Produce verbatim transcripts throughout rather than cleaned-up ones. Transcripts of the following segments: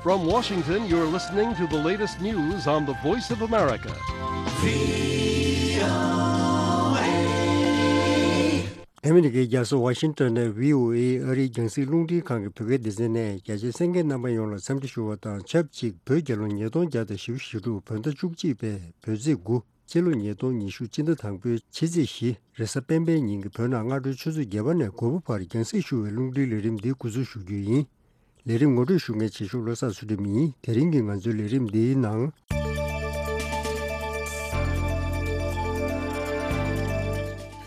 From Washington, you're listening to the latest news on the Voice of America. ཨ་མི་རི་ཀའི་རྒྱལ་ས་ཝ་ཤིང་ཏོན་ནས་བྷི་ཨོ་ཨེ་ཨ་རིའི་རྒྱང་སྲིང་རླུང་འཕྲིན་ཁང་གི་བོད་སྐད་སྡེ་ཚན་ནས་རྒྱ་ཆེའི་གསན་མཁན་རྣམ་པ་ཡོངས་ལ་འཚམས་འདྲི་ཞུ་བ་དང་ཆབས་ཅིག་བོད་རྒྱལ་ལོ་ཉིས་སྟོང་བརྒྱ་དང་བཞི་བཅུ་ཞེ་དྲུག་བོད་ཟླ་བཅུ་གཅིག་པའི་བོད་ཚེས་དགུ། སྤྱི་ལོ་ཉིས་སྟོང་ཉི་ཤུ་སྤྱི་ཟླ་དང་པོའི་ཕྱི་ཚེས་བཞི། རེས་གཟའ་སྤེན་པའི་ཉིན་གྱི་བོད་ནང་སྔ་དྲོའི་ཆུ་ཚོད་བརྒྱད་པ་ནས་དགུ་པ་བར་རྒྱང་སྲིང་ཞུ་བའི་རླུང་འཕྲིན་ལས་རིམ་འདི་འགོ་འཛུགས་ཞུ་རྒྱུ་ཡིན། ལས་རིམ་ངོ་སྤྲོད་ཞུ་མཁན་བྱེད་ཤོག་བློ་བཟང་ཚུལ་ཁྲིམས་ཡིན། དེ་རིང་གི་ང་ཚོའི་ལས་རིམ་འདིའི་ནང་།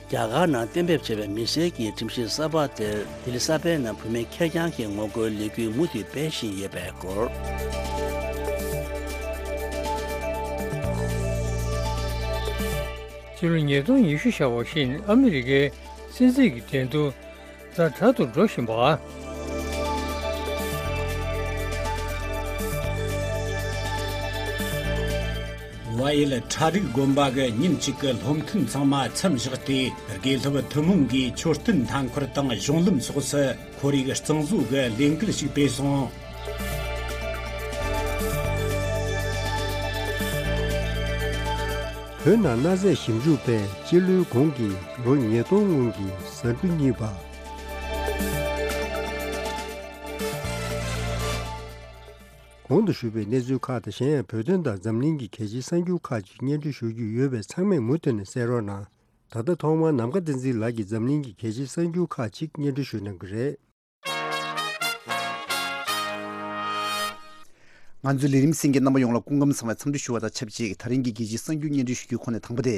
རྒྱ་གར་ནང་གཏན་འབེབས་བྱས་པའི་མི་སེར་གྱི་ཁྲིམས་གཞི་གསར་པ་དེར་ལྡི་ལི་གསར་སྤེལ་ནང་བུད་མེད་ཁེར་རྐྱང་གི་ངོ་རྒོལ་ལས་འགུལ་མུ་མཐུད་སྤེལ་བཞིན་ཡོད་པའི་སྐོར། ཕྱི་ལོ་ཉིས་སྟོང་ཉི་ཤུ་ཤར་བ་བཞིན་ཨ་མི་རི་ཀའི་སྲིད་འཛིན་གྱི་འགྲན་བསྡུར་ཛ་དྲག་ཏུ་འགྲོ་བཞིན་པ། བལ་ཡུལ་ཁྲ་རིག་དགོན་པ་གི་ཉིན་གཅིག་གི་སློབ་ཐུན་ཚང་མ་མཚམས་བཞག་སྟེ། དགེ་སློབ་ཐུན་མོང་གིས་མཆོད་རྟེན་མཐའ་འཁོར་དང་གཞུང་ལམ་སོགས་སུ་ཁོར་ཡུག་གཙང་བཟོ་གི་ལས་འགུལ་ཞིག་སྤེལ་སོང་། བོད་ནང་གནའ་རྫས་ཞིབ་འཇུག་པས་སྤྱི་ལོའི་གོང་གི་ལོ་ཉིས་སྟོང་སྔོན་གྱི་ཟ་འབྲུ་རྙིད་པ། གོང་དུ་ཞུས་པའི་གནས་ཚུལ་ཁག་དང་གཞན་ཡང་བོད་དོན་དང་འཛམ་གླིང་གི་གལ་ཆེའི་གསར་འགྱུར་ཁག་ཅིག་སྙན་སྒྲོན་ཞུ་རྒྱུ་ཡོད་པས་ཚང་མས་མུ་མཐུད་ནས་གསན་རོགས་གནང་། ད་ལྟ་ཐོག་མར་ནམ་མཁའ་བསྟན་འཛིན་ལགས་ཀྱིས་འཛམ་གླིང་གི་གལ་ཆེའི་གསར་འགྱུར་ཁག་ཅིག་སྙན་སྒྲོན་ཞུ་གནང་གི་རེད། ང་ཚོའི་ལས་རིམ་གསན་མཁན་རྣམ་པ་ཡོངས་ལ་སྐུ་ཁམས་བཟང་བའི་འཚམས་འདྲི་ཞུ་བ་དང་ཆབས་ཅིག་ད་རིང་གི་རྒྱལ་སྤྱིའི་གསར་འགྱུར་སྙན་སྒྲོན་ཞུ་རྒྱུའི་ཁོངས་ནས་དང་པོ་དེ།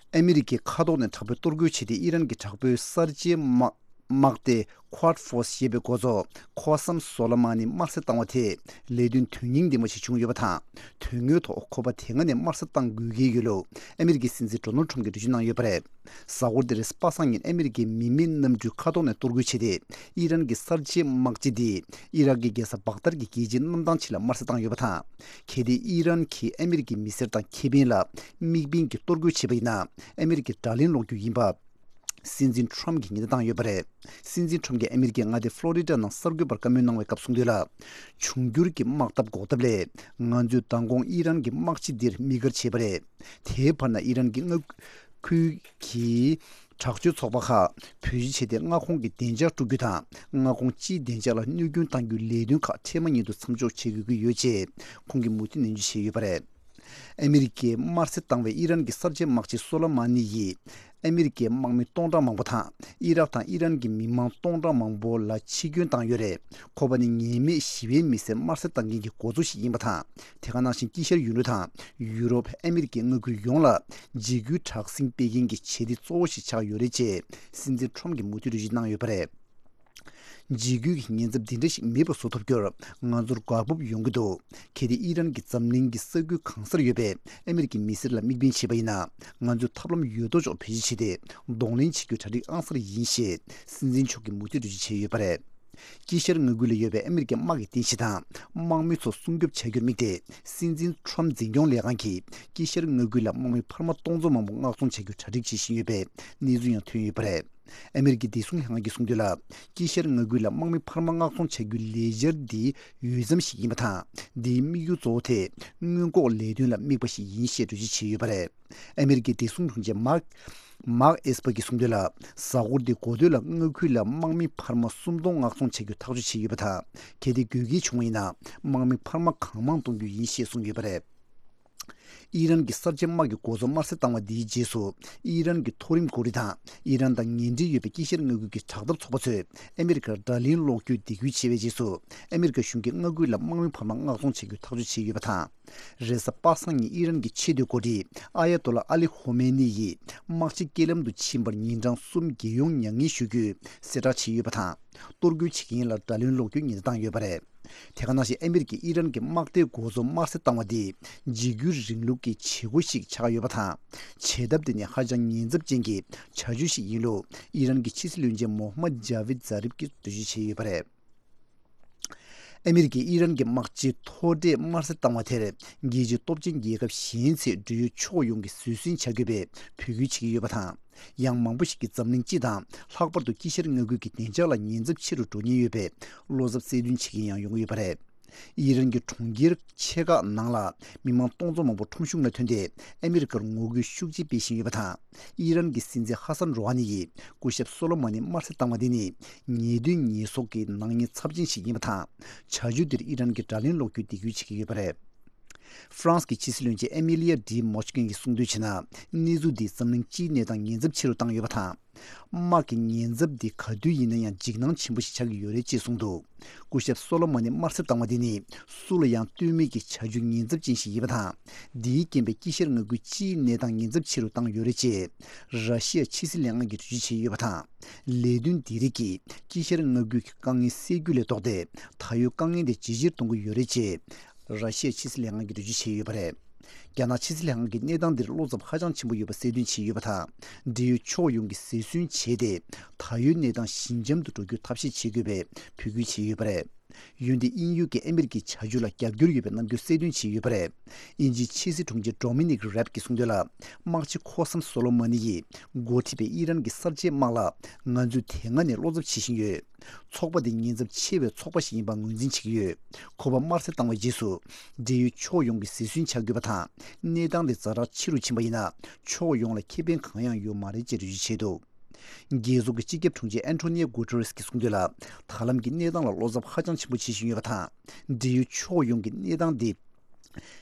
ཨ་མི་རི་ཀས་མཁའ་ཐོག་ནས་དྲག་པོའི་གཏོར་རྒོལ་བྱས་ཏེ་ཨི་རན་གྱི་དྲག་པོའི་གསར་བརྗེའི་དམག་དམག་སྡེ་Quad Force ཞེས་པའི་འགོ་གཙོ་ཁོ་སམ་སོ་ལ་མ་ནི་དམར་གསོད་བཏང་བ་དེས་ལས་དོན་དོན་སྙིང་ལྡན་པ་ཞིག་བྱུང་ཡོད་པ་དང་། དོན་དངོས་ཐོག་ཁོ་པ་དེ་སྔ་ནས་དམར་གསོད་བཏང་དགོས་ཀྱི་ཡོད་ལུགས་ཨ་མི་རི་ཀའི་སྲིད་འཛིན་ཌོ་ནལ་ཁྲམ་གྱིས་འགྲེལ་བརྗོད་གནང་ཡོད་པ་རེད། གཟའ་འཁོར་འདིར་པ་སངས་ཉིན་ཨ་མི་རི་ཀའི་མི་མེད་གནམ་གྲུས་མཁའ་ཐོག་ནས་གཏོར་རྒོལ་བྱས་ཏེ་ཨི་རན་གྱི་གསར་བརྗེའི་དམག་སྤྱི་འདིས་ཨི་རག་གི་རྒྱལ་ས་བག་དར་གྱི་རྒྱལ་སྤྱིའི་གནམ་ཐང་ཕྱི་ལ་དམར་གསོད་བཏང་ཡོད་པ་དང་། གལ་ཏེ་ཨི་རན་གྱིས་ཨ་མི་རི་ཀའི་མི་སེར་དང་ཁེ་ཕན་ལ་དམིགས་འབེན་གྱིས་གཏོར་རྒོལ་བྱས་པ་ཡིན་ན་ཨ་མི་རི་ཀས་དགྲ་ལན་སློག་རྒྱུ་ཡིན་པ། སྲིད་འཛིན་ཁྲོམ་གྱིས་ཉེན་བརྡ་བཏང་ཡོད་པ་རེད། སྲིད་འཛིན་ཁྲོམ་གྱིས་ཨ་མི་རི་ཀའི་མངའ་སྡེ་ཕློ་རི་ཌ་ནང་གསར་འགོད་པར་བཀའ་མོལ་གནང་བའི་སྐབས་གསུངས་དོན་ལ། འབྱུང་འགྱུར་གྱི་དམག་འཐབ་འགོག་ཐབས་སླད། ང་ཚོས་མདང་དགོང་ཨི་རན་གྱི་དམག་སྤྱི་འདིར་དམིགས་བཀར་བྱས་པ་རེད། དེའི་བར་ན་ཨི་རན་གྱི་མངའ་ཁུལ་གྱི་དྲག་སྤྱོད་ཚོགས་པ་ཁག་བེད་སྤྱོད་བྱས་ཏེ་མངའ་ཁོངས་ཀྱི་བདེ་འཇགས་དཀྲུག་རྒྱུ་དང་། མངའ་ཁོངས་སྤྱིའི་བདེ་འཇགས་ལ་གནོད་སྐྱོན་གཏང་རྒྱུའི་ལས་དོན་ཁག་འཕྲལ་མ་ཉིད་དུ་མཚམས་འཇོག་བྱེད་དགོས་ཀྱི་ཡོད་ཅེས་ཁོང་གིས་མུ་མཐུད་ནན་བརྗོད་བྱས་ཡོད་པ་རེད། ཨ་མི་རི་ཀས་དམར་གསོད་བཏང་བའི་ཨི་རན་གྱི་གསར་བརྗེའི་དམག་སྤྱི་སོ་ལ་མ་ནི་ཡིས། ཨ་མི་རི་ཀའི་དམག་མི་སྟོང་ཕྲག་མང་པོ་དང་ཨི་རག་དང་ཨི་རན་གྱི་མི་མང་སྟོང་ཕྲག་མང་པོ་ལ་འཆི་སྐྱོན་བཏང་ཡོད་རེད། ཁོ་པ་ནི་ཉེས་མེད་ཞི་བའི་མི་སེར་དམར་གསོད་བཏང་མཁན་གྱི་འགོ་གཙོ་ཞིག་ཡིན་པ་དང་། དེ་ག་ནང་བཞིན་དཀྱིལ་ཤར་ཡུལ་གྲུ་དང་ཡུ་རོབ་ཨ་མི་རི་ཀའི་མངའ་ཁུལ་ཡོངས་ལ་འཇིགས་སྐུལ་དྲག་ཟིང་སྤེལ་མཁན་གྱི་བྱེད་གཏེ་གཙོ་བོ་ཞིག་ཆགས་ཡོད་རེད་ཅེས་སྲིད་འཛིན་ཁྲོམ་གྱིས་མུ་མཐུད་འགྲེལ་བརྗོད་གནང་ཡོད་པ་རེད། འཇིགས་སྐུལ་གྱི་ཉེན་ཚབས་འདི་འདྲ་ཞིག་མེད་པ་བཟོ་ཐུབ་རྒྱུར་ང་ཚོར་འགག་སྦུབ་ཡོང་གི་འདུག་གལ་ཏེ་ཨི་རན་གྱིས་འཛམ་གླིང་གི་ས་ཁུལ་གང་སར་ཡོད་པའི་ཨ་མི་རི་ཀའི་མི་སེར་ལ་དམིགས་འབེན་བྱས་པ་ཡིན་ན། ང་ཚོས་ཐབས་ལམ་ཡོད་དོ་ཅོག་བེད་སྤྱོད་བྱས་ཏེ་གདོང་ལེན་བྱེད་རྒྱུ་གྲ་སྒྲིག་ཨང་གསར་ཡིན་ཞེས་སྲིད་འཛིན་མཆོག་གིས་མུ་མཐུད་འགྲེལ་བརྗོད་བྱས་ཡོད་པ་རེད། དཀྱིལ་ཤར་མངའ་ཁུལ་ལ་ཡོད་པའི་ཨ་མི་རི་ཀའི་དམག་གི་རྟེན་གཞི་དང་དམག་མི་ཚོ་སྲུང་སྐྱོབ་བྱ་རྒྱུར་དམིགས་ཏེ། སྲིད་འཛིན་ཁྲོམ་འཛིན་སྐྱོང་ལས་ཁང་གིས་དཀྱིལ་ཤར་མངའ་ཁུལ་ལ་དམག་མི་འཕར་མ་སྟོང་ཚོ་མང་པོ་མངགས་གཏོང་བྱ་རྒྱུར་གྲ་སྒྲིག་བྱེད་བཞིན་ཡོད་པའི་གནས་ཚུལ་ཡང་ཐོན་ཡོད་པ་རེད། ཨ་མི་རི་ཀའི་བདེ་སྲུང་ལྷན་ཁང་གིས་གསུངས་དོན་ལ། དཀྱིལ་ཤར་མངའ་ཁུལ་ལ་དམག་མི་འཕར་མ་མངགས་གཏོང་བྱ་རྒྱུའི་ལས་འཆར་འདི་འོས་འཚམ་ཞིག་ཡིན་པ་དང་། འདིའི་དམིགས་ཡུལ་གཙོ་བོ་དེ་སྔོན་འགོག་ལས་དོན་ལ་དམིགས་པ་ཞིག་ཡིན་ཞེས་འགྲེལ་བརྗོད་བྱས་ཡོད་པ་རེད། ཨ་མི་རི་ཀའི་བདེ་སྲུང་དྲུང་ཆེ་མཱག་མཱག་ཨེས་པར་གྱིས་གསུངས་དོན་ལ། གཟའ་འཁོར་འདིའི་འགོ་སྟོད་ལ་མངའ་ཁུལ་ལ་དམག་མི་འཕར་མ་སུམ་སྟོང་མངགས་གཏོང་བྱ་རྒྱུ་ཐག་གཅོད་བྱས་ཡོད་པ་དང་། གལ་ཏེ་དགོས་གལ་བྱུང་བ་ཡིན་ན། དམག་མི་འཕར་མ་གང་མང་གཏོང་རྒྱུ་ཡིན་ཞེས་གསུངས་ཡོད་པ་རེད། ཨི་རན་གྱི་གསར་བརྗེ་དམག་གི་འགོ་གཙོ་དམར་གསོད་བཏང་བ་འདིའི་རྗེས་སུ། ཨི་རན་གྱི་མཐོ་རིམ་འགོ་ཁྲིད་དང་ཨི་རན་དང་ངན་འབྲེལ་ཡོད་པའི་དཀྱིལ་ཤར་མངའ་ཁུལ་གྱི་དྲག་འཐབ་ཚོགས་པ་ཚོས་ཨ་མི་རི་ཀར་དགྲ་ལན་སློག་རྒྱུའི་སྡིགས་སྐུལ་བྱས་པའི་རྗེས་སུ། ཨ་མི་རི་ཀ་གཞུང་གིས་མངའ་ཁུལ་ལ་དམག་མི་འཕར་མ་མངགས་གཏོང་བྱ་རྒྱུའི་ཐག་གཅོད་བྱས་ཡོད་པ་དང་། རེས་གཟའ་པ་སངས་ཉིན་ཨི་རན་གྱི་ཆེས་མཐོའི་འགོ་ཁྲིད་ཨ་ཡ་ཏོ་ལ་ཨ་ལི་ཧོ་མེ་ནི་ཡིས་དམག་སྤྱི་རྐྱེན་ལམ་དུ་ཕྱིན་པར་ཉིན་གྲངས་གསུམ་རྒྱལ་ཡོངས་མྱ་ངན་ཞུ་རྒྱུའི་གསལ་བསྒྲགས་བྱས་ཡོད་པ་དང་། གཏོར་རྒོལ་བྱེད་མཁན་ལ་དགྲ་ལན་སློག་རྒྱུའི་ཉེན་བརྡ་བཏང་ཡོད་པ་རེད། དེ་ག་ནང་བཞིན་ཨ་མི་རི་ཀས་ཨི་རན་གྱི་དམག་སྡེའི་འགོ་གཙོ་དམར་གསོད་བཏང་བ་འདི་འཇིགས་སྐུལ་རིང་ལུགས་ཀྱི་བྱེད་སྒོ་ཞིག་ཆགས་ཡོད་པ་དང་། བྱེད་ཐབས་དེ་ནི་ཧ་ཅང་ཉེན་ཚབས་ཅན་གྱི་བྱ་སྤྱོད་ཞིག་ཡིན་ལུགས་ཨི་རན་གྱི་ཕྱི་སྲིད་བློན་ཆེན་མོ་ཧམ་མད་ཇཱ་བིད་ཛཱ་རིབ་ཀྱིས་འགྲེལ་བརྗོད་བྱས་ཡོད་པ་རེད། ཨ་མི་རི་ཀས་ཨི་རན་གྱི་དམག་སྤྱི་མཐོ་གྲས་དམར་གསོད་བཏང་བ་དེར་རྒྱལ་སྤྱིའི་སྟོབས་ཆེན་རྒྱལ་ཁབ་གཞན་ཚོས་འབྲེལ་ཡོད་ཕྱོགས་ཡོངས་ཀྱིས་བཟོད་བསྲན་བྱ་དགོས་པའི་འབོད་སྐུལ་བྱེད་ཀྱི་ཡོད་པ་དང་། ཡང་མང་པོ་ཞིག་གིས་འཛམ་གླིང་སྤྱི་དང་ལྷག་པར་དུ་དཀྱིལ་ཤར་མངའ་ཁུལ་གྱི་བདེ་འཇགས་ལ་ཉེན་ཚབས་ཆེ་རུ་འགྲོ་ཉེན་ཡོད་པའི་བློ་འཚབ་གསལ་སྟོན་བྱེད་མཁན་ཡང་ཡོང་གི་ཡོད་པ་རེད། ཨི་རན་གྱི་གྲོང་ཁྱེར་ཆེ་ཁག་ནང་ལ་མི་མང་སྟོང་ཚོ་མང་པོ་ཁྲོམ་གཞུང་ལ་ཐོན་ཏེ་ཨ་མི་རི་ཀར་ངོ་རྒོལ་ཤུགས་ཆེ་སྤེལ་བཞིན་ཡོད་པ་དང་། ཨི་རན་གྱི་སྲིད་འཛིན་ཧ་སན་རོ་ཧ་ནི་ཡིས་སྐུ་ཞབས་སོ་ལོ་མོན་ནི་དམར་གསོད་བཏང་བ་འདི་ནི་ཉེས་དོན་ཉེས་གསོག་གི་ནག་ཉེས་ཚབས་ཆེན་ཞིག་ཡིན་པ་དང་། བྱ་སྤྱོད་འདིར་ཨི་རན་གྱི་དགྲ་ལན་སློག་རྒྱུའི་འདེད་སྐུལ་བྱེད་ཀྱི་ཡོད་པ་རེད། ཧྥ་རན་སི་གི་ཕྱི་སྲིད་བློན་ཆེན་ཨེ་མི་ལི་ཡ་ཌི་མོ་ཆི་ཀན་གྱིས་གསུངས་དོན་བྱས་ན། གནས་ཚུལ་འདིས་འཛམ་གླིང་སྤྱིའི་གནས་སྟངས་ཉེན་ཚབས་ཆེ་རུ་བཏང་ཡོད་པ་དང་། དམག་གི་ཉེན་ཚབས་འདི་ག་དུས་ཡིན་ན་ཡང་འཇིགས་སྣང་ཆེན་པོ་ཞིག་ཆགས་ཀྱི་ཡོད་རེད་ཅེས་གསུངས་འདུག་སྐུ་ཞབས་སོ་ལོ་མོན་ནི་དམར་གསོད་བཏང་བ་འདི་ནི་སུ་ལ་ཡང་ལྟོས་མེད་ཀྱི་བྱ་སྤྱོད་ཉེན་ཚབས་ཅན་ཞིག་ཡིན་པ་དང་། འདིའི་རྐྱེན་པས་དཀྱིལ་ཤར་མངའ་ཁུལ་སྤྱིའི་གནས་སྟངས་ཉེན་ཚབས་ཆེ་རུ་བཏང་ཡོད་རེད་ཅེས་ར་ཤི་ཡ་ཕྱི་སྲིད་ལྷན་ཁང་གིས་འགྲེལ་བརྗོད་བྱས་ཡོད་པ་དང་། ལས་དོན་འདི་རིགས་ཀྱིས་དཀྱིལ་ཤར་མངའ་ཁུལ་གྱི་དཀའ་ངལ་སེལ་རྒྱུ་ལས་ལྡོག་སྟེ། ད་ཡོད་དཀའ་ངལ་དེ་ཇེ་ཆེར་གཏོང་གི་ཡོད་རེད་ཅེས། ར་ཤི་ཡའི་ཕྱི་སྲིད་ལྷན་ཁང་གིས་འགྲེལ་བརྗོད་བྱས་ཡོད་པ་རེད། རྒྱ་ནག་ཕྱི་སྲིད་ལྷན་ཁང་གིས་གནས་སྟངས་འདིར་བློ་འཚབ་ཧ་ཅང་ཆེན་པོ་ཡོད་པ་གསལ་སྟོན་བྱས་ཡོད་པ་དང་། འབྲེལ་ཡོད་ཕྱོགས་ཡོངས་ཀྱིས་འབད་བརྩོན་བྱས་ཏེ། ད་ཡོད་གནས་སྟངས་ཞི་འཇམ་དུ་འགྲོ་རྒྱུའི་ཐབས་ཤེས་བྱེད་དགོས་པའི་འབོད་སྐུལ་བྱས་ཡོད་པ་རེད། འོན་ཏེ་དབྱིན་ཡུལ་གྱིས་ཨ་མི་རི་ཀའི་བྱ་སྤྱོད་ལ་རྒྱབ་སྐྱོར་ཡོད་པའི་རྣམ་འགྱུར་གསལ་སྟོན་བྱས་ཡོད་པ་རེད། དབྱིན་ཇིའི་ཕྱི་སྲིད་དྲུང་ཆེ་ཌོ་མི་ནིག་རེབ་ཀྱིས་གསུངས་དོན་ལ། དམག་སྤྱི་ཁོ་སམ་སོ་ལོ་མ་ནི་ཡིས་འགོ་ཁྲིད་པའི་ཨི་རན་གྱི་གསར་བརྗེའི་དམག་ལ་ང་ཚོས་དེ་སྔ་ནས་བློ་འཚབ་བྱེད་བཞིན་ཡོད། ཚོགས་པ་འདི་ཉེན་ཚབས་ཆེ་བའི་ཚོགས་པ་ཞིག་ཡིན་པ་ངོས་འཛིན་བྱེད་ཀྱི་ཡོད། ཁོ་པ་དམར་གསོད་བཏང་བའི་རྗེས་སུ། འབྲེལ་ཡོད་ཕྱོགས་ཡོངས་ཀྱིས་འབད་བརྩོན་བྱ་དགོས་པ་དང་། གནས་སྟངས་དེ་ཛ་དྲག་ཆེ་རུ་ཕྱིན་པ་ཡིན་ན། ཕྱོགས་ཡོངས་ལ་ཁེ་ཕན་གང་ཡང་ཡོད་མ་རེད་ཅེས་འགྲེལ་བརྗོད་བྱས་འདུག་རྒྱལ་ཚོགས་ཀྱི་སྤྱི་ཁྱབ་དྲུང་ཆེ་ཨན་ཐོ་ནིའོ་གུ་ཏེ་རེས་ཀྱིས་གསུངས་དོན་ལ། ད་ལམ་གྱི་གནས་སྟངས་ལ་བློ་འཚབ་ཧ་ཅང་ཆེན་པོ་བྱེད་བཞིན་ཡོད་པ་དང་། འབྲེལ་ཡོད་ཕྱོགས་ཡོངས་ཀྱིས་གནས་སྟངས་འདི།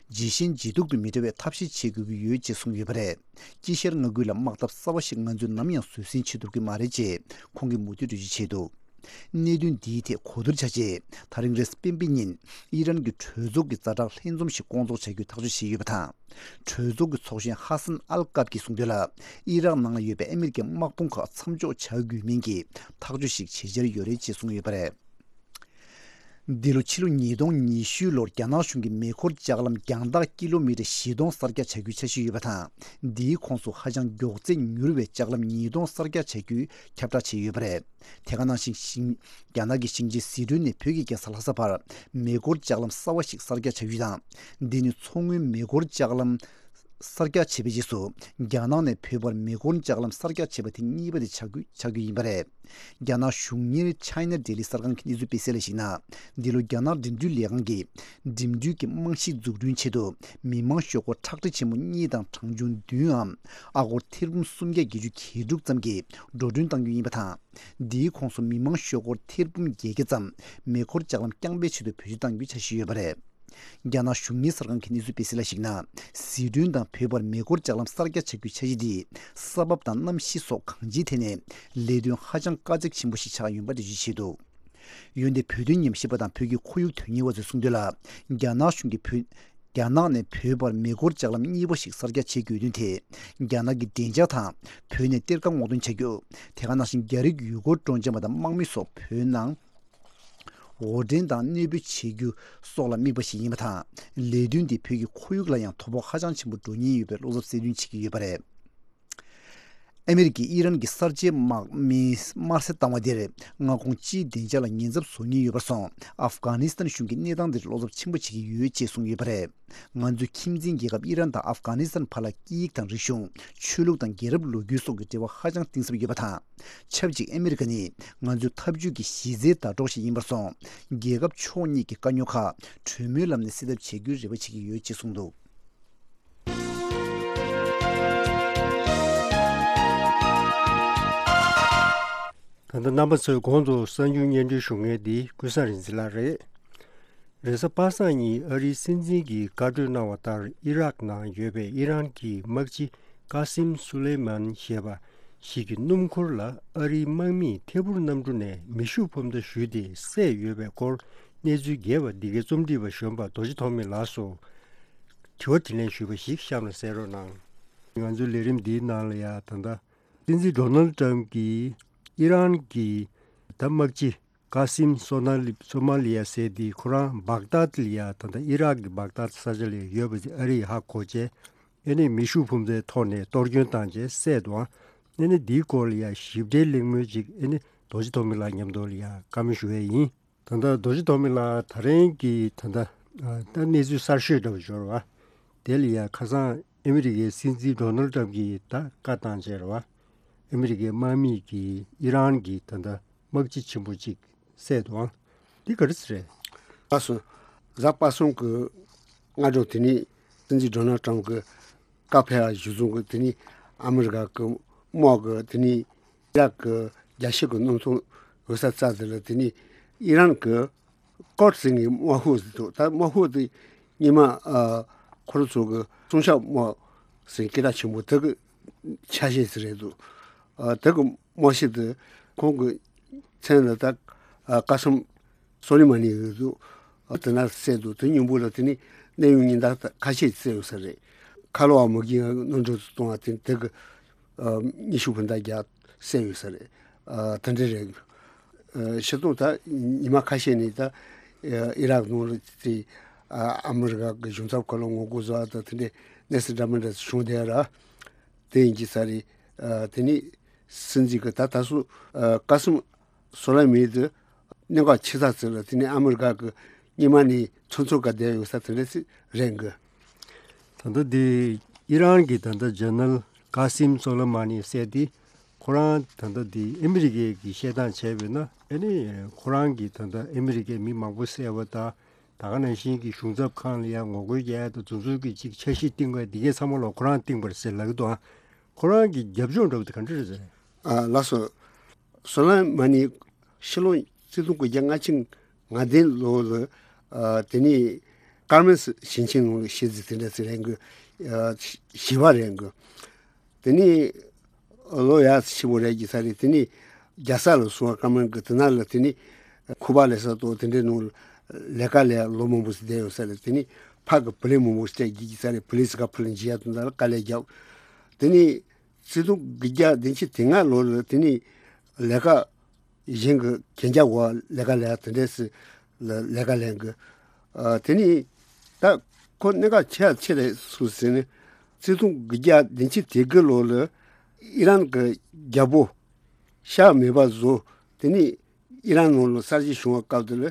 ཇེ་ཞན་ཇེ་སྡུག་ཏུ་མི་འགྲོ་བའི་ཐབས་ཤེས་བྱེད་དགོས་ཀྱི་ཡོད་ཅེས་གསུངས་ཡོད་པ་རེད། དཀྱིལ་ཤར་མངའ་ཁུལ་ལ་དམག་འཐབ་གསར་བ་ཞིག་ང་ཚོས་ནམ་ཡང་བཟོད་བསྲན་བྱེད་ཐུབ་ཀྱི་མ་རེད་ཅེས་ཁོང་གིས་མུ་མཐུད་འགྲེལ་བརྗོད་བྱས་འདུག་གནད་དོན་འདིའི་ཐད་གོ་བསྡུར་བྱ་ཆེད། ད་རིང་རེས་སྤེན་པའི་ཉིན། ཨི་རན་གྱི་གྲོས་ཚོགས་ཀྱི་ཛ་དྲག་ལྷན་འཛོམས་ཤིག་བསྐོང་ཚོགས་བྱ་རྒྱུའི་ཐག་གཅོད་བྱས་ཡོད་པ་དང་། གྲོས་ཚོགས་ཀྱི་ཚོགས་གཞོན་ཧ་སན་ཨལ་ཀབ་ཀྱིས་གསུངས་དོན་ལ། ཨི་རག་ནང་ལ་ཡོད་པའི་ཨ་མི་རི་ཀའི་དམག་དཔུང་ཁག་མཚམས་འཇོག་བྱ་དགོས་མིན་གྱི་ཐག་གཅོད་ཞིག་བྱེད་འཆར་ཡོད་རེད་ཅེས་གསུངས་ཡོད་པ་རེད། འདི་ལོ་ཕྱི་ལོ་ཉིས་སྟོང་ཉི་ཤུ་ལོར་རྒྱ་ནག་གཞུང་གིས་མེ་འཁོར་ལྕགས་ལམ་རྒྱང་ཐག་ཀི་ལོ་མི་ཊར་བཞི་སྟོང་གསར་རྒྱག་བྱ་རྒྱུའི་འཆར་གཞི་ཡོད་པ་དང་། འདིའི་ཁོངས་སུ་ཧ་ཅང་མགྱོགས་ཚད་མྱུར་བའི་ལྕགས་ལམ་ཉིས་སྟོང་གསར་རྒྱག་བྱ་རྒྱུའི་ཁྱབ་བསྒྲགས་བྱས་ཡོད་པ་རེད། དེ་ག་ནང་བཞིན་ཤིང་། རྒྱ་ནག་གི་ཞིང་ཆེན་ཟི་ཁྲོན་ནས་བོད་ཀྱི་རྒྱལ་ས་ལྷ་ས་བར་མེ་འཁོར་ལྕགས་ལམ་གསར་བ་ཞིག་གསར་རྒྱག་བྱ་རྒྱུ་དང་། འདི་ནི་མཚོ་སྔོན་མེ་འཁོར་ལྕགས་ལམ་གསར་རྒྱག་བྱས་པའི་རྗེས་སུ། རྒྱ་ནག་ནས་བོད་བར་མེ་འཁོར་ལྕགས་ལམ་གསར་རྒྱག་བྱས་པ་དེ་གཉིས་པ་དེ་ཆགས་རྒྱུ་ཆགས་རྒྱུ་ཡིན་པ་རེད། རྒྱ་ནག་གཞུང་གཉེར་China Daily གསར་ཁང་གི་གནས་ཚུལ་སྤེལ་གསལ་ལ་གཞིགས་ན། འདི་ལོ་རྒྱ་ནག་འགྲིམ་འགྲུལ་ལས་ཁང་གིས་འགྲིམ་འགྲུལ་གྱི་རྨང་གཞི་འཛུགས་སྐྲུན་ཆེད་དུ་མི་མང་ཤོག་སྒོར་ཁྲག་ཁྲིག་ཆེན་མོ་གཉིས་དང་གྲངས་ཆུང་བདུན་འམ་ཨ་སྒོར་ཐེར་འབུམ་སུམ་བརྒྱ་བརྒྱད་ཅུ་གྱ་དྲུག་ཙམ་གྱིས་འགྲོ་གྲོན་གཏང་རྒྱུ་ཡིན་པ་དང་། འདིའི་ཁོངས་སུ་མི་མང་ཤོག་སྒོར་ཐེར་འབུམ་བརྒྱད་བརྒྱ་ཙམ་མེ་འཁོར་ལྕགས་ལམ་རྐྱང་པའི་ཆེད་དུ་བེད་སྤྱོད་གཏང་རྒྱུའི་འཆར་གཞི་ཡོད་པ་རེད། རྒྱ་ནག་གཞུང་གཉེར་གསར་ཁང་གི་གནས་ཚུལ་སྤེལ་གསལ་ལ་གཞིགས་ན། ཟི་ཁྲོན་དང་བོད་བར་མེ་འཁོར་ལྕགས་ལམ་གསར་རྒྱག་བྱ་རྒྱུའི་འཆར་གཞི་འདིས་ས་བབ་དང་གནམ་གཤིས་སོགས་གང་ཅིའི་ཐད་ནས་ལས་དོན་ཧ་ཅང་དཀའ་ཚེགས་ཆེན་པོ་ཞིག་ཆགས་ཡོང་བ་འགྲེལ་བརྗོད་བྱས་འདུག་ཡོན་ཏན་བོད་དོན་ཉམས་ཞིབ་པ་དང་བོད་ཀྱི་ཁོར་ཡུག་དོན་གཉེར་བ་ཚོས་གསུངས་དོན་ལ། རྒྱ་ནག་གཞུང་གིས་བོད། རྒྱ་ནག་ནས་བོད་བར་མེ་འཁོར་ལྕགས་ལམ་གཉིས་པ་ཞིག་གསར་རྒྱག་བྱེད་དགོས་དོན་དེ། རྒྱ་ནག་གི་བདེ་འཇགས་དང་། བོད་ནས་གཏེར་ཁ་སྔོག་འདོན་བྱ་རྒྱུ། དེ་ག་ནང་བཞིན་རྒྱ་རིགས་ཡུལ་སྐོར་སྤྲོ་འཆམ་པ་དང་དམག་མི་སོགས་བོད་ནང་། དབོར་འདྲེན་དང་གནས་སྤོས་བྱེད་རྒྱུ་སོགས་ལ་དམིགས་པ་ཞིག་ཡིན་པ་དང་། ལས་དོན་འདིས་བོད་ཀྱི་ཁོར་ཡུག་ལ་ཡང་དོ་ཕོག་ཧ་ཅང་ཆེན་པོ་འགྲོ་ཉེན་ཡོད་པའི་བློ་འཚབ་གསལ་སྟོན་བྱེད་ཀྱི་ཡོད་པ་རེད། ཨ་མི་རི་ཀས་ཨི་རན་གྱི་གསར་བརྗེའི་དམག་མིས་དམར་གསོད་བཏང་བ་དེར། མངའ་ཁོངས་སྤྱིའི་བདེ་འཇགས་ལ་ཉེན་ཚབས་བཟོ་ཉེན་ཡོད་པར་སོང་། ཨབ་གྷ་ནི་སི་ཐན་གཞུང་གིས་གནས་སྟངས་དེར་བློ་འཚབ་ཆེན་པོ་བྱེད་ཀྱི་ཡོད་ཅེས་གསུངས་ཡོད་པ་རེད། ང་ཚོའི་ཁྱིམ་མཚེས་རྒྱལ་ཁབ་ཨི་རན་དང་ཨབ་གྷ་ནི་སི་ཐན་བར་ལ་སྐད་ཡིག་དང་རིག་གཞུང་། ཆོས་ལུགས་དང་རྒྱལ་རབས་ལོ་རྒྱུས་སོགས་ཀྱི་འབྲེལ་བ་ཧ་ཅང་གཏིང་ཟབ་ཡོད་པ་དང་། ཆབས་ཅིག་ཨ་མི་རི་ཀ་ནི་ང་ཚོའི་འཐབ་ཇུས་ཀྱི་གཞི་རྩའི་ཟླ་གྲོགས་ཤིག་ཡིན་པར་སོང་། རྒྱལ་ཁབ་ཕྱོགས་གཉིས་ཀྱི་དཀའ་རྙོག་ཁག་གྲོས་མོལ་ལམ་ནས་སེལ་ཐབས་བྱེད་རྒྱུའི་རེ་བ་བྱེད་ཀྱི་ཡོད་ཅེས་གསུངས་འདུག་ད་ལྟ་རྣམ་པ་ཚོས་གོང་དུ་གསར་འགྱུར་སྙན་སྒྲོན་ཞུ་མཁན་འདི་ཀུན་བཟང་རིག་འཛིན་ལགས་རེད། རེས་གཟའ་པ་སངས་ཉིན་ཨ་རིའི་སྲིད་འཛིན་གྱིས་བཀའ་གྲོས་གནང་བ་ལྟར། ཨི་རག་ནང་ཡོད་པའི་ཨི་རན་གྱི་དམག་སྤྱི་ཀ་སིམ་སུ་ལེ་མན་ཞེས་པ་ཞིག་གི་སྣུམ་འཁོར་ལ་ཨ་རིའི་དམག་མིས་ཐད་འཕུར་གནམ་གྲུ་ནས་མེ་ཤུགས་འཕུར་མདའ་གཞུས་ཏེ་བསད་ཡོད་པའི་སྐོར་གནས་ཚུལ་རྒྱས་པ་འདི་གའི་རྩོམ་སྒྲིག་པ་གཞོན་པ་རྡོ་རྗེ་ཐོགས་མེད་ལགས་སུ་དྲི་བ་དྲིས་ལན་ཞུས་པ་ཞིག་གཤམ་ལ་གསན་རོགས་གནང་། ང་ཚོའི་ལས་རིམ་འདིའི་ནང་ལ་ཡང་ད་ལྟ་སྲིད་འཛིན་ཌོ་ནལ་ཏྲམ་གྱིས་ཨི་རན་གྱི་ད་དམག་སྤྱི་ཀ་སིམ་སོ་ན་ལི་སོ་མ་ལི་ཡ་ཟེར་དེ་ཁོ་རང་བག་དཱད་ལ་ཡ་ད་ལྟ་ཨི་རག་གི་བག་དཱད་ས་ཆ་ལ་ཡོད་པ་དེ་ཨ་རི་ཡིས་ཧ་གོ་བྱས། ཨེ་ནི་མེ་ཤུགས་འཕུར་མདའི་ཐོག་ནས་གཏོར་སྐྱོན་བཏང་བྱས་བསད་འདུག་ཨེ་ནི་འདིའི་སྐོར་ལ་ཡ་ཞིབ་ཕྲའི་གླེང་མོལ་ཅིག་ཨེ་ནི་རྡོ་རྗེ་ཐོགས་མེད་ལགས་མཉམ་དུ་ལ་ཡ་བཀའ་མོལ་ཞུ་ཡས་ཡིན། ད་ལྟ་རྡོ་རྗེ་ཐོགས་མེད་ལགས་ད་རིང་གི་ད་ལྟ་ད་གནས་ཚུལ་གསར་ཤོས་འདྲ་བ་ཞིག་ཡོད་རེད་བ། དེ་ལ་ཡ་ཁ་སང་ཨ་མི་རི་ཀའི་སྲིད་འཛིན་ཌོ་ནལ་ཏྲམ་གྱིས་ད་བཀའ་བཏང་བྱས་རེད་བ། ཨ་མི་རི་ཀའི་དམག་མིས་ཀྱིས་ཨི་རན་གྱི་ད་ལྟ་དམག་སྤྱི་ཆེན་པོ་གཅིག་བསད་འདུག་ཨང་། འདི་ག་རེ་ཟེར་རེད། ལགས་སོ། གཟའ་པ་སངས་ཀྱི་སྔ་དྲོ་དེ་ནས་སྲིད་འཛིན་ཌོ་ནལ་ཊམ་གྱི་བཀའ་ཕེབས་པ་གཞིར་བཟུང་གི་དེ་ནས་ཨ་མི་རི་ཀ་གི་དམག་གི་དེ་ནས་ཨི་རག་གི་རྒྱལ་སྤྱི་གི་གནམ་ཐང་འོད་གསལ་རྩ་དེ་ལ་དེ་ནས་ཨི་རན་གྱི་ཀོར་ཟེར་མཁན་དམག་ཤོག་ཟེར་འདུག་ད་དམག་ཤོག་དེ་སྔོན་མ་ཨ་ཁོ་རང་ཚོ་གི་སྲུང་སྐྱོབ་དམག་ཟེར་སྐད་གྲགས་ཆེན་པོ་དེ་གི་ཆ་ཤས་ཟིག་རེད་འདུག་ཨ་དེ་གི་དམག་སྤྱི་དེ་ཁོང་གི་མཚན་ལ་ད་ཨ་ཀ་སིམ་སོ་ལེ་མ་ནི་ཡོད་འདུག་ཨ་དེ་ན་བསད་འདུག་དེ་མཉམ་པོ་ལ་དེ་ནི་གནས་ཡུལ་ཉེན་བརྡ་ཁ་ཤས་བསད་ཡོད་ས་རེད། ཁ་ལོ་བ་མུ་གེ་གནོན་སྦྱོར་གཏོང་བ་དེ་དེ་གི་ཨ་མེ་ཤུགས་འཕུར་མདའ་བརྒྱབ་བསད་ཡོད་ས་རེད། ཨ་དེ་འདྲ་རེད། ཨ་སྤྱིར་བཏང་ད་ཉི་མ་ཁ་ཤས་ནས་ད་ཨ་ཨི་རག་ནང་ལ་དེ་ཨ་ཨ་མི་རི་ཀ་གི་གཞུང་ཚབ་ཁག་ལ་ངོ་རྒོལ་བཟོ་བ་དང་དེ་འདྲའི་གནས་ཚུལ་འདྲ་མི་འདྲ་བྱུང་བསྡད་ར། དེ་ཡིན་གྱི་ས་རེད། ཨ་དེ་ནས་སྲིད་འཛིན་གྱི་ད་ད་སུ་ཨ་ཀ་སིམ་སོ་ལེ་མ་ནི་དེ་གནད་འགག་ཆེ་ས་ཚོ་ལ་དེ་ནས་ཨ་མི་རི་ཀ་གི་སྔོན་མ་ནས་ཚོད་ཚོད་ག་བསྡད་ཡོད་ས་དེ་འདྲ་ཞིག་རེད་གི། ད་ལྟ་དེ་ཨི་རན་གྱི་ད་ལྟ་ཇེ་ནལ་ཀ་སིམ་སོ་ལེ་མ་ནི་ཟེར་དེ་ཁོ་རང་ད་ལྟ་དེ་ཨ་མི་རི་ཀས་ཀྱི་བཤད་སྟངས་བྱས་པས་ན་ཨ་ནི་ཁོ་རང་གིས་ད་ལྟ་ཨ་མི་རི་ཀའི་མི་མང་པོ་བསད་པ་དང་ད་ག་ནང་བཞིན་གྱི་གཞུང་ཚབ་ཁང་ལ་ཡང་ངོ་རྒོལ་རྒྱག་ཡ་དང་དེ་ཚོ་གི་ཅིག་འཆར་གཞི་བཏིང་བ་འདི་གའི་ཚང་མ་ལ་ཁོ་རང་བཏིང་བ་རེད་ཟེར་ལབ་ཀྱི་འདུག་ཨ་ཁོ་རང་གི་རྒྱབ་ལྗོངས་འདྲ་བོ་དེ་ག་འདྲ་རེད་ཟེར། ཨ་ལགས་སོ། སོ་ལེ་མ་ནི་ཕྱི་ལོ་ཆིག་སྟོང་དགུ་བརྒྱ་ལྔ་བཅུ་ང་བདུན་ལོ་ལ་ཨ་དེ་ནས་ཀར་མེལ་ཞིང་ཆེན་ནང་ལ་ཤི་ཟིག་དེ་འདྲ་ཟིག་རེད་གི། ཨ་ཞི་བ་རེད་གི། དེ་ནས་ལོ་ཡག་ཆེན་པོ་རེད་ཀྱི་ས་རེད། དེ་ནས་རྒྱལ་ས་ལ་སོང་བ་ཀར་མེལ་གི་དེ་ན་ལ་དེ་ནས་ཁུ་པ་ལས་ས་དང་དེ་འདྲའི་ནང་ལ་ལས་ཀ་ལས་ལོ་མང་པོ་ཞིག་བསྡད་ཡོད་ས་རེད། དེ་ནས་ཕ་གི་བུ་ལས་མང་པོ་ཞིག་བསྡད་ཀྱི་ས་རེད། བུ་ལས་ས་ཀ་ཕུ་ལ་འཇི་ཡ་དང་ད་ལ་དཀའ་ལས་བརྒྱབ། དེ་ནས་ཆིག་སྟོང་དགུ་བརྒྱ་བདུན་ཅུ་དོན་ལྔ་ལོ་ལ་དེ་ནས་ལས་ཀ་གཞན་གྱི་གན་རྒྱ་བ་ལས་ཀ་ལས་དེ་འདྲས་སུ་ལས་ཀ་ལས་གི། ཨ་དེ་ནས་ད་ཁོ་གནད་འགག་ཆེ་ཆེ་རེད་སུ་ཟེར་ནས་ཆིག་སྟོང་དགུ་བརྒྱ་བདུན་ཅུ་དོན་དགུ་ལོ་ལ་ཨི་རན་གྱི་རྒྱལ་པོ་ཤཱ་མེད་པ་བཟོ། དེ་ནས་ཨི་རན་ནང་ལ་གསར་བརྗེ་བྱུང་བ་སྐབས་དེ་ལ་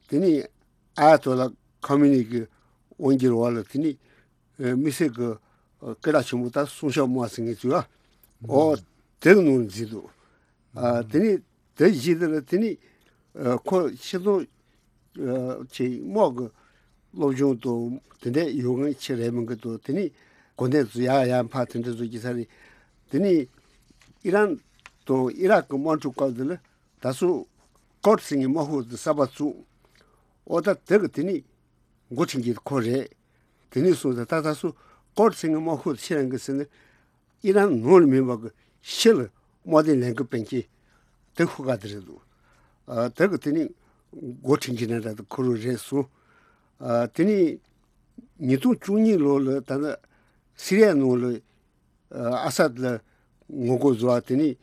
དེ་ནས་ཨ་ཡ་ཏོ་ལ་ཁོ་མི་ནི་གི་དབང་སྒྱུར་བ་ལ་དེ་ནས་ཨ་དམིགས་བསལ་གྱི་ཨ་སྐད་གྲགས་ཆེན་པོ་ད་སྲུང་སྐྱོབ་དམག་ཟེར་མཁན་ཚོས་ཨ་འོ་དེ་གི་ནང་ལ་འཛུལ་འདུག་ཨ་དེ་ནས་དེ་བཞིན་དེ་ལ་དེ་ནས་ཨ་ཁོ་ཕྱི་ལོ་ཨ་ཆེ་དམག་གི་སློབ་སྦྱོང་དང་དེ་འདྲ་ཡོད་མཁན་ཆེ་རེད་མིན་གི་དང་དེ་ནས་གོ་གནས་ཚོ་ཡར་ཡར་འཕར་དེ་འདྲ་བཟོ་གི་ས་རེད། དེ་ནས་ཨི་རན་དང་ཨི་རག་གི་དམག་འཁྲུག་སྐབས་དེ་ལ་ད་སོ་ཀོར་ཟེར་མཁན་དམག་ཁུལ་དེ་གསར་པ་བཙུགས། ཨོ་ད་དེ་གི་དེ་ནས་འགོ་ཁྲིད་མཁན་ཁོ་རེད། དེ་ནས་སོང་ཙང་ད་ད་སོ་ཀོར་ཟེར་མཁན་དམག་ཁུལ་ཕྱིར་ལེན་གི་ཟེར་ནས་ཨི་རན་ནང་ལ་མིན་པ་གི་ཕྱི་ལ་དམག་དོན་ལས་འགུལ་སྤེལ་མཁན་དེ་ཁོ་ག་དེ་རེད་འདུག་ཨ་དེ་གི་དེ་ནས་འགོ་ཁྲིད་མཁན་ན་ད་ཁོ་རང་རེད་སོང་། ཨ་དེ་ནས་ཉིས་སྟོང་བཅུ་གཉིས་ལོ་ལ་ད་ནི་སི་རི་ཡ་ནང་ལ་ཨ་ཨ་སད་ལ་ངོ་རྒོལ་བཟོ་བ་དེ་ནས་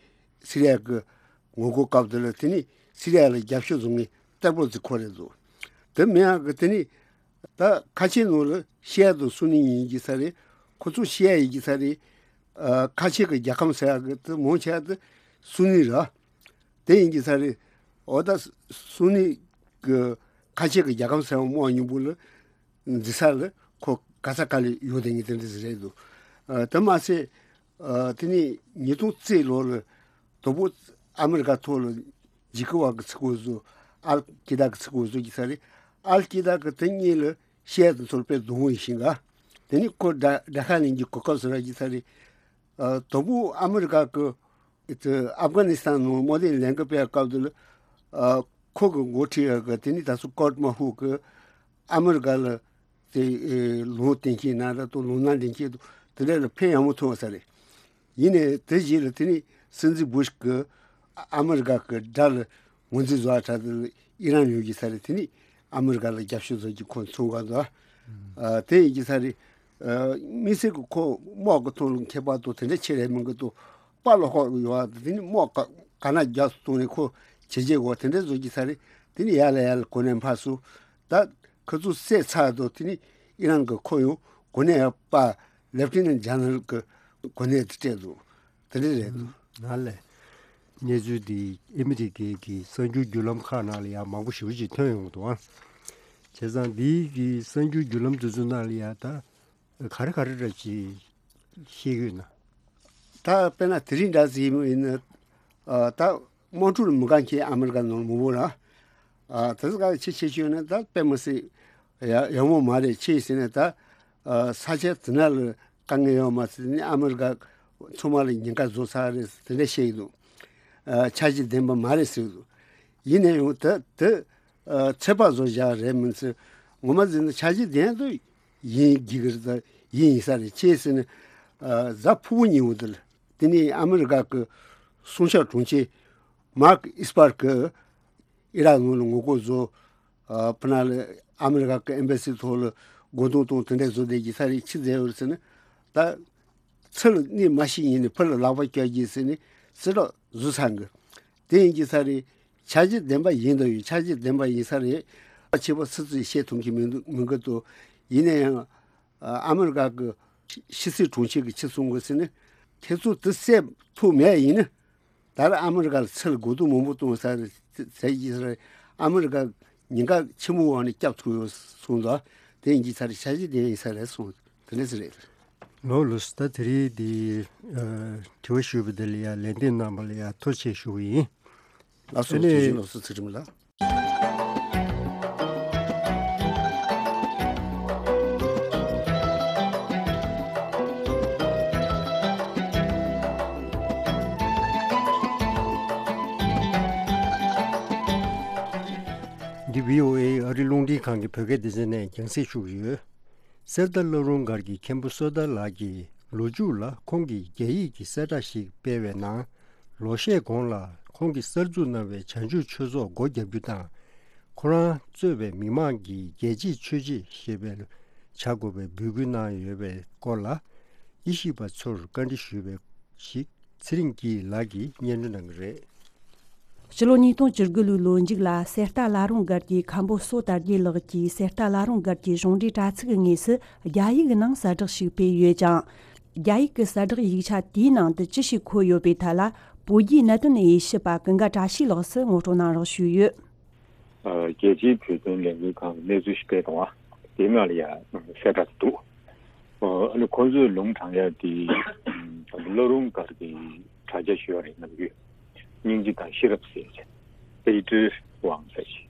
སི་རི་ཡ་གི་ངོ་རྒོལ་སྐབས་དེ་ལ་དེ་ནས་སི་རི་ཡ་ལ་རྒྱབ་སྐྱོར་བཟོ་མཁན་གཏེ་པོ་ཙི་ཁོ་རེད་འདུག་དེ་མིན་ཡག་གི་དེ་ནས་ད་ཁ་ཆེ་ནང་ལ་ཤི་ཡ་དང་སུ་ནི་ཡིན་གྱི་ས་རེད། ཁོ་ཚོ་ཤི་ཡ་ཡིན་གྱི་ས་རེད། ཨ་ཁ་ཆེ་གི་རྒྱལ་ཁམས་ཟེར་ཡག་གི་དེ་མང་ཆེ་བ་དེ་སུ་ནི་ར། དེ་ཡིན་གྱི་ས་རེད། འོ་ད་སུ་ནི་གི་ཁ་ཆེ་གི་རྒྱལ་ཁམས་ཟེར་བ་དམག་མཉམ་པོ་ལ་འཛིན་ས་ལ་ཁོ་ག་ས་ག་ལ་ཡོད་དེ་ངས་དེ་འདྲ་ཟེར་རེད་འདུག་ཨ་དེ་མ་ཟད་ཨ་དེ་ནས་ཉིས་སྟོང་རྩ་གཅིག་ལོ་ལ་དོ་བོ་ཨ་མི་རི་ཀ་ཐོག་ལ་འཇིགས་སྐུལ་བ་གི་ཚིག་གོ་བཟོ། ཨལ་ཀི་ད་གི་ཚིག་གོ་བཟོ་གི་ས་རེད། ཨལ་ཀི་ད་གི་དེ་གཉིས་ལ་ཤི་ཡ་དེ་ཚོར་དཔེ་སྡུག་བོ་ཡིན་ཤིང་ག་དེ་ནས་ཁོ་དགྲ་དགྲ་ཁ་ལེན་གྱི་གོ་སྐབས་ཟེར་བ་གི་ས་རེད། ཨ་དོ་བོ་ཨ་མི་རི་ཀ་གི་ཨ་ཨབ་གྷ་ནི་སི་ཐན་ནང་དམག་དོན་ལས་འགུལ་སྤེལ་སྐབས་དེ་ལ་ཨ་ཁོ་གི་འགོ་ཁྲིད་ཡ་གི་དེ་ནས་ད་སུ་ཀོར་དམག་ཤོག་གི་ཨ་མི་རི་ཀ་ལ་དེ་ཨེ་ལུང་བསྟན་མཁན་ན་ར་དང་ལུང་ན་འདྲེན་མཁན་དང་དེ་འདྲ་ལ་ཕན་ཡག་མོ་ཐོགས་ས་རེད། ཡིན་ནའི་དེ་རྗེས་ལ་དེ་ནས་སྲིད་འཛིན་བུ་ཤི་གི་ཨ་མི་རི་ཀ་གི་དགྲ་ལ་ངོས་འཛིན་བཟོ་བ་འདྲ་དེ་ལ་ཨི་རན་ཡོད་ཀྱི་ས་རེད། དེ་ནས་ཨ་མི་རི་ཀ་ལ་རྒྱབ་སྐྱོར་བཟོ་རྒྱུ་ཁོ་མཚོན་ག་འདུག་ཨ་དེ་ཡིན་གྱི་ས་རེད། ཨ་དམིགས་བསལ་གྱི་ཁོ་དམག་གི་ཐོག་ལ་མཁས་པ་དང་དེ་འདྲ་ཆེ་རེད་མིན་གི་དང་དཔའ་བློ་ཁོག་ཡོད་པ་དེ་ནི་དམག་ག་ག་ན་རྒྱབ་སུ་བཏང་ནས་ཁོ་བྱས་རྗེས་འོག་དེ་འདྲ་བཟོ་རྒྱུ་ས་རེད། དེ་ནི་ཡར་ལ་ཡར་ལ་གོ་གནས་འཕར་སོང་། ད་ཁོ་ཚོ་བསད་ཚར་དུས་དེ་ནི་ཨི་རན་གྱི་ཁོ་ཡང་གོ་གནས་ཡག་པ་ལེབ་ཊི་ནན་ཇེ་ནེ་རལ་གྱི་གོ་གནས་དེ་སྤྲད་འདུག་དེ་འདྲ་རེད་འདུག་ང་ལས་གནས་ཚུལ་འདི་ཨ་མི་རི་ཀའི་གི་གསར་འགྱུར་བརྒྱུད་ལམ་ཁག་ནང་ལ་ཡང་མང་པོ་ཞེ་པོ་ཅིག་ཐོན་ཡོང་འདུག་ཨ། བྱས་ཙང་འདིའི་གི་གསར་འགྱུར་བརྒྱུད་ལམ་དེ་ཚོ་ནང་ལ་ཡང་ད་ག་རེ་ག་རེ་འདྲ་ཅིག་ཤེས་ཡོད་ན། ད་དཔེར་ན་དེ་རིང་འདྲ་ཟིག་ཡིན་ན་ཨ་ད་དམག་འཁྲུག་ལ་མི་དགའ་མཁན་ཨ་མི་རི་ཀ་ནང་མང་པོ་ར། ཨ་དེ་ཚོ་ག་ཆེ་ཆེ་ཤོས་ནི་ད་དཔེ་མི་སྲིད་ ཡ་ཡག་མོ་མ་རེད། ཅི་ཟེར་ན་ད་ཨ་ས་ཆ་དེ་ན་ལ་དཀའ་ངལ་ཡོད་མ་ཟེར་ནས་ཨ་མི་རི་ཀ་ཚང་མ་ལ་ཉེན་ཁ་བཟོ་ཚར་རེད་ཟེར་དེ་འདྲ་བཤད་ཀྱི་འདུག་ཨ་འཆར་གཞི་ལྡན་པ་མ་རེད་ཟེར་གྱི་འདུག་ཡིན་ན་ཡང་ད་དེ་ཨ་ཚོད་དཔག་བཟོ་བཞག་རེད་མིན་ཟེར། ངོ་མ་ཟེར་ན་འཆར་གཞི་ལྡན་དུ་ཡིན་གྱི་གི་རེད། ད་ཡིན་ཡིན་ས་རེད། ཅི་ཟེར་ན་ཨ་གཟའ་ཕུར་བུ་ཉིན་འོ་དེ་ལ་དེ་ནས་ཨ་མི་རི་ཀ་གི་སྲུང་སྐྱོབ་དྲུང་ཆེ་མར་ཀི་ཨིས་པར་གི་ཨི་རག་ནང་ལ་ངོ་རྒོལ་བཟོ། ཨ་ཕུ་ན་ལ་ཨ་མི་རི་ཀ་གི་ཨེམ་བྷ་སི་ཐོག་ལ་རྒོལ་རྡུང་གཏོང་དེ་འདྲ་བཟོ་བསྡད་ཀྱི་ས་རེད། ཅི་ཟེར་ཡོད་ཟེར་ན་ད་ཚུར་གནས་མ་ཤེས་ཡིན་ནི་ཕུ་ལ་ལག་པ་བཀྱག་གྱིས་ཟེར་ནས་སྲིད་གྲོགས་བཟོ་ཚར་གི། དེ་ཡིན་གྱི་ས་རེད། འཆར་གཞི་ལྡན་པ་ཡིན་དོ་ཡོད། འཆར་གཞི་ལྡན་པ་ཡིན་ས་རེད། ཆེ་བ་སུ་ཚོས་བཤད་ཐུབ་ཀྱི་མི་འདུག་མི་འགི་འདུག་ཡིན་ན་ཡང་ཨ་མི་རི་ཀ་གི་ཕྱི་སྲིད་དྲུང་ཆེ་གི་ཆི་གསུང་གི་ཟེར་ན་ཁྱེད་ཚོ་དེ་སེམས་ཐུག་མེད་ཡིན་ན། ད་ར་ཨ་མི་རི་ཀ་ལ་ཚུར་རྒོལ་རྡུང་མང་པོ་གཏོང་ས་རེད་ཟེར་གྱི་ས་རེད། ཨ་མི་རི་ཀ་ཉེན་ཁ་ཆེན་པོ་འོག་ནས་སྐྱབས་ཐུབ་ཡོད་གསུངས་འདུག་དེ་ཡིན་གྱི་ས་རེད། འཆར་གཞི་ལྡན་ཡིན་ས་རེད་གསུངས། དེ་འདྲ་ཟེར་རེད། ལོ་ལོ་སི་ད་དེ་རིང་འདི་ཨ་དྲི་བ་ཞུས་པ་དེ་ལ་ཡང་ལན་འདེབས་གནང་བ་ལ་ཡང་ཐུགས་རྗེ་ཆེ་ཞུ་གི་ཡིན། ལགས་སོ། ཨ་ནི་དེ་བཞིན་ལོ་སི་ཚེ་རིང་ལགས། འདི་བྷི་ཨོ་ཨེ་ཨ་རི་རླུང་འཕྲིན་ཁང་གི་བོད་སྐད་སྡེ་ཚན་ནས་རྒྱང་སྲིང་ཞུ་གི་ཡོད། གསེར་རྟ་བླ་རུང་སྒར་གྱི་མཁན་པོ་བསོད་དར་ལགས་ཀྱིས་ལོ་མཇུག་ལ་ཁོང་གིས་རྒྱ་ཡིག་གི་གསལ་བསྒྲགས་ཤིག་སྤེལ་བའི་ནང་། ལོ་ཤས་གོང་ལ་ཁོང་གིས་གསར་འཛུགས་གནང་བའི་བྱང་ཆུབ་ཆོས་ཚོགས་སྒོ་བརྒྱབ་རྒྱུ་དང་། ཁོ་རང་གཙོས་པའི་མི་མང་གིས་རྒྱལ་གཅེས་ཆོས་གཅེས་ཞེས་པའི་བྱ་དགོས་པའི་འབོད་སྐུལ་གནང་ཡོད་པའི་སྐོར་ལ། དབྱེ་ཞིབ་པ་ཚོར་བཀའ་འདྲི་ཞུས་པའི་ཞིག་ཚེ་རིང་སྐྱིད་ལགས་ཀྱིས་སྙན་སྒྲོན་གནང་གི་རེད། ཕྱི་ལོ་ཉིས་སྟོང་བཅུ་དགུ་ལོའི་ལོ་མཇུག་ལ་གསེར་རྟ་བླ་རུང་སྒར་གྱི་མཁན་པོ་བསོད་དར་རྒྱས་ལགས་ཀྱིས་གསེར་རྟ་བླ་རུང་སྒར་གྱི་གཞུང་འབྲེལ་དྲ་ཚིགས་ཀྱི་ངོས་སུ་རྒྱ་ཡིག་གི་ནང་གསལ་བསྒྲགས་ཤིག་སྤེལ་ཡོད་ཅིང་། རྒྱ་ཡིག་གི་གསལ་བསྒྲགས་ཡིག་ཆ་དེའི་ནང་དུ་ཅི་ཞིག་འཁོད་ཡོད་པའི་ཐད་ལ། བོད་བརྒྱུད་གནད་དོན་དབྱེ་ཞིབ་པ་ཀུན་དགའ་བཀྲ་ཤིས་ལགས་སུ་ངོ་སྤྲོད་གནང་རོགས་ཞུས་ཡོད། ཨ་རྒྱལ་སྤྱིའི་བོད་དོན་ལས་འགུལ་ཁང་གི་གནས་ཚུལ་ཞིག་སྤེལ་གཏོང་བ་དེའི་ནང་ལ་ཡང་གསལ་བསྒྲགས་འདུག་ཨ་ནི་ཁོང་ཚོས་ལུང་དྲངས་ཡ་དེ་ཨ་བླ་རུང་སྒར་གྱི་དྲ་རྒྱ་ཞུ་བ་རེད། ནམ་རྒྱུན་སྙིང་རྗེ་དང་ཤེས་རབ་ཟེར་བྱས་པེ་ཀྲི་ཝང་ཟེར་བྱས།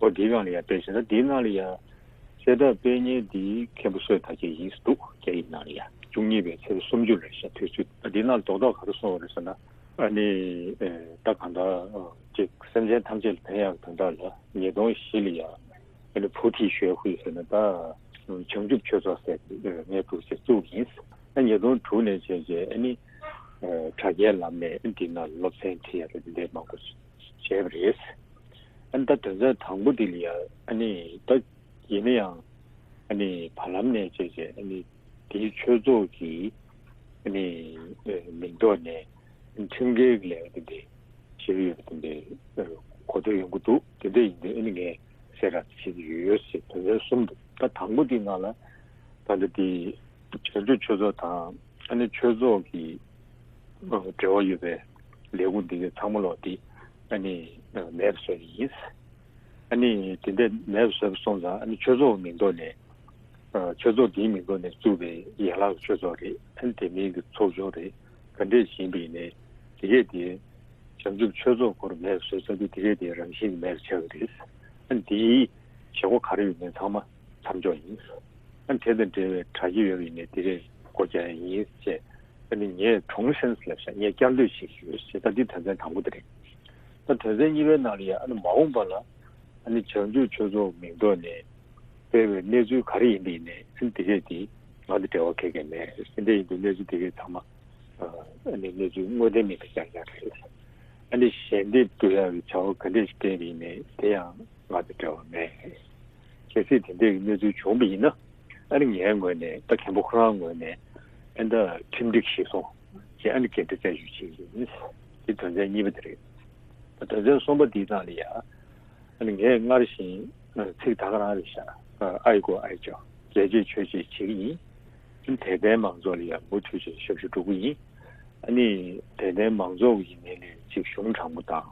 ཨོ་དེའི་སྒང་ལ་ཡང་དཔེ་བཞག་ན་དེའི་ནང་ལ་ཡང་གསལ་བསྒྲགས་སྤེལ་མཁན་དེ་མཁན་པོ་བསོད་དར་རྒྱས་ཡིན་ཟེར་འདུག་རྒྱ་ཡིག་ནང་ལ་ཡང་བཅུ་གཉིས་པའི་ཚེས་པ་སུམ་ཅུ་ལ་ཤག་དུས་ཚོད་ད་དེའི་ནང་ལ་རྡོག་རྡོག་ག་རེ་གསུངས་པ་རེད་ཟེར་ན། ཨ་ནི་ཨེ་ད་གང་ལྟར་ཅིག་སེམས་ཅན་ཐམས་ཅད་ལ་ཕན་ཡག་དོན་དག་ལ་ཉིས་སྟོང་བཞི་ལ་ཡང་ཨ་ནི་བུ་ཐི་ཞོའི་ཧུའེ་ཟེར་ན་ད་བྱང་ཆུབ་ཆོས་ཚོགས་ཟེར་ངས་འདུག་ཅེས་བཙུགས་ཡིན། ཨ་ཉིས་སྟོང་དྲུག་ནས་བྱས་རྗེས་ཨ་ནི་ཨ་དྲ་རྒྱའི་ལམ་ནས་ཨ་འདི་ན་སློབ་ཚན་ཁྲིད་ཡ་རེད། འདི་འདྲའི་མང་པོ་བྱས་པ་རེད། ཨ་ནི་ད་དོན་ཚན་དང་པོ་འདི་ལ་ཡང་ཨ་ནི་ད་ཡིན་ན་ཡང་ཨ་ནི་བར་ལམ་ནས་བྱས་རྗེས་ཨ་ནི་དེའི་ཆོས་ཚོགས་ཀྱི་ཨ་ནི་ཨ་མིང་ཐོག་ནས་ཁྲིམས་འགལ་གྱི་ལས་ཀ་དེ་འདྲ་བྱེད་ཀྱི་ཡོད་པ་དེ་འདྲའི་གོ་ཐོས་ཡོང་གི་འདུག་དེ་འདྲ་ཡིན་དུས་ཨ་ནི་ངས་གསལ་བསྒྲགས་བྱེད་ཀྱི་ཡོད་ཟེར་དོན་ཚན་གསུམ་འདུག་ད་དང་པོ་དེའི་ནང་ལ་ད་ལྟ་དེ་བྱང་ཆུབ་ཆོས་ཚོགས་དང་ཨ་ནི་ཆོས་ཚོགས་ཀྱི་འབྲེལ་བ་ཡོད་པའི་ལས་ཁུངས་འདི་གའི་ཚང་མ་ལོག་དེ་ཨ་ནི་མེད་པ་བཟོས་ཡིན། ཨ་ནི་དེ་འདྲ་མེད་པ་བཟོས་པ་སོང་ཙང་ཨ་ནི་ཆོས་ཚོགས་མིང་ཐོག་ནས་ཨ་ཆོས་ཚོགས་དེའི་མིང་ཐོག་ནས་བཙུགས་པའི་ཡན་ལག་གི་ཆོས་ཚོགས་རེད། ཨ་ནི་དེ་མིན་གྱི་ཚོགས་ཆུང་རེད། ག་འདྲས་ཡིན་པ་ཡིན་ནའི་དེ་གས་དེ་བྱང་ཆུབ་ཆོས་ཚོགས་སྐོར་མེད་པ་བཟོས་ཚར་དུས་དེ་གས་དེ་རང་བཞིན་གྱིས་མེད་པ་ཆགས་ཀྱི་རེད། ཨ་ནི་དེའི་བྱེད་སྒོ་ག་རེ་ཡོད་མེད་ཚང་མ་མཚམས་འཇོག་ཡིན། ཨ་ནི་དེ་དང་འབྲེལ་བའི་དྲ་རྒྱ་ཡོད་པ་ཡིན་ནའི་དེ་རེས་སྒོ་རྒྱག་ཡ་ཡིན་ཅེས། ཨ་ནི་ངས་གྲོངས་སེམས་ལབ་ཤག་ངས་བསྐྱར་ཟློས་བྱེད་ཀྱི་ཡོད་ཅེས། ད་འདི་དོན་ཚན་དང་པོ་དེ་རེད། ད་དོན་ཚན་གཉིས་པའི་ནང་ལ་ཡང་ཨ་ནི་མ་འོངས་པ་ལ་ཨ་ནི་བྱང་ཆུབ་ཆོས་ཚོགས་མིང་ཐོག་ནས་སྤེལ་བའི་གནས་ཚུལ་ག་རེ་ཡིན་པ་ཡིན་ནའི་ཨ་ནི་དེ་གས་དེ་ང་དང་འབྲེལ་བ་ག་གས་མེད། དེ་འདྲ་ཡིན་དུས་གནས་ཚུལ་དེ་གས་ཚང་མ་ཨ་ནི་གནས་ཚུལ་དངོས་བདེན་མིན་པ་རྐྱང་རྐྱང་རེད། ཨ་ནི་ཞལ་འདེབས་བསྡུ་ཡག་གི་བྱ་བ་ག་འདྲས་ཤིག་སྤེལ་བ་ཡིན་ནའི་དེ་ཡང་ང་དང་འབྲེལ་བ་མེད། གལ་སྲིད་དེ་འདྲའི་གནས་ཚུལ་བྱུང་བ་ཡིན་ན་ཨ་ནི་ངའི་ངོས་ནས་ད་མཁན་པོ་ཁོ་རང་ངོས་ནས་ཨ་ནི་ད་ཁྲིམས་སྒྲིག་གཞིར་བཟུང་བྱས་ཨ་ནི་འགན་འཁྲི་བཙན་ཞུ་བྱེད་ཀྱི་ཡིན། དེ་དོན་ཚན་གཉིས་པ་དེ་རེད། ད་དོན་ཚན་གསུམ་པ་འདིའི་ནང་ལ་ཡ་ཨ་ནི་ངས་སྔར་བཞིན་ཚིག་ད་ག་རང་རེད་ཤག་ཨ་ཡི་གོ་ཨ་ཡི་ཅོ་རྒྱལ་གཅེས་ཆོས་གཅེས་བྱེད་ཀྱི་ཡིན། དད་ལྡན་མང་ཚོགས་ལ་ཡང་མུ་མཐུད་བྱས་ཞབས་ཞུ་སྒྲུབ་ཀྱི་ཡིན། ཨ་ནི་དད་ལྡན་མང་ཚོགས་ཀྱི་ངོས་ནས་ཅིག་གཞུང་དྲང་པོ་དང་།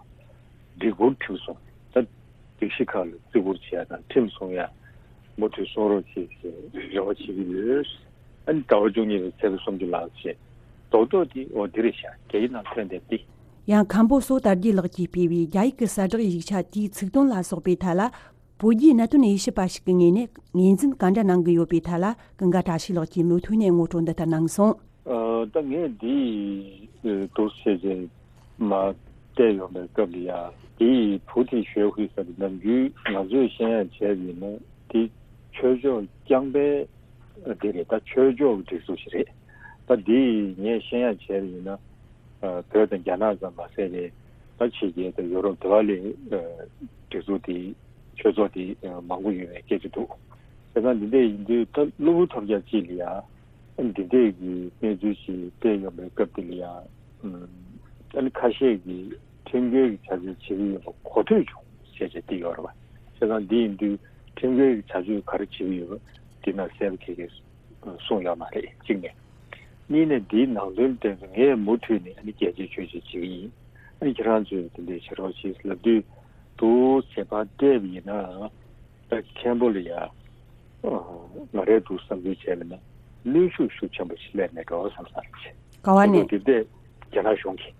སྒྲིག་བཀུར་ཁྲིམས་སྲུང་། ད་སྒྲིག་གཞི་ཁག་ལ་བརྩི་བཀུར་བྱེད་ཡ་དང་ཁྲིམས་སྲུང་ཡ་མུ་མཐུད་སྲུང་རོགས་བྱེད་ཅེས་རེ་བ་བྱེད་ཀྱི་ཡོད། ཨ་ནི་ཟླ་བ་བཅུ་གཉིས་པའི་ཚེས་པ་སུམ་ཅུ་ལགས་བྱས། རྡོག་རྡོག་དེ་འོ་འདི་རེད་ཤག་རྒྱ་ཡིག་ནང་ཐོན་བསྡད་དེ། ཡང་མཁན་པོ་བསོད་དར་རྒྱས་ལགས་ཀྱིས་སྤེལ་བའི་རྒྱ་ཡིག་གི་གསལ་བསྒྲགས་ཡིག་ཆ་དེའི་ཚིག་དོན་ལ་སོགས་པའི་ཐད་ལ། བོད་བརྒྱུད་གནད་དོན་དབྱེ་ཞིབ་པ་ཞིག་གི་ངོས་ནས་ངོས་འཛིན་ག་འདྲ་གནང་གི་ཡོད་པའི་ཐད་ལ་ཀུན་དགའ་བཀྲ་ཤིས་ལགས་ཀྱིས་མུ་མཐུད་ནས་ངོ་སྤྲོད་འདི་ལྟར་གནང་སོང་། ཨ། ད་ངས་འདི་འདུག་བྱས་རྗེས་མར་བལྟས་ཡོང་པའི་སྐབས་ལ་ཡ། འདི་ཕུའུ་ཐིན་ཞོའི་ཧུའེ་ཟེར་བ་ནམ་རྒྱུན་ང་ཚོས་ཤེས་ཡག་བྱས་པ་ཡིན་ན་འདི་ཆོས་ཕྱོགས་རྐྱང་པའི་འདི་རེད། ད་ཆོས་ཕྱོགས་ཀྱི་སྒྲིག་འཛུགས་ཤིག་རེད། ད་འདི་ངས་ཤེས་ཡག་བྱས་པ་ཡིན་ན། ཨ། བོད་དང་རྒྱ་ནག་ཙམ་མ་ཟད་པའི་ད་ཕྱི་རྒྱལ་དང་ཡོ་རོབ་དེ་བ་ལ་ཨ་སྒྲིག་འཛུགས་དེ་ཆོས་ཚོགས་དེ་ཨ་མང་པོ་ཡོད་པའི་སྐད་ཆ་འདུག། བྱས་ཙང་འདི་འདྲ་ཡིན་དུས་ད་གློ་བུར་ཐོལ་རྒྱག་ཅིག་ལ་ཡ་འདི་འདྲའི་གི་གནས་ཚུལ་ཞིག་སྤེལ་ཡོང་པའི་སྐབས་དེ་ལ་ཡ། ཨ་ནི་ཁ་ཤས་ཀྱིས་ཁྲིམས་འགལ་གྱི་བྱ་སྤྱོད་བྱེད་ཀྱི་ཡོད་པ་གོ་ཐོས་བྱུང་ཞེས་བྱས་བྲིས་ཡོད་རེད་པ། བྱས་ཙང་འདི་ཡིན་དུས་ཁྲིམས་འགལ་གྱི་བྱ་སྤྱོད་ག་རེ་བྱེད་ཀྱི་ཡོད་པ་འདི་ན་གསལ་པོ་གེ་གེ་གསུངས་ཡོད་མ་རེད། གཅིག་ནས། གཉིས་ནས་འདིའི་ནང་དོན་དེ་ཚོ་ངས་མུ་མཐུད་ནས་ཨ་ནི་རྒྱས་བཤད་ཆོས་བཤད་བྱེད་ཀྱི་ཡིན། ཨ་ནི་ཁྱེད་རང་ཚོས་དེ་འདྲའི་བྱེད་རོགས་བྱེད་ལབ་དུས་འདུག་བྱས་པ་བལྟས་པ་ཡིན་ན། ད་མཁན་པོ་ལ་ཡ། ཨ། ང་རས་འདུག་བསམ་ཚུལ་བྱས་པ་ན་གནོན་ཤུགས་ཤུགས་ཆེན་པོ་ཞིག་སླེབས་མེད་འགྲོ་བསམ་ས་རེད། ག་བ་ནས། དེ་འདྲ་རྒྱ་ནག་གཞུང་གིས།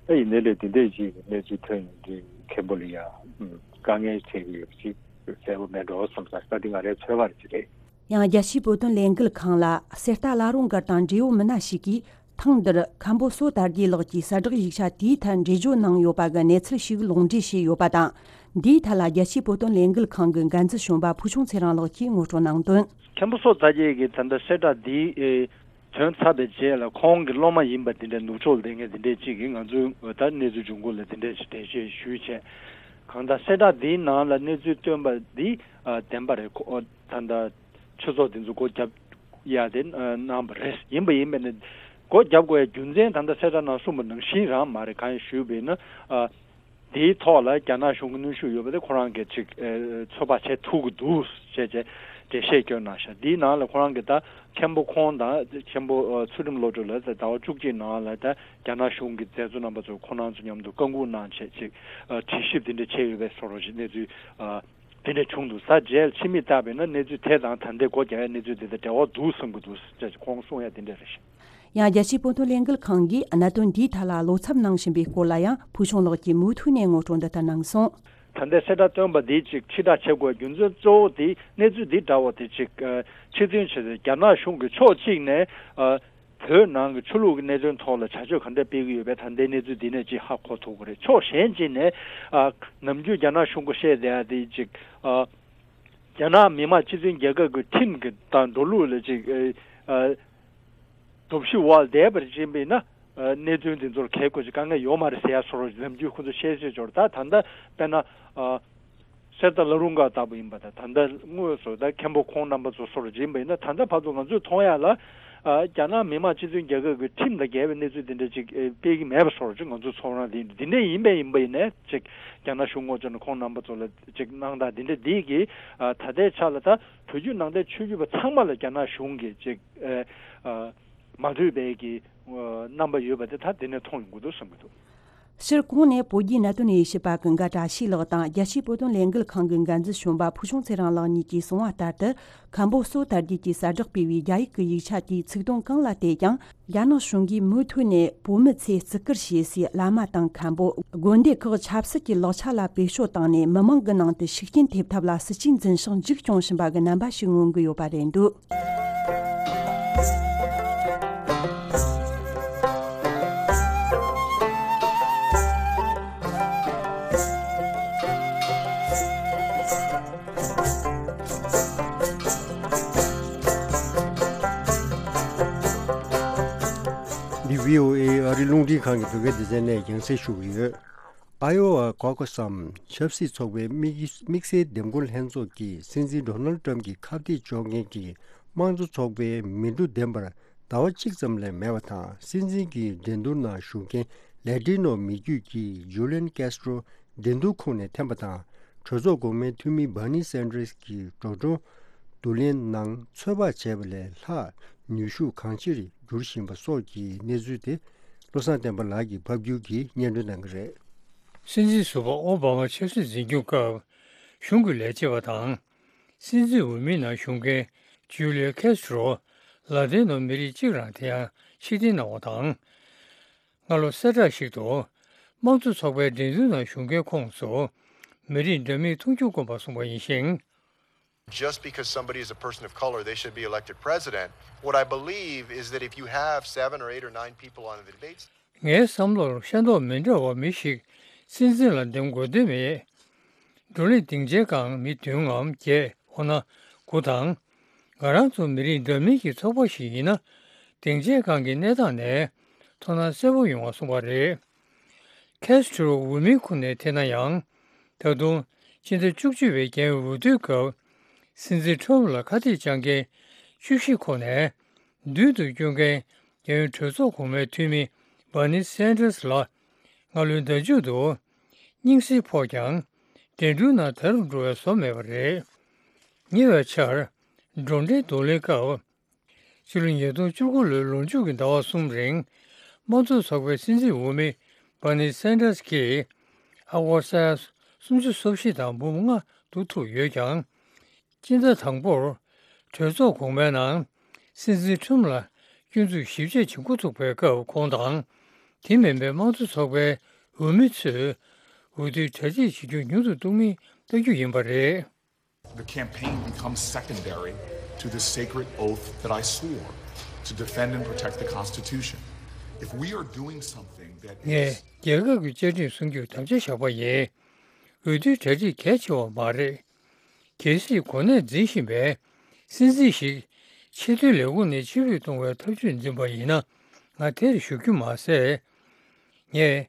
ད་ཡིན་ནའི་ལས་དེ་འདྲའི་ཅིག་གནས་ཚུལ་ཐོན་ཡོང་དུས་མཁན་པོ་ལ་ཡ། ཨ། དཀའ་ངལ་འཕྲད་ཀྱི་ཡོད་པ་ཅིག་གསལ་པོ་མེད་འགྲོ་བསམ་ས་ད་འདི་ང་རའི་ཚོད་དཔག་ཅིག་རེད། ཡང་རྒྱལ་སྤྱིའི་བོད་དོན་ལས་འགུལ་ཁང་ལ་གསེར་རྟ་བླ་རུང་སྒར་དང་འབྲེལ་ཡོད་མི་སྣ་ཞིག་གིས་ཐེངས་འདིར་མཁན་པོ་བསོད་དར་རྒྱས་ལགས་ཀྱིས་གསལ་བསྒྲགས་ཡིག་ཆ་དེའི་ཐད་འགྲེལ་བརྗོད་གནང་ཡོད་པ་གི་གནས་ཚུལ་ཞིག་ལུང་འདྲེན་བྱས་ཡོད་པ་དང་། འདིའི་ཐད་ལ་རྒྱལ་སྤྱིའི་བོད་དོན་ལས་འགུལ་ཁང་གི་འགན་འཛིན་གཞོན་པ་ཕུལ་བྱུང་ཚེ་རིང་ལགས་ཀྱིས་ངོ་སྤྲོད་གནང་དོན། མཁན་པོ་བསོད་དར་རྒྱས་ཀྱིས་ད་ལྟ་གསལ་བསྒྲགས་འདི་ཨེ་ཐོན་ཚར་བའི་རྗེས་ལ་ཁོང་གི་སློབ་མ་ཡིན་པ་དེ་འདྲའི་ནུབ་ཕྱོགས་ལ་བསྡད་མཁན་དེ་འདྲའི་གཅིག་གིས་ང་ཚོའི་ད་གནས་ཚུལ་འབྱུང་ཁུངས་ལ་དེ་འདྲའི་ཞིག་འགྲེལ་བཤད་ཞུས་བྱས། གང་ལྟར་གསལ་བསྒྲགས་འདིའི་ནང་ལ་གནས་ཚུལ་བཏོན་པ་འདི་ཨ་བདེན་པ་རེད། ཁོ་ད་ལྟ་ཆོས་ཚོགས་དེ་ཚོ་སྒོ་བརྒྱབ་ཡ་དེ་ཨ་གནང་བ་རེད། ཡིན་པ་ཡིན་པས་ནི་སྒོ་བརྒྱབ་དགོས་ཡ་རྒྱུ་མཚན་ད་ལྟ་གསལ་བསྒྲགས་ནང་གསུངས་པ་ནང་བཞིན་རང་མ་རེད། གང་ཡིན་ཞུས་པ་ཡིན་ན་ཨ། དེའི་ཐོག་ལ་རྒྱ་ནག་གཞུང་གི་གནོན་ཤུགས་ཡོད་པ་དེ་ཁོ་རང་གིས་ཅིག་ཨེ་ཚོད་དཔག་བྱེད་ཐུབ་ཀྱི་འདུག་ཅེས་བྱས་འགྲེལ་བཤད་བསྐྱོན་གནང་ཤག། འདིའི་ནང་ལ་ཁོ་རང་གིས་ད་མཁན་པོ་ཁོང་དང་མཁན་པོ་ཨ་ཚུལ་ཁྲིམས་བློ་གྲོས་ལ་ད་ཟླ་བ་བཅུ་གཅིག་ནང་ལ་ད་རྒྱ་ནག་གཞུང་གི་མཛད་གཙོ་རྣམ་པ་ཚོ་ཁོ་རང་ཚོ་མཉམ་དུ་བཀའ་འགུག་གནང་བྱས་ཅིག་ཨ་དྲི་ཞིབ་འདི་འདྲ་བྱས་ཡོད་པའི་བཟོ་འདྲ་ཞིག་གནས་ཚུལ་ཨ་དེ་འདྲ་བྱུང་འདུག། ས་མཇལ་ཕྱི་མིག་བལྟས་པས་ན་གནས་ཚུལ་དེ་དང་ད་ལྟའི་སྒོ་རྒྱག་ཡ་གནས་ཚུལ་དེ་དང་འབྲེལ་བ་འདུག་བསམ་གྱི་འདུག་ཅེས་ཁོང་གསུང་ཡ་དེ་འདྲ་རེད་ཤག། ཡང་རྒྱལ་སྤྱིའི་བོད་དོན་ལས་འགུལ་ཁང་གིས་གནད་དོན་འདིའི་ཐད་ལ་བློ་འཚབ་གནང་བཞིན་པའི་སྐོར་ལ་ཡང་ཕུལ་བྱུང་ལགས་ཀྱིས་མུ་མཐུད་ནས་ངོ་སྤྲོད་འདི་ལྟར་གནང་སོང་། ད་ལྟའི་གསལ་བསྒྲགས་བཏོན་པ་འདིས་ཅིག་ཕྱིར་བསྒྲགས་བྱེད་དགོས་རྒྱུ་མཚན་གཙོ་བོ་དེ་གནས་ཚུལ་འདི་འདྲ་བོ་དེ་ཅིག་ཨ་ཁྲིད་སྟོན་བྱས་ཏེ་རྒྱ་ནག་གཞུང་གིས་ཕྱོགས་གཅིག་ནས་ཨ་བོད་ནང་གི་ཆོས་ལུགས་ཀྱི་གནད་དོན་ཐོག་ལ་བྱ་སྤྱོད་ག་འདྲ་སྤེལ་གྱི་ཡོད་པས། ད་ལྟའི་གནས་ཚུལ་འདི་ནས་ཅིག་ཧ་གོ་ཐུབ་ཀྱི་རེད། ཕྱོགས་གཞན་གཅིག་ནས་ཨ་ནམ་རྒྱུན་རྒྱ་ནག་གཞུང་གིས་བཤད་བསྡད་ཡ་དེ་ཅིག་ཨ་རྒྱ་ནག་མི་དམངས་སྤྱི་མཐུན་རྒྱལ་ཁབ་ཀྱི་ཁྲིམས་ཀྱི་དང་འགྲོ་ལུགས་ལ་ཅིག་ཨ་ཨ། སྟོབས་ཤུགས་འོག་བསྡད་པར་བྱེད་པས་ན། ཨ་གནད་དོན་དེ་ཚོར་གལ་དགོས་ཀྱི་དཀའ་ངལ་ཡོད་མ་རེད་ཟེར་ཡ་སོགས་ནམ་རྒྱུན་ཁོ་ཚོ་བཤད་བཤད་འབྱོར། ད་ད་ལྟ་དཔེར་ན་ཨ་གསེར་རྟ་བླ་རུང་སྒར་ལྟ་བུ་ཡིན་པ་དང་། ད་ལྟ་དངོས་སུ་ད་མཁན་པོ་ཁོང་རྣམ་པ་ཚོ་སོགས་ཡིན་པ་ཡིན་ན། ད་ལྟ་བར་དུ་ང་ཚོས་མཐོང་ཡ་ལ་ཨ་རྒྱ་ནག་མི་དམངས་སྤྱི་མཐུན་རྒྱལ་ཁབ་ཀྱི་ཁྲིམས་དང་འགལ་བའི་གནས་ཚུལ་དེ་འདྲ་ཅིག་ཨེ་སྤེལ་གྱི་མེད་པ་སོགས་ཅིག་ང་ཚོ་ཚོར་སྣང་དེ་ཡིན། འདི་འདྲ་ཡིན་པས་ཡིན་པ་ཡིན་ནའི་ཅིག་རྒྱ་ནག་གཞུང་ངོས་ཕྱོགས་ནས་ཁོང་རྣམ་པ་ཚོ་ལ་ཅིག་གནང་སྟངས་འདི་འདྲ་འདི་གིས་ཨ་ད་ལྟའི་ཆ་ལ་ད་བོད་བརྒྱུད་ནང་བསྟན་ཆོས་བརྒྱུད་པ་ཚང་མ་ལ་རྒྱ་ནག་གཞུང་གིས་ཅིག་ཨ་ཨ། མ་འདོད་པའི་གི་ཨ་རྣམ་པ་ཡོད་པ་དེ་ད་དེ་ནས་མཐོང་ཡོང་གི་འདུག་བསམ་གྱི་འདུག། ཕྱིར་གོང་ནས་བོད་བརྒྱུད་གནད་དོན་དབྱེ་ཞིབ་པ་ཀུན་དགའ་བཀྲ་ཤིས་ལགས་དང་རྒྱལ་སྤྱིའི་བོད་དོན་ལས་འགུལ་ཁང་གི་འགན་འཛིན་གཞོན་པ་ཕུལ་བྱུང་ཚེ་རིང་ལགས་གཉིས་ཀྱིས་གསུངས་པ་ལྟར་དུ། མཁན་པོ་བསོད་དར་རྒྱས་ཀྱིས་གསལ་བསྒྲགས་སྤེལ་བའི་རྒྱ་ཡིག་གི་ཡིག་ཆ་དེའི་ཚིག་དོན་གང་ལ་བལྟས་ཀྱང་། རྒྱ་ནག་གཞུང་གིས་མུ་མཐུད་ནས་བོད་མི་ཚོས་བརྩི་བཀུར་བྱེད་སའི་བླ་མ་དང་མཁན་པོ། དགོན་སྡེ་ཁག་ཆབ་སྲིད་ཀྱི་ལག་ཆ་ལ་བེད་སྤྱོད་བཏང་ནས་མི་མང་གི་ནང་དུ་ཤུགས་རྐྱེན་ཐེབས་ཐབས་ལ་སྲིད་ཇུས་འཛིན་ཤིང་འཇིགས་སྐྱོང་བཞིན་པ་གི་རྣམ་པ་ཞིག་མངོན་གྱི་ཡོད་པ་རེད་འདུག། འདི་བྷི་ཨོ་ཨེ་ཨ་རི་རླུང་འཕྲིན་ཁང་གི་བོད་སྐད་སྡེ་ཚན་ནས་རྒྱང་སྲིང་ཞུ་གི་ཡོད། ཨ་ཡོ་ཝ་ཀོ་ཀོ་སམ་ཆབ་སྲིད་ཚོགས་པའི་དམིགས་དམིགས་བསལ་འདེམས་བསྐོ་ལྷན་ཚོགས་ཀྱིས་སྲིད་འཛིན་ཌོ་ནལ་ཏྲམ་གྱི་ཁ་གཏད་གཅོག་མཁན་གྱི་དམངས་གཙོ་ཚོགས་པའི་མི་འགྲོ་འདེམས་པར་ཟླ་བ་གཅིག་ཙམ་ལས་མེད་པ་དང་། སྲིད་འཛིན་གྱི་འགྲན་བསྡུར་ནང་ཞུགས་མཁན་ལེ་ཏི་ནོ་མི་རྒྱུད་ཀྱི་ཇུ་ལིན་ཀེ་སི་ཏྲོ་འགྲན་བསྡུར་ཁོངས་ནས་འཐེན་པ་དང་། གྲོས་ཚོགས་འགོ་དམའི་འཐུས་མི་བྷར་ནི་སན་ཏྲེས་ཀྱི་འགྲོ་གྲོན་བསྡུ་ལེན་ནང་ཚོད་དཔག་བྱས་པ་ལས་ལྷག་ནུས་ཤུགས་གང་ཆེར་འགྱུར་བཞིན་པ་སོགས་ཀྱི་གནས་ཚུལ་དེ། བློ་བཟང་བསྟན་པ་ལགས་ཀྱིས་ཕབ་བསྒྱུར་གྱིས་སྙན་སྒྲོན་གནང་གི་རེད། སྲིད་འཛིན་ཟུར་པ་ཨོ་བྷ་མ་ཆབ་སྲིད་འཛིན་སྐྱོང་སྐབས་གཞུང་གི་ལས་བྱེད་པ་དང་། སྲིད་འཛིན་འོས་མིའི་ནང་ཞུགས་མཁན་ཇུ་ལི་ཡ་ཁེ་སི་ཏྲོ་ལ་ཏིན་ནོ་མི་རིགས་གཅིག་རང་དེ་ཡང་ཕྱིར་འཐེན་གནང་བ་དང་། སྔ་ལོ་གསལ་བསྒྲགས་ཤིག་ཏུ། དམངས་གཙོ་ཚོགས་པའི་འགྲན་བསྡུར་ནང་ཞུགས་མཁན་ཁོངས་སུ། མི་རིགས་འདྲ་མིན་མཐོང་ཆུང་དཀོན་པ་གསུངས་པ་ཡིན་ཞིང་། Just because somebody is a person of color, they should be elected president. What I believe is that if you have seven or eight or nine people on the debate, ངའི་བསམ་བློར་ཤ་མདོག་མི་འདྲ་བ་མི་ཞིག་སྲིད་འཛིན་ལ་འདེམས་དགོས་དོན་མེད། བགྲོ་གླེང་སྡིངས་ཆའི་སྒང་མི་བདུན་ངམ་བརྒྱད་འོ་ན་དགུ་དང་། ང་རང་ཚོ་མི་རིགས་འདྲ་མིན་གྱི་ཚོགས་པ་ཞིག་ཡིན་ན་སྡིངས་ཆའི་སྒང་གི་གནས་སྟངས་ནས་མཐོང་སྣང་གསལ་པོ་ཡོང་བ་གསུངས་པ་རེད། ཁེ་སི་ཊོ་རོ་འོས་མིའི་ཁུངས་ནས་ཐད་ན་ཡང་། ད་དུང་སྤྱི་ཟླ་བཅུ་གཅིག་པའི་རྒྱལ་ཡོངས་འོས་བསྡུའི་སྐབས་སྲིད་འཛིན་ཁྲོམ་ལ་ཁ་གཏད་བཅག་མཁན་བཅུ་བཞི་ཁོངས་ནས་མདུན་དུ་སྐྱོད་མཁན་རྒྱལ་ཡོངས་གྲོས་ཚོགས་གོང་མའི་འཐུས་མི་སྦར་ནི་སན་ཌར་སི་ལ་སྔ་ལོའི་ཟླ་མཇུག་ཏུ་སྙིང་སྲིད་ཕོག་ཀྱང་འགྲན་བསྡུར་ནང་དལ་དུ་འགྲོ་བའི་བཟོ་མེད་པ་རེད། ཉེ་བའི་ཆར་བགྲོ་གྲེང་གདོང་ལེན་སྐབས། ཕྱི་ལོ་ཉིས་སྟོང་བཅུ་དགུ་ལོའི་ལོ་མཇུག་གི་ཟླ་བ་གསུམ་རིང་དམངས་གཙོ་ཚོགས་པའི་སྲིད་འཛིན་འོས་མི་སྦར་ནི་སན་ཌར་སི་གིས་ཨ་སྒོར་ས་ཡ་སུམ་ཅུ་སོ་བཞི་དང་འབུམ་ལྔ་བསྡུ་ཐུབ་ཡོད་ཀྱང་། སྤྱི་ཟླ་དང་པོར་གྲོས་ཚོགས་གོང་མའི་ནང་སྲིད་འཛིན་ཁྲོམ་ལ་སྐྱོན་འཛུགས་ཞིབ་དཔྱད་བྱེད་འགོ་ཚུགས་པའི་སྐབས་ཁོང་དང་དེ་མིན་པའི་དམངས་གཙོ་ཚོགས་པའི་འོས་མི་ཚོས་འོས་བསྡུའི་གྲ་སྒྲིག་བྱེད་རྒྱུ་ཉུང་དུ་གཏོང་མིན་ལྟ་རྒྱུ་ཡིན་པ་རེད། The campaign becomes secondary to the sacred oath that I swore to defend and protect the Constitution. If we are doing something that is ངས་རྒྱལ་ཁབ་ཀྱི་བཅའ་ཁྲིམས་སྲུང་རྒྱུར་དམ་བཅའ་བཞག་པ་ཡིན། འོས་བསྡུའི་གྲ་སྒྲིག་གལ་ཆེ་བ་མ་རེད། གལ་སྲིད་གོ་གནས་འཛིན་བཞིན་པའི་སྲིད་འཛིན་ཞིག་ཆེས་མཐོའི་ལས་ཁུངས་ནས་ཕྱིར་འབུད་གཏོང་བའི་ཐབས་ཇུས་འཛིན་པ་ཡིན་ན་ང་དེར་ཞུགས་རྒྱུ་མ་ཟད། ངས་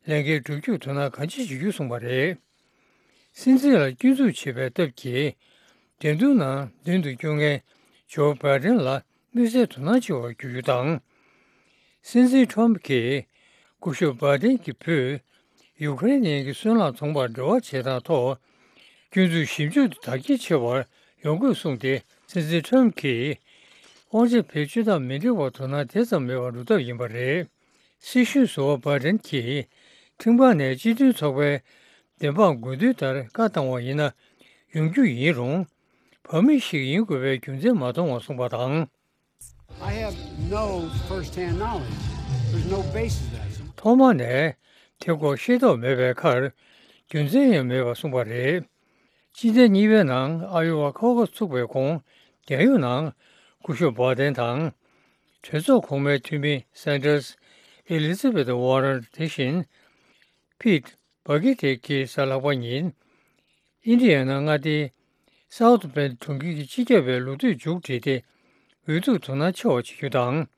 ལས་འགན་སྒྲུབ་རྒྱུར་དོ་སྣང་གང་ཅི་བྱེད་རྒྱུ་གསུངས་པ་རེད། སྲིད་འཛིན་ལ་སྐྱོན་འཛུགས་བྱེད་པའི་སྟབས་ཀྱིས། འགྲན་བསྡུར་ནང་མདུན་དུ་སྐྱོད་མཁན་ཇོ་བྷའི་ཌེན་ལ་དམིགས་བསལ་དོ་སྣང་ཆེ་བར་གྱུར་རྒྱུ་དང་། སྲིད་འཛིན་ཁྲོམ་གྱིས་སྐུ་ཞབས་བྷའི་ཌེན་གྱི་བུས་ཡུ་ཀེ་རེན་ནས་ཀྱི་སོལ་རླངས་ཚོང་པར་འབྲེལ་བ་བྱེད་སྟངས་ཐོག་སྐྱོན་འཛུགས་ཞིབ་འཇུག་དེ་དར་རྒྱས་ཆེ་བར་ཡོང་དགོས་གསུངས་ཏེ། སྲིད་འཛིན་ཁྲོམ་གྱིས་དབང་ཆ་བེད་སྤྱོད་སྟངས་མི་འགྲིག་པར་དོ་སྣང་དེ་ཙམ་མེད་པར་འགྲོ་ཐབས་ཡིན་པ་རེད། སྲིད་གཞུང་ཟུར་པ་བྷའི་ཌེན་གྱིས་ཁྲིམས་ཁང་ནས་སྤྱི་མཐུན་ཚོགས་པའི་བདེན་དཔང་དགོས་འདུན་ལྟར་བཀའ་བཏང་བ་ཡིན་ན་ཡོང་རྒྱུ་ཡིན་རུང་། བར་མི་ཞིག་ཡིན་དགོས་པའི་རྒྱུ་མཚན་མ་མཐོང་བ་གསུངས་པ་དང་། I have no first-hand knowledge. There's no basis for that. ཐོག་མ་ནས་དེ་སྐོར་ཤེས་རྟོགས་མེད་པའི་ཁར་རྒྱུ་མཚན་ཡང་མེད་པ་གསུངས་པ་རེད། སྤྱི་ཟླ་གཉིས་པའི་ནང་ཨ་ཡོ་ཝ་ཁོ་ཁ་སི་ཚུགས་པའི་གོང་རྒྱལ་ཡོངས་ནང་སྐུ་ཞབས་བྷའི་ཌེན་དང་། གྲོས་ཚོགས་གོང་མའི་འཐུས་མི་སན་ཌར་སི། ཨེ་ལི་ཛ་བེད་ཝ་རན་དེ་བཞིན་ཕིད་བྷ་གི་ཏེ་གྱི་གཟའ་ལྷག་པ་ཉིན། ཨིན་ཌི་ཡ་ན་མངའ་སྡེའི་སའུ་ཐི་བྷེན་གྲོང་ཁྱེར་གྱི་སྤྱི་ཁྱབ་པའི་ལོ་དུས་མཇུག་བསྒྲིལ་ཏེ་འོས་བསྡུར་དོ་སྣང་ཆེ་བ་བྱེད་རྒྱུ་དང་།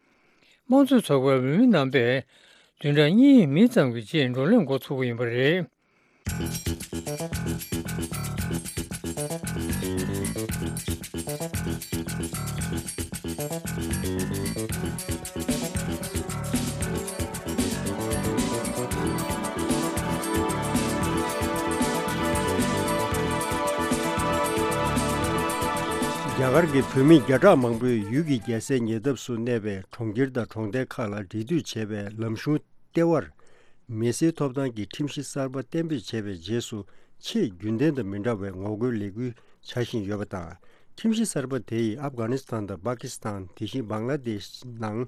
དམངས་གཙོ་ཚོགས་པའི་འོས་མི་རྣམ་པས་བདུན་ཕྲག་གཉིས་མི་ཙམ་གྱི་རྗེས་བགྲོ་གླེང་འགོ་ཚུགས་པ་ཡིན་པ་རེད། རྒྱ་གར་གྱི་བོད་མི་བརྒྱ་ཕྲག་མང་པོས་ཡུལ་གྱི་རྒྱལ་སའི་ཉེ་འདབས་སུ་གནས་པའི་གྲོང་ཁྱེར་དང་གྲོང་རྡལ་ཁག་ལ་འབྲེལ་མཐུད་བྱས་པའི་ལམ་གཞུང་ལྟེ་བར། མི་སེར་ཐོབ་ཐང་གི་ཁྲིམས་གཞི་གསར་པ་གཏན་འབེབས་བྱས་པའི་རྗེས་སུ། ཆེས་རྒྱུན་ལྡན་དང་མི་འདྲ་བའི་ངོ་རྒོལ་ལས་འགུལ་བྱ་བཞིན་ཡོད་པ་དང་། ཁྲིམས་གཞི་གསར་པ་དེ་ཡིས་ཨབ་གྷ་ནི་སི་ཐན་དང་པ་ཀི་སི་ཐན། དེ་བཞིན་བང་ལ་དེཤ་ནང་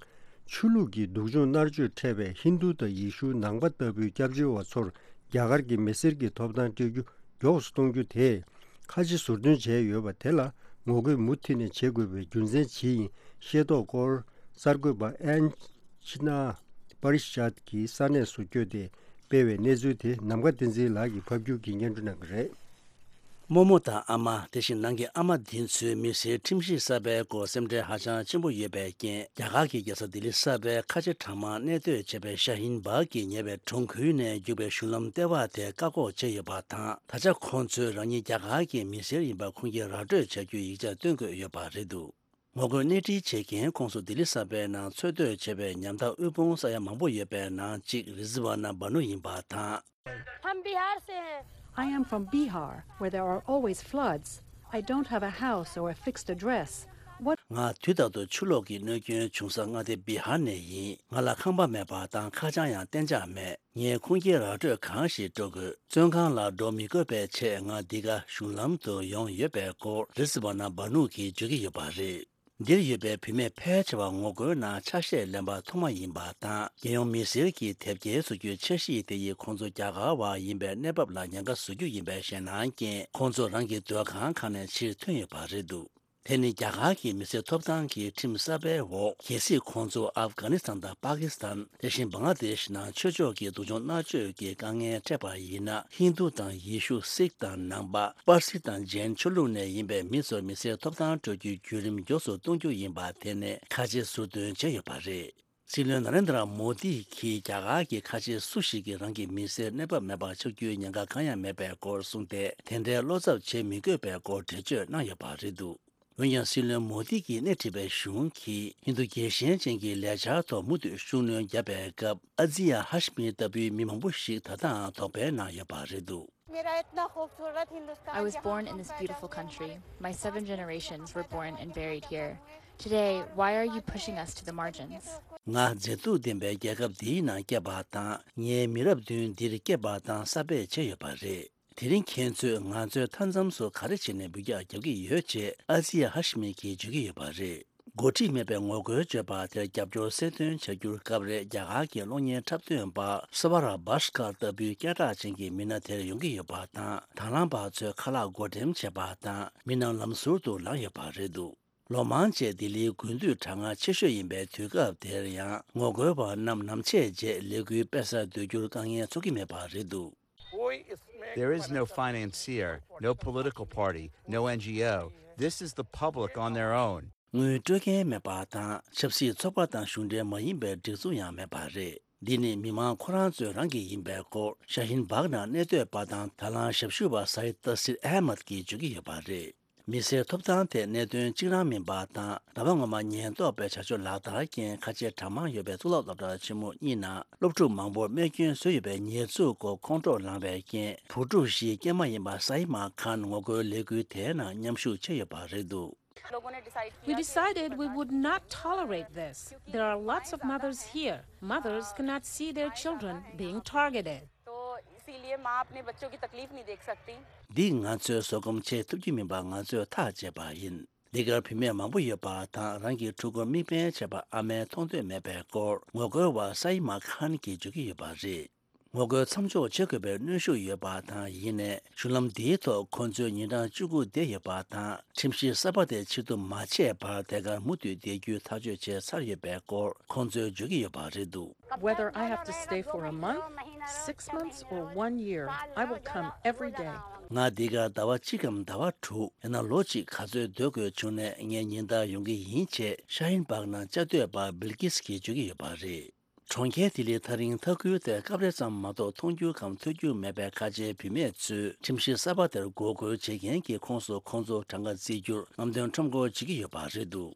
ཆོས་ལུགས་ཀྱི་སྡུག་སྦྱོང་མནར་གཅོད་འཕྲད་པའི་ཧིན་རྡུ་དང་ཡེ་ཤུ་ནང་པ་ལྟ་བུའི་སྐྱབས་བཅོལ་བ་ཚོར་རྒྱ་གར་གྱི་མི་སེར་གྱི་ཐོབ་ཐང་སྤྲད་རྒྱུ་མགྱོགས་སུ་གཏོང་རྒྱུ་དེས་ཁ་ཆེ་ཟུར་འདོན་བྱས་ཡོད་པ་དེ་ལ་ངོ་རྒོལ་མུ་མཐུད་ནས་བྱེད་དགོས་པའི་རྒྱུ་མཚན་ཇི་ཡིན་ཤེས་རྟོགས་སྐོར་གསར་འགོད་པ་ཨན་ཆི་ན་པ་རི་ཤཱད་ཀྱིས་ས་གནས་སུ་བསྐྱོད་དེ་སྤེལ་བའི་གནས་ཚུལ་དེ་ནམ་མཁའ་བསྟན་འཛིན་ལགས་ཀྱིས་ཕབ་སྒྱུར་གྱིས་སྙན་སྒྲོན་གནང་གི་རེད། རྨོ་མོ་དང་ཨ་མ། དེ་བཞིན་ནང་གི་ཨ་མ་འདི་ཚོའི་མི་སེར་ཁྲིམས་གཞི་གསར་པའི་སྐོར་སེམས་ཁྲལ་ཧ་ཅང་ཆེན་པོ་ཡོད་པའི་རྐྱེན། རྒྱ་གར་གྱི་རྒྱལ་ས་ལྡི་ལི་གསར་པའི་ཁ་ཆེ་གྲྭ་མང་གནས་སྡོད་བྱེད་པའི་ཤ་ཧིན་སྦག་གི་ཉེ་བའི་གྲོང་ཁུལ་ནས་རྒྱུག་པའི་གཞུང་ལམ་ལྟེ་བ་དེ་བཀག་འགོག་བྱས་ཡོད་པ་དང་། ད་ཆ་ཁོང་ཚོས་རང་ཉིད་རྒྱ་གར་གྱི་མི་སེར་ཡིན་པ་ཁུངས་སྐྱེལ་ར་སྤྲོད་བྱ་རྒྱུའི་ཡིག་ཆ་སྟོན་དགོས་ཡོད་པ་རེད་འདུག། ངོ་རྒོལ་སྣེ་ཁྲིད་བྱེད་མཁན་ཁོངས་སུ་ལྡི་ལི་གསར་པའི་ནང་འཚོ་སྡོད་བྱེད་པའི་ཉམ་ཐག་དབུལ་ཕོངས་ས་ཡ་མང་པོ་ཡོད་པའི་ནང་གཅིག་རི་ཛི་ཝ་ན་བ་ནུ་ཡིན་པ་དང་། हम बिहार से हैं। I am from Bihar, where there are always floods. I don't have a house or a fixed address. What ང་དུས་རྟག་ཏུ་ཆུ་ལོག་གི་གནོད་སྐྱོན་བྱུང་ས་མངའ་སྡེ་བི་ཧར་ནས་ཡིན། ང་ལ་ཁང་པ་མེད་པ་དང་ཁ་བྱང་ཡང་གཏན་འཇགས་མེད། ངས་ཁུངས་སྐྱེལ་ར་སྤྲོད་གང་ཞིག་སྤྲོད་དགོས། བཙོན་ཁང་ལ་འགྲོ་མི་དགོས་པའི་ཆེད་ང་འདི་ག་གཞུང་ལམ་དུ་ཡོང་ཡོད་པའི་སྐོར་རི་ཛི་ཝ་ན་བ་ནུ་གིས་བརྗོད་ཀྱི་ཡོད་པ་རེད། འདིར་ཡོད་པའི་བུད་མེད་ཕལ་ཆེ་བ་ངོ་རྒོལ་ནང་ཆ་ཤས་ལེན་པ་ཐོག་མ་ཡིན་པ་དང་། རྒྱལ་ཡོངས་མི་སེར་གྱི་དེབ་སྐྱེལ་བཟོ་རྒྱུའི་འཆར་གཞི་དེ་ཡིས་ཁོང་ཚོ་རྒྱ་གར་བ་ཡིན་པའི་གནས་བབ་ལ་ཉེན་ཁ་བཟོ་རྒྱུ་ཡིན་པའི་ཞེད་སྣང་རྐྱེན་ཁོང་ཚོ་རང་གི་སྡོད་ཁང་ཁག་ནས་ཕྱིར་ཐོན་ཡོད་པ་རེད་འདུག་དེ་ནི་རྒྱ་གར་གྱི་མི་སེར་ཐོབ་ཐང་གི་ཁྲིམས་གསར་པའི་འོག་གལ་སྲིད་ཁོང་ཚོ་ཨབ་གྷ་ནི་སི་ཐན་དང་པ་ཀི་སི་ཐན། དེ་བཞིན་བང་ལ་དེཤ་ནང་ཆོས་ཕྱོགས་ཀྱི་སྡུག་སྦྱོང་མནར་གཅོད་ཀྱི་དཀའ་ངལ་འཕྲད་པ་ཡིན་ན། ཧིན་རྡུ་དང་ཡེ་ཤུ། སིག་དང་ནང་པ། པར་སི་དང་ཇེན་ཆོས་ལུགས་ནས་ཡིན་པའི་མི་ཚོར་མི་སེར་ཐོབ་ཐང་སྤྲོད་རྒྱུའི་བརྒྱུད་རིམ་མགྱོགས་སུ་གཏོང་རྒྱུ་ཡིན་པ་དེ་ནས་ཁ་ཆེ་ཟུར་འདོན་བྱས་ཡོད་པ་རེད། སྲིད་བློན་ན་རེན་དྲ་མོ་དི་གིས་རྒྱ་གར་གྱི་ཁ་ཆེ་སུ་ཞིག་གིས་རང་གི་མི་སེར་གནས་བབ་མེད་པར་ཆགས་རྒྱུའི་ཉེན་ཁ་གང་ཡང་མེད་པའི་སྐོར་གསུངས་ཏེ། དེ་འདྲའི་བློ་འཚབ་བྱེད་མི་དགོས་པའི་སྐོར་འགྲེལ་བརྗོད་གནང་ཡོད་པ་རེད་འདུག་འོན་ཀྱང་། སྲིད་བློན་མོ་དི་གིས་སྣེ་ཁྲིད་པའི་གཞུང་གིས་ཧིན་རྡུ་རྒྱལ་ཞེན་ཅན་གྱི་ལས་འཆར་ཐོག་མུ་མཐུད་ཤུགས་སྣོན་བརྒྱབ་པའི་སྐབས། ཨ་ཛི་ཡ་ཧ་ཤི་མི་ལྟ་བུའི་མི་མང་པོ་ཞིག་ད་ལྟའང་དོགས་པའི་ནང་ཡོད་པ་རེད་འདུག I was born in this beautiful country. My seven generations were born and buried here. Today, why are you pushing us to the margins? ང་མཛེས་སྡུག་ལྡན་པའི་རྒྱལ་ཁབ་འདིའི་ནང་སྐྱེས་པ་དང་། ངའི་མི་རབས་བདུན་འདིར་སྐྱེས་པ་དང་གསར་སྤེལ་བྱས་ཡོད་པ་རེད། དེ་རིང་ཁྱེད་ཚོས་ང་ཚོའི་མཐའ་མཚམས་སུ་ག་རེ་བྱས་ནས་འབུད་རྒྱག་རྒྱག་གི་ཡོད་ཅེས་ཨ་ཛི་ཡ་ཧ་ཤི་མི་གིས་བརྗོད་ཀྱི་ཡོད་པ་རེད། འགོ་ཁྲིད་མེད་པའི་ངོ་རྒོལ་བརྗོད་པ་དེར་རྒྱབ་སྐྱོར་གསལ་སྟོན་བྱ་རྒྱུར་སྐབས་རེ་རྒྱ་གར་གྱི་གློག་བརྙན་འཁྲབ་སྟོན་པ་སྭ་ཝ་ར་བྷ་ཤ་ཀར་ལྟ་བུའི་སྐད་གྲགས་ཅན་གྱི་མི་སྣ་དེར་ཡོང་གི་ཡོད་པ་དང་། དང་བླངས་པ་ཚོས་ཁ་ལག་བགོ་འགྲེམས་བྱས་པ་དང་མི་རྣམས་ལམ་ཟུར་དུ་ལངས་ཡོད་པ་རེད་འདུག་ལོ་མང་རྗེས་ལྡི་ལིའི་དགུན་དུས་གྲང་ངར་ཆེ་ཤོས་ཡིན་པའི་དུས་སྐབས་དེར་ཡང་ངོ་རྒོལ་བ་རྣམས་ནམ་ཕྱེད་རྗེས་ལས་འགུལ་སྤེལ་སར་སྡོད་རྒྱུར་དཀའ་ངལ་ཚོར་གྱི་མེད་པ་རེད་འདུག There is no financier, no political party, no N G O. This is the public on their own. དངུལ་སྤྲོད་མཁན་མེད་པ་དང་། ཆབ་སྲིད་ཚོགས་པ་དང་གཞུང་འབྲེལ་མ་ཡིན་པའི་སྒྲིག་འཛུགས་ཡང་མེད་པ་རེད། འདི་ནི་མི་མང་ཁོ་རང་ཚོས་རང་གི་ཡིན་པའི་སྐོར་ཤ་ཧིན་སྦག་ནང་གནས་སྡོད་པ་དང་ད་ལན་ཞབས་ཞུ་བ་སའིད་ཏ་སིར་ཨེ་མད་ཀྱིས་བརྗོད་ཀྱི་ཡོད་པ་རེད། མི་སེར་ཐོབ་ཐང་ཐད་གནད་དོན་གཅིག་རང་མིན་པ་དང་། ཟླ་བ་སྔོན་མ་ཉེན་རྟོག་པའི་བྱ་སྤྱོད་ལག་བསྟར་རྐྱེན་ཁ་ཆེ་གྲངས་མང་ཡོད་པའི་གཙུག་ལག་སློབ་གྲྭ་ཆེན་མོ་གཉིས་ནང་སློབ་ཕྲུག་མང་པོར་རྨས་སྐྱོན་བཟོས་ཡོད་པའི་ཉེས་འཛུགས་སྐོར་ཁོང་ཁྲོ་ལངས་པའི་རྐྱེན། བུ་ཕྲུག་བཞིའི་སྐྱེས་མ་ཡིན་པ་སའི་མ་ཁཱན་ངོ་རྒོལ་ལས་འགུལ་དེའི་ནང་མཉམ་ཞུགས་བྱས་ཡོད་པ་རེད་འདུག We decided we would not tolerate this. There are lots of mothers here. Mothers cannot see their children being targeted. तो इसीलिए माँ अपने बच्चों की तकलीफ नहीं देख सकती। འདི་ང་ཚོའི་བཟོད་སྒོམ་བྱེད་ཐུབ་ཀྱི་མིན་པ་ང་ཚོས་ཐག་བཅད་པ་ཡིན། འདི་གར་བུད་མེད་མང་པོ་ཡོད་པ་དང་རང་གི་ཕྲུ་གུར་དམིགས་འབེན་བྱས་པ་ཨ་མས་མཐོང་འདོད་མེད་པའི་སྐོར་ངོ་རྒོལ་བ་སའི་མ་ཁཱན་གྱིས་བརྗོད་ཀྱི་ཡོད་པ་རེད། ངོ་རྒོལ་མཚམས་འཇོག་བྱེད་དགོས་པའི་གནོན་ཤུགས་ཡོད་པ་དང་། ཡིན་ནའི་གཞུང་ལམ་འདིའི་ཐོག་ཁོང་ཚོའི་ཉིན་གྲངས་བཅུ་དགུ་བསྡད་ཡོད་པ་དང་། ཁྲིམས་གཞི་གསར་པ་དེ་ཕྱིར་བསྡུ་མ་བྱས་བར་དེ་གར་མུ་མཐུད་བསྡད་རྒྱུའི་ཐག་གཅོད་བྱས་ཚར་ཡོད་པའི་སྐོར་ཁོང་ཚོས་བརྗོད་ཀྱི་ཡོད་པ་རེད་འདུག Whether I have to stay for a month, six months, or one year, I will come every day. ང་འདི་གར་ཟླ་བ་གཅིག་གམ་ཟླ་བ་དྲུག་ཡང་ན་ལོ་གཅིག་ག་ཚོད་སྡོད་དགོས་བྱུང་ནས་ངས་ཉིན་ལྟར་ཡོང་གི་ཡིན་ཅེས་ཤ་ཧིན་སྦག་ནང་བཅའ་སྡོད་པ་བིལ་ཀིས་ཀྱིས་བརྗོད་ཀྱི་ཡོད་པ་རེད། གྲོང་ཁྱེར་ལྡི་ལི་ཐག་རིང་མཐའ་ཁུལ་དེར་སྐབས་རེ་ཙམ་མ་གཏོགས་མཐོང་རྒྱུ་གམ་ཐོས་རྒྱུ་མེད་པའི་ཁ་ཆེའི་བུད་མེད་ཚོས་ཁྲིམས་གཞི་གསར་པ་དེར་འགོག་རྒོལ་བྱེད་མཁན་གྱི་ཁོངས་སུ་ཁོང་ཚོ་གྲངས་ཀ་བརྩི་རྒྱུར་རྔམ་སྟོན་ཁྲོམ་སྐོར་བྱེད་ཀྱི་ཡོད་པ་རེད་འདུག་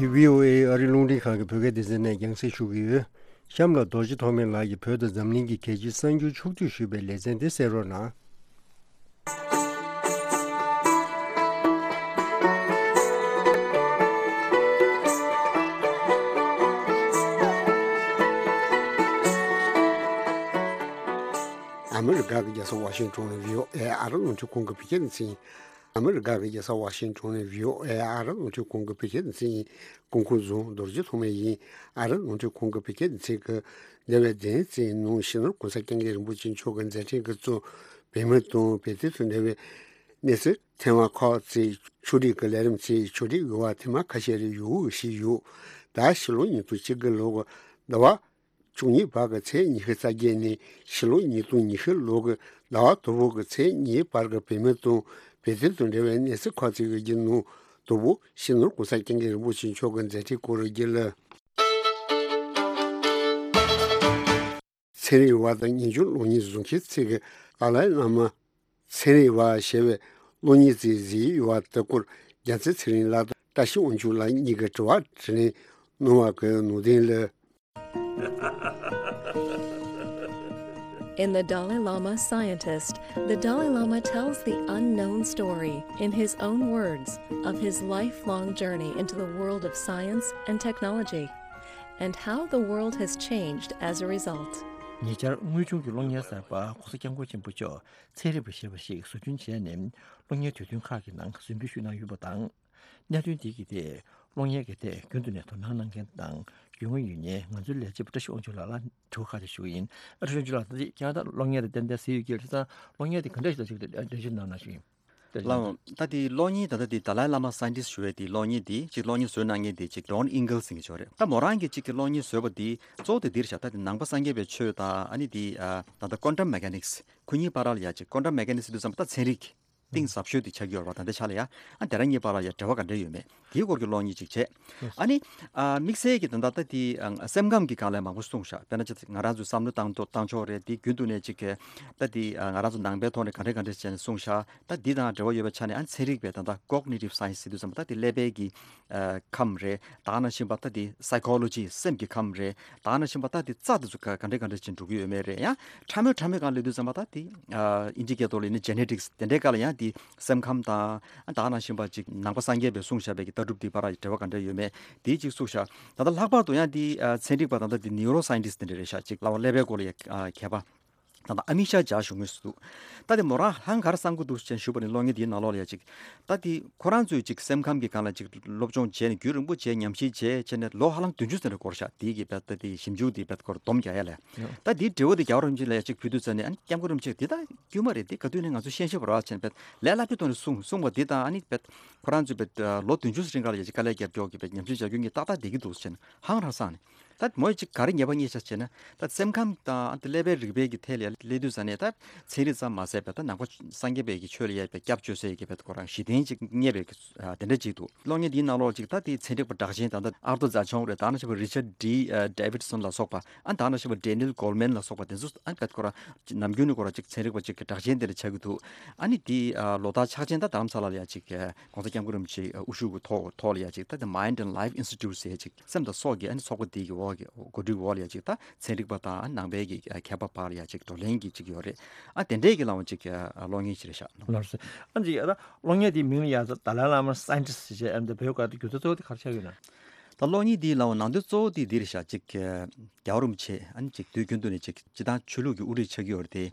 འདི་བྷི་ཨོ་ཨེ་ཨ་རི་རླུང་འཕྲིན་ཁང་གི་བོད་སྐད་སྡེ་ཚན་ནས་རྒྱང་སྲིང་ཞུ་གི་ཡོད། གཤམ་ལ་རྡོ་རྗེ་ཐོགས་མེད་ལགས་ཀྱིས་བོད་དང་འཛམ་གླིང་གི་གལ་ཆེའི་གསར་འགྱུར་ཕྱོགས་བསྡུས་ཞུས་པའི་ལེ་ཚན་འདི་གསན་རོགས་གནང་། ཨ་མི་རི་ཀ་གི་རྒྱལ་ས་ཝ་ཤིང་ཊོན་ནས་བྷི་ཨོ་ཨེ་ཨ་རི་རླུང་འཕྲིན་ཁང་གི་བོད་སྐད་སྡེ་ཚན། ཨ་མི་རི་ཀ་གི་རྒྱལ་ས་ཝ་ཤིང་ཊོན་ནས་བྷི་ཨོ་ཨེ་ཨ་རི་རླུང་འཕྲིན་ཁང་གི་བོད་སྐད་སྡེ་ཚན་ཡིན། སྐུ་ཁམས་བཟང་རྡོ་རྗེ་ཐོགས་མེད་ཡིན། ཨ་རི་རླུང་འཕྲིན་ཁང་གི་བོད་སྐད་སྡེ་ཚན་གྱི་འདས་པའི་བདུན་ཙམ་ནང་སྤྱི་ནོར་གོང་ས་སྐྱབས་མགོན་རིན་པོ་ཆེ་མཆོག་གི་མཛད་འཕྲིན་གྱིས་གཙོས་བོད་མི་དང་བོད་དོན་དང་འབྲེལ་བའི་གནས་ཚུལ་ཐེངས་མ་ཁག་ཅིག་ཕྱོགས་སྒྲིག་གི་ལས་རིམ་ཅིག་ཕྱོགས་སྒྲིག་ཡོད་པ་ཐེངས་མ་ཁ་ཤས་རེ་ཡོད་ཞིག་ཡོད། ད་ཕྱི་ལོ་ཉིས་སྟོང་བཅུ་དགུ་ལོ་གི་ཟླ་བ་བཅུ་གཉིས་བར་གྱི་ཚེས་ཉི་ཤུ་རྩ་བརྒྱད་ནས་ཕྱི་ལོ་ཉིས་སྟོང་ཉི་ཤུ་ལོ་གི་ཟླ་བ་དང་པོ་གི་ཚེས་གཉིས་བར་གྱི་བོད་མི་དང་བོད་དོན་དང་འབྲེལ་བའི་གནས་ཚུལ་ཁག་ཅིག་གི་རྒྱུན་ནང་དང་པོ་སྤྱི་ནོར་གོང་ས་སྐྱབས་མགོན་རིན་པོ་ཆེ་མཆོག་གི་མཛད་འཕྲིན་སྐོར་རྒྱུད་ལ། ཚན་རིག་པ་དང་ཉིན་རྒྱུན་གློག་བརྙན་བཟོ་མཁན་ཚོས་ཀྱི་ཏཱ་ལའི་བླ་མ་ཚན་རིག་པ་ཞེས་པའི་གློག་བརྙན་ཅིག་གཟིགས་ཡོད་པ་དེ་སྐོར་རྒྱལ་མཚན་ཚེ་རིང་ལགས་དང་བཀྲ་ཤིས་དབང་ཕྱུག་ལགས་གཉིས་ཀྱིས་དྲི་བ་དྲིས་ལན་གནང་བ་གི་ནང་དོན་ལ། In The Dalai Lama Scientist, the Dalai Lama tells the unknown story, in his own words, of his lifelong journey into the world of science and technology, and how the world has changed as a result. ཉེ་ཆར་དངོས་བྱུང་གི་གློག་བརྙན་གསར་པ་༸གོང་ས་༸སྐྱབས་མགོན་ཆེན་པོ་མཆོག་ཚན་རིག་པ་ཞེས་པ་ཞིག་བཟོ་སྐྲུན་བྱས་ནས་གློག་བརྙན་དུས་སྟོན་ཁག་གི་ནང་གཟིགས་འབུལ་ཞུས་གནང་ཡོད་པ་དང་། གནད་དོན་འདི་གི་ཐད་གློག་བརྙན་གྱི་ཐད་རྒྱུན་དུ་ནས་དོ་སྣང་གནང་མཁན་དང་རྒྱུས་མངའ་ཡོད་མཁན་ང་ཚོའི་ལས་བྱེད་པ་བཀྲ་ཤིས་དབང་ཕྱུག་ལགས་ལ་དྲི་བ་ཁག་ཅིག་ཞུ་གི་ཡིན། ཨ་བཀྲ་ཤིས་དབང་ཕྱུག་ལགས། ད་ལྟ་ཁྱེད་རང་ད་གློག་བརྙན་དེ་ཏན་ཏན་གཟིགས་ཡོད་ཀྱི་རེད་ཙང་གློག་བརྙན་དེ་ག་འདྲ་ཞིག་ལ་ཅིག་འགྲེལ་བརྗོད་གནང་ན་ཞུ་ཡིན། ལགས་འོང་། ད་དེ་གློག་བརྙན་ད་ལྟ་དེ་Dalai Lama Scientist ཞུ་བའི་དེ་གློག་བརྙན་དེ་ཅིག་གློག་བརྙན་བཟོས་གནང་མཁན་དེ་ཅིག་Don Ingle ཟེར་མཁན་ཅིག་ཡོད་རེད། ད་མོ་རང་གིས་ཅིག་གི་གློག་བརྙན་བཟོས་པ་དེ་གཙོ་བོ་དེ་འདིར་བཞག་ད་དེ་ནང་པ་སངས་རྒྱས་པའི་ཆོས་དང་ཨ་ནི་དེ་ད་ལྟ་Quantum Mechanics ཁོ་གཉིས་བར་ལ་ཡ་ཅིག་Quantum Mechanics ཟེར་དུས་ཙམ་པ་ད་ཚན་རིག་གཏིང་ཟབ་ཤོས་དེ་ཆགས་ཀྱི་ཡོད་རེད་པ། ད་ལྟའི་ཆ་ལ་ཡ་ཨ་དེ་རང་གཉིས་བར་ལ་ཡ་འབྲེལ་བ་ག་འདྲ་ཡོད་མེད་དེའི་སྐོར་གྱི་གློག་བརྙན་ཅིག་བྱས། ཨ་ནི་ཨ་དམིགས་བསལ་གྱི་ད་ལྟ་ད་དེ་ཨ་སེམས་ཁམས་ཀྱི་སྒང་ལ་མང་པོ་གསུངས་ཤག་དཔེར་ན་ཅིག་ང་རང་ཚོའི་བསམ་བློ་བཏང་ཐོག་བཏང་ཕྱོགས་རེད། དེ་རྒྱུན་དུ་ནས་ཅིག་གི་ད་དེ་ཨ་ང་རང་ཚོ་ནང་པའི་ཐོག་ནས་ག་འདྲ་ག་འདྲ་བྱས་ནས་གསུངས་ཤག་ད་འདི་དང་འབྲེལ་བ་ཡོད་པའི་ཆ་ནས་ཨ་ཚན་རིག་པའི་ད་ལྟ་Cognitive Science ཟེར་དུས་ཙམ་པ་ད་དེ་ཀླད་པའི་གི་ཨ་ཁམས་རེད། ད་ག་ནང་བཞིན་པ་ད་དེ་Psychology སེམས་ཀྱི་ཁམས་རེད། ད་ག་ནང་བཞིན་པ་ད་དེ་རྩ་དེ་ཚོ་ག་ག་འདྲ་ག་འདྲ་ཅིག་འགྲོ་གི་ཡོད་མེད་རེད། ཡང་ཕྲ་མོའི་ཕྲ་མོའི་སྒང་སླེབས་དུས་ཙམ་པ་ད་དེ་ཨ་ཨིན་ཇི་སྐད་ཐོག་ལ་ཡིན་ན་Genetics དེ་འདྲའི་སྒང་ལ་ཡང་དེ་སེམས་ཁམས་དང་ད་ག་ནང་བཞིན་པ་ཅིག་ནང་པ་སངས་རྒྱས་པའི་གསུངས་བཞག་པའི་གི་ལྟ་གྲུབ་དེ་བར་འབྲེལ་བ་ག་འདྲ་ཡོད་མེད་དེ་ཅིག་གསུངས་བཞག་ད་ལྟ་ལྷག་པར་དུ་ཡང་དེ་ཨ་ཚན་རིག་པ་ད་ལྟ་དེ་Neuroscientist དེ་འདྲ་རེད་ཤག་ཅིག་ལབ་པ་ཀླད་པའི་སྐོར་ལ་ཡ་ཨ་མཁས་པ། ད་ལྟ་ཨ་མི་ཤ་ཇཱ་ཞུ་མུས་སུ་འདུག་ད་དེ་མོ་རང་ཧང་གར་བསམ་གི་འདུག་ཅེས་ཞུས་པ་ནི་གློག་བརྙན་དེའི་ནང་ལོགས་ལ་ཡ་ཅིག་ད་དེ་ཁོ་རང་ཚོས་ཅིག་སེམས་ཁམས་ཀྱི་སྒང་ལ་ཅིག་སློབ་སྦྱོང་བྱས་ནས་རྒྱུན་རིང་པོ་བྱས་ཉམས་ཞིབ་བྱས་བྱས་ནས་ལོ་ཧ་ལམ་བདུན་ཅུ་ཙམ་རེ་འགོར་ཤག་དེའི་གི་བེད་ད་དེ་ཞིབ་འཇུག་དེ་བེད་སྐོར་སྡོམ་རྒྱག་ཡ་ལས། ད་དེའི་འབྲས་བུ་དེ་རྒྱལ་བ་རིན་པོ་ཆེ་ལ་ཡ་ཅིག་ཕུལ་དུས་ཙམ་ནས་ཨ་ནི་སྐྱབས་མགོན་རིན་པོ་ཆེས་དེ་ད་དཀྱུས་མ་རེད། དེ་ག་དུས་ནས་ང་ཚོ་ཤེས་ཤེས་པ་ར་བྱས་ནས་བེད་ལས་སླ་པོའི་ཐོག་ནས་གསུངས་གསུངས་པ་དེ་དང་ཨ་ནི་བེད་ཁོ་རང་ཚོས་བེད་ལོ་བདུན་ཅུ་རིང་ག་ལ་ཡ་ཅིག་དཀའ་ལས་རྒྱབ་སྐྱོར་གི་བེད་ཉམས་ཞིབ་བྱ་རྒྱུ་གཉིས་ཏག་ཏག་བསྡད་ཀྱི་འདུག་ཟེར་ནས་ཧང་རང་སངས་ནས། ད་མོ་ཅིག་ག་རེ་ཉེས་པ་རྙེད་ཤག་ཅེ་ན། ད་སེམས་ཁམས་དང་ཨ་ནི་ཀླད་པའི་རིག་པའི་གི་ཐད་ལ་སླེབས་དུས་ཙ་ནས་ད་ཚན་རིག་ཙམ་མ་ཟད་པའི་ད་ནང་པ་སངས་རྒྱས་པའི་གི་ཆོས་ལ་ཡ་བའི་སྐྱབས་བཅོལ་སའི་གི་བེད་ཁོ་རང་གཞི་རྟེན་ཅིག་རྙེད་པའི་གི་ཨ་དེ་འདྲ་ཅིག་འདུག་གློག་བརྙན་འདིའི་ནང་ལོགས་ཅིག་ད་དེ་ཚན་རིག་པ་གྲགས་ཅན་ད་ལྟ་ཨར་ཏོ་ཛ་ཆོང་རེད། ད་ནང་བཞིན་པ་Richard D ཨ་Davidson ལ་སོགས་པ་ཨ་ད་ནང་བཞིན་པ་Daniel Goleman ལ་སོགས་པ་དེ་ཚོ་ཨ་བེད་ཁོ་རང་ནམ་རྒྱུན་ནས་ཁོ་རང་ཅིག་ཚན་རིག་པ་ཅིག་གི་གྲགས་ཅན་དེ་འདྲ་ཆགས་ཀྱི་འདུག་ཨ་ནི་དེ་ཨ་ལོ་ལྟར་ཕྱག་ཆེན་ད་རྡ་རམ་ས་ལ་ལ་ཡ་ཅིག་གོང་ས་སྐྱབས་མགོན་རིན་པོ་ཆེ་དབུ་བཞུགས་ཀྱི་ཐོག་ཐོག་ལ་ཡ་ཅིག་ད་The Mind and Life Institute ཟེར་ཅིག་སེམས་དང་སྲོག་གི་ཨ་ནི་ཚོགས་པ་དེ་གི་འོག་གི་འགོ་ཁྲིད་འོག་ལ་ཡ་ཅིག་ད་ཚན་རིག་པ་དང་ནང་པའི་གི་མཁས་པ་བར་ལ་ཡ་ཅིག་བགྲོ་གླེང་གི་ཅིག་ཡོད་རེད། ཨ་དེ་འདྲའི་གི་ལའང་ཅིག་གློག་བརྙན་ཞིག་རེད་ཤག་ལགས་སོ། ཨ་ཅིག་ཨ་ད་གློག་བརྙན་དེའི་མིང་ལ་ཡ་ད་Dalai Lama Scientist ཞེས་ཨ་ནི་བོད་སྐད་དུ་བསྒྱུར་ཚུལ་གཙོ་བོ་དེ་ག་རེ་ཆགས་ཡོད་ན། ད་གློག་བརྙན་འདིའི་ལའང་ནང་དོན་གཙོ་བོ་དེ་འདི་རེད་ཤག་ཅིག་རྒྱལ་བ་རིན་པོ་ཆེ་ཨ་ནི་ཅིག་དུས་རྒྱུན་དུ་ནས་ཅིག་སྤྱི་བཏང་ཆོས་ལུགས་ཀྱི་དབུ་ཁྲིད་ཆགས་ཀྱི་ཡོད་རེད་དེ།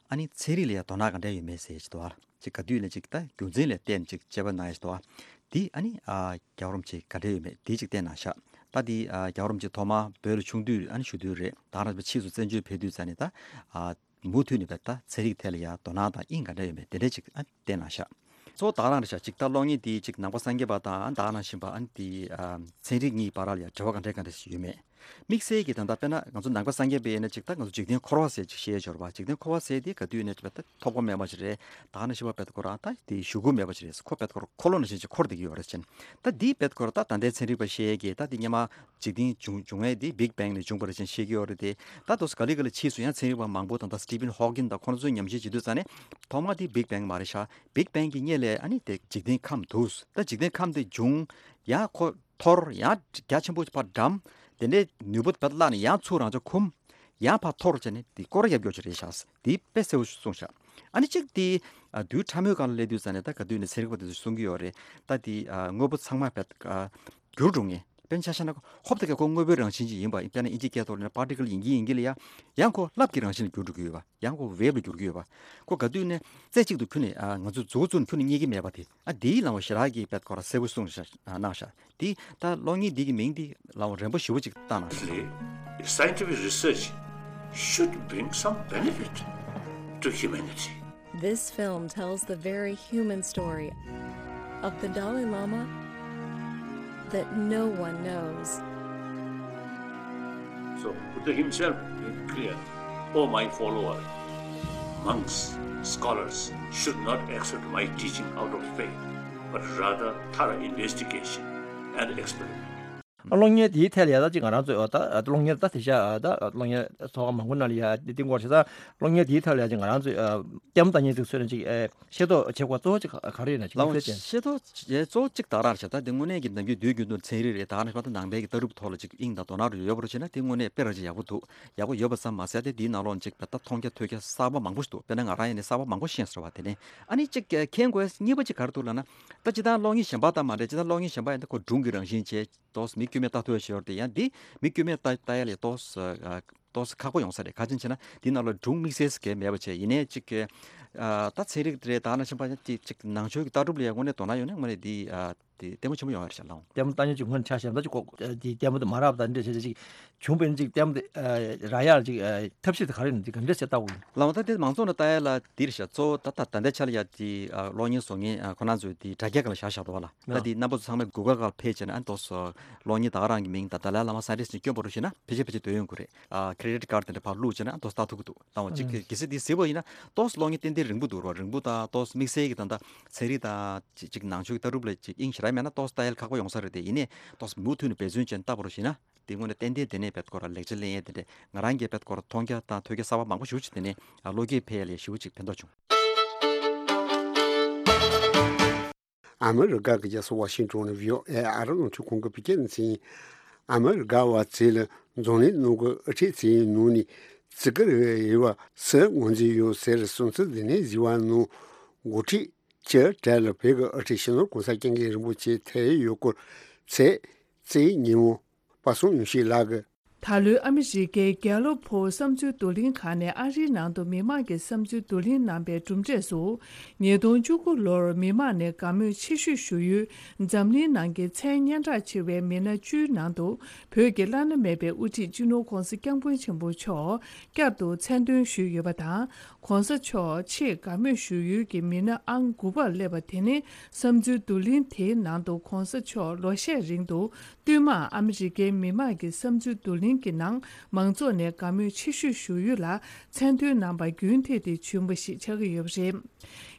ཨ་ནི་ཚན་རིག་ལ་ཡ་དོ་སྣང་ག་འདྲ་ཡོད་མེད་ཟེར་ཅིག་འདུག་ཨ། ཅིག་ག་དུས་ནས་ཅིག་ད་རྒྱུ་མཚན་ལ་བརྟེན་ཅིག་དཔྱད་པ་གནང་ཡ་ཞིག་འདུག་ཨ། འདི་ཨ་ནི་ཨ་རྒྱལ་བ་རིན་པོ་ཆེ་ག་འདྲ་ཡོད་མེད་འདི་ཅིག་བལྟས་གནང་ཤག་ད་འདི་ཨ་རྒྱལ་བ་རིན་པོ་ཆེ་ཐོག་མར་བོད་ལ་ཆུང་དུས་ཨ་ནི་བཞུགས་དུས་རེད། ད་ག་ནང་བཞིན་པ་ཕྱིས་སུ་བཙན་བྱོལ་ཕེབས་དུས་ཙ་ནས་ད་ཨ་མུ་མཐུད་ནས་བས་ད་ཚན་རིག་ཐད་ལ་ཡ་དོ་སྣང་དང་དབྱིངས་ག་འདྲ་ཡོད་མེད་དེ་འདྲ་ཅིག་ཨ་བལྟས་གནང་ཤག་གཙོ་བོ་ད་ག་རང་རེད་ཤག་ཅིག་ད་གློག་བརྙན་འདི་ཅིག་ནང་པ་སངས་རྒྱས་པ་དང་ད་ག་ནང་བཞིན་པ་ཨ་ནི་འདི་ཨ་ཚན་རིག་གཉིས་བར་ལ་ཡ་འབྲེལ་བ་ག་འདྲ་ག་འདྲ་ཞིག་ཡོད་མེད། དམིགས་བསལ་གྱི་ད་ལྟ་དཔེར་ན་ང་ཚོ་ནང་པ་སངས་རྒྱས་པའི་ཡིན་ན་ཅིག་ད་ང་ཚོ་འཇིག་རྟེན་འཁོར་བ་ཟེར་ཅིག་བཤད་ཡོད་རེད་པ། འཇིག་རྟེན་འཁོར་བ་ཟེར་དེ་ག་དུས་ནས་ཅིག་ད་ཐོབ་གོ་མེད་པ་ཞིག་རེད། ད་ག་ནང་བཞིན་པ་བས་ད་ཁོ་རང་ད་དེ་ཞུ་དགོས་མེད་པ་ཞིག་རེད། ཁོ་བས་ད་ཁོ་རང་འཁོར་ལོ་ནང་བཞིན་ཅིག་འཁོར་བསྡད་ཀྱི་ཡོད་རེད་ཅན། ད་འདི་བས་ད་ཁོ་རང་ད་ད་ལྟའི་ཚན་རིག་པ་བཤད་ཀྱི་ད་དེ་སྔོན་མ་འཇིག་རྟེན་བྱུང་བྱུང་ཡས་དེ་Big Bang ནས་བྱུང་བ་རེད་ཅན་བཤད་ཀྱི་ཡོད་རེད་དེ། ད་དུང་ག་ལེ་ག་ལེ་ཕྱིས་སུ་ཡང་ཚན་རིག་པ་མང་པོ་དང་ད་Stephen Hawking དང་ཁོ་ཚོས་ཉམས་ཞིབ་བྱེད་དུས་ཙ་ནས་ཐོག་མ་དེ་Big Bang མ་རེད་ཤག Big Bang གི་སྔོན་ལ་ཨ་ནི་དེ་འཇིག་རྟེན་ཁམས་འདུག་ད་འཇིག་རྟེན་ཁམས་དེ་བྱུང་ཡང་ཁོ་འཐོར་ཡང་རྒྱ་ཆེན་པོ་ཕར་འགྲམ། དེ་འདྲའི་ནུས་པ་ཕར་བརླག་ནས་ཡང་ཚུར་རང་ཅག་འཁུམ། ཡང་ཕར་འཐོར་བྱས་ནས་དེ་སྐོར་ར་རྒྱབ་སྐྱོར་བྱས་རེད་ཤག་དེ་དཔེ་གསལ་པོ་གསུངས་ཤག་ཨ་ནི་གཅིག་དེ་ཨ་དུས་ཕྲ་མོའི་སྒང་ལ་སླེབས་དུས་ཙ་ནས་ད་ག་དུས་ནས་ཚན་རིག་པ་དེ་ཚོས་གསུང་གི་ཡོད་རེད། ད་དེ་ཨ་དངོས་པོ་ཚང་མ་བས་ཨ་འགྱུར་འགྲོ་ངེས། དཔེར་ན་ཆ་བཞག་ན་ཧོབ་ཏེ་ཀ་ཁོ་དངོས་པོའི་རང་བཞིན་ཅིག་ཡིན་པ་ཡིན། དཔེར་ན་ཨིན་ཇིའི་སྐད་ཐོག་ནས་particle ཡིན་གྱི་ཡིན་གྱི་ལ་ཡ་ཡང་ཁོ་རླབས་ཀྱི་རང་བཞིན་ལ་འགྱུར་འགྲོ་གི་ཡོད་པ། ཡང་ཁོ་wave ལ་འགྱུར་གྱི་ཡོད་པ། ཁོ་ག་དུས་ནས་རྩེ་གཅིག་ཏུ་ཁྱོན་ནས་ཨ་ང་ཚོ་མཛུབ་བཙུགས་ཁྱོན་ནས་རྙེད་ཀྱི་མེད་པ་དེ་ཨ་དེའི་ལམ་བ་ཞེ་དྲག་གིས་བས་ཁོ་ར་གསལ་པོ་གསུངས་ཤག་ཨ་གནང་ཤག་དེ་ད་གློག་བརྙན་འདི་གི་མིང་འདི་ལའང་རན་པོ་ཞེ་པོ་ཅིག་བཏང་གནང་ཤག Scientific research should bring some benefit to humanity. This film tells the very human story of the Dalai Lama that no one knows. So, Buddha himself made clear, "Oh, my followers, monks, scholars should not accept my teaching out of faith, but rather thorough investigation and experiment." གློག་བརྙན་དེའི་ཐད་ལ་ཡ་ད་ཅིག་ང་རང་ཚོས་ད་གློག་བརྙན་ད་དེ་ཤ་ད་གློག་བརྙན་ཚོགས་ཁག་མང་པོ་ནང་ལ་ཡ་དེ་སྐོར་བྱས་ཙང་གློག་བརྙན་དེའི་ཐད་ལ་ཡ་ཅིག་ང་རང་ཚོས་ལྟད་མོ་ལྟ་མཁན་ཚོས་ཚོད་ནས་ཅིག་ཤེས་རྟོགས་བྱེད་དགོས་གཙོ་བོ་ཅིག་ག་རེ་ཡིན་ན་ཅིག་ལའང་དམིགས་བསལ་ཅན། ཤེས་རྟོགས་བྱེད་གཙོ་བོ་གཅིག་ད་རང་རེད་ཤག་ད་དེ་དངོས་གནས་ཀྱི་ནམ་རྒྱུན་དུས་རྒྱུན་དུ་ཚན་རིག་རེད་ད་ག་ནང་བཞིན་ད་ནང་པའི་གི་ལྟ་གྲུབ་ཐོག་ལ་ཅིག་དབྱིངས་དང་དོ་སྣང་རུ་ཡོད་པ་རུ་བྱས་ན་དེ་དངོས་གནས་དཔེ་ར་ཅིག་ཡག་པོ་འདུག་ཡག་པོ་ཡོད་པ་ཙམ་མ་ཟད་དེ་དེའི་ནང་ལོགས་ཅིག་ད་མཐོང་རྒྱ་ཐོས་རྒྱ་གསར་པ་མང་པོ་ཞིག་འདུག་དཔེར་ན་ང་རང་ཡིན་ནའི་གསར་པ་མང་པོ་ཤེས་སོང་བ་དེ་ནས་ཨ་ནི་ཅིག་མཁྱེན་དགོས་གཉིས་པ་ཅིག་ག་རེ་འདུག་ལབ་ན་ད་སྤྱིར་བཏང་གློག་བརྙན་གཞན་པ་དང་མ་འདྲ་སྤྱིར་བཏང་གློག་བརྙན་གཞན་པ་ཡིན་ན་ཁོ་སྒྲུང་གི་རང་བཞིན་བྱས། ཏོག་ཙམ་མི་དཀྱུས་མས་ལྟ་ཐུབ་ཡ་ཞིག་ཡོད་རེད་དེ་ཡང་འདི་མི་དཀྱུས་མས་ལྟ་ལྟ་ཡ་ལས་ཏོག་ཙམ་ཨ་ཏོག་ཙམ་ཁག་པོ་ཡོང་ས་རེད། ག་ཅི་ཡིན་ཟེར་ན་འདི་ནང་ལ་སྒྲུང་དམིགས་བསལ་ཟེར་མཁན་མེད་པ་བྱས་ཡིན་ནའི་ཅིག་ཨ་ད་ཚན་རིག་རེད་ད་ནང་བཞིན་པ་ཅིག་ཅིག་ནང་ཆོས་ཀྱི་ལྟ་གྲུབ་ལ་ཡ་དངོས་གནས་དོ་སྣང་ཡོད་ན་དངོས་གནས་འདི་ཨ་དེ་ལྟད་མོ་ཆེན་པོ་ཡོང་ཡ་རེད་ཤག་ལགས། ལྟད་མོ་ལྟ་མཁན་ཅིག་སྔོན་ཆ་བཞག་ན་ཅིག་ཀོ་དེ་ལྟད་མོ་དེ་མ་རག་པ་དང་འདྲ་བྱས་ཅིག་བྱུང་བས་ན་ཅིག་ལྟད་མོ་དེ་རག་ཡ་ལ་ཅིག་ཐབས་ཤེས་དེ་ག་རེ་ཡིན་ན་དེ་ག་འདྲ་བྱས་ལྟ་དགོས་ཡིན། ལགས་འོ་ད་དེ་མང་ཚོགས་ལ་ལྟ་ཡ་ལ་འདི་རེད་ཤག་གཙོ་བོ་ད་ད་ད་ལྟའི་ཆ་ལ་ཡ་དེ་གློག་བརྙན་བཟོ་མཁན་ཁོ་རང་ཚོས་དེ་དྲ་རྒྱ་སྒང་ལ་བཞག་བཞག་འདུག་བ་ལ། ད་དེ་རྣམ་པ་ཚོ་ཚང་མས་Google་སྒང་ལ་ཕེབས་བྱས་ན་ཨ་ཏོག་ཙམ་གློག་བརྙན་ད་ག་རང་གི་མིང་དང་ད་ལའི་བླ་མ་སཱན་ཊིསི་ནས་བསྐྱོན་པ་རུ་བྱས་ན་ཕལ་ཆེར་ཕལ་ཆེར་འདོན་ཡོང་གི་རེད། ཨ་credit card་དེ་འདྲ་ཕར་བླུགས་བྱས་ན་ཨ་ཏོག་ཙམ་ལྟ་ཐུབ་ཀྱི་འདུག་ད་འོ་གཅིག་གལ་སྲིད་དེ་གཟིགས་པ་ཡིན་ན་ཏོག་ཙམ་གློག་བརྙན་ཏན་ཏན་རིང་པོ་འདུག་རོ། རིང་པོ་དང་ཏོག་ཙམ་དམིགས་བསལ་གྱི་ད་ལྟ་ཚན་རིག་དང་ཅིག་ཅིག་ནང་ཆོས་ཀྱི་ལྟ་གྲུབ་ལ་ཅིག་དབྱིངས་ཞེ་དྲག་མེད་ན་ཏོག་ཙམ་ལྟ་ཡ་ལ་ཁག་པོ་ཡོང་ས་རེད་དེ། ཡིན་ནའི་ཏོག་ཙམ་མུ་མཐུད་ནས་འབད་བརྩོན་བྱས་ནས་ལྟ་བ་རུ་བྱས་ན་དེ་དངོས་གནས་ཏན་ཏན་དེ་ནས་བེད་སྐོར་ལ་ལེགས་ཆ་ལེན་ཡས་དེ་འདྲས་ང་རང་གིས་བེད་སྐོར་མཐོང་རྒྱ་དང་ཐོས་རྒྱ་གསར་པ་མང་པོ་ཞེ་པོ་ཅིག་དེ་ནས་བློ་སྐྱེད་འཕེལ་ཡ་ལ་ཞེ་པོ་ཅིག་ཕན་ཐོགས་བྱུང་། ཨ་མི་རི་ཀ་གི་རྒྱལ་ས་ཝ་ཤིང་ཏོན་ནས་བྷི་ཨོ་ཨེ་ཨ་རི་རླུང་འཕྲིན་ཁང་གི་བོད་སྐད་སྡེ་ཚན་ཡིན། ཨ་མི་རི་ཀ་བ་ཚོས་ལ་འཛམ་གླིང་ནང་གི་དབུ་ཁྲིད་ཚོའི་ནང་ནས་བརྩི་བཀུར་ཡོད་པ་སུ་ངོས་འཛིན་ཡོད་ཟེར་སུམ་ཚུལ་འདི་ནས་བཟི་བ་ནང་འགོ་ཁྲིད་ཀྱི་གྲས་ལ་བོད་ཀྱི་དབུ་ཁྲིད་སྤྱི་ནོར་གོང་ས་སྐྱབས་མགོན་རིན་པོ་ཆེ་ཐད་ཡོད་སྐོར་ཚེས་བཅུའི་ཉིན་མོ་པ་སངས་ཡུམ་ཤེས་ལགས་ཀྱིས། ད་ལོའི་ཨ་མི་རི་ཀའི་གྷེ་ལོབ་བོད་བསམ་ཚུལ་བསྡུ་ལེན་ཁང་ནས་ཨ་རིའི་ནང་དུ་མི་མང་གི་བསམ་ཚུལ་བསྡུ་ལེན་གནང་པའི་གྲུབ་འབྲས་སུ། ཉིས་སྟོང་བཅུ་དགུ་ལོར་མི་མང་ནས་དགའ་མོས་ཆེ་ཤོས་ཞུ་ཡུལ་འཛམ་གླིང་ནང་གི་མཚན་སྙན་གྲགས་ཆེ་བའི་མི་སྣ་བཅུའི་ནང་དུ་བོད་ཀྱི་བླ་ན་མེད་པའི་དབུ་ཁྲིད་སྤྱི་ནོར་གོང་ས་སྐྱབས་མགོན་ཆེན་པོ་མཆོག་བསྐྱར་དུ་མཚན་འདོན་ཞུས་ཡོད་པ་དང་། གོང་ས་མཆོག་ཆེས་དགའ་མོས་ཞུ་ཡུལ་གྱི་མི་སྣ་ཨང་དགུ་པར་སླེབས་པ་དེ་ནི་བསམ་ཚུལ་བསྡུ་ལེན་དེའི་ནང་དུ་གོང་ས་མཆོག་ལོ་ཤས་རིང་དུ་བསྟུད་མར་ཨ་མི་རི་ཀའི་མི་དམངས་ཀྱི་བསམ་ཚུལ་བསྡུ་ལེན་གྱི་ནང་མང་ཚོགས་ནས་དགའ་མོས་ཆེ་ཤོས་ཞུ་ཡུལ་ལ་མཚན་འདོན་གནང་པ་རྒྱུན་མཐུད་དེ་བྱུང་བ་ཞིག་ཆགས་ཀྱི་ཡོད་པ་རེད།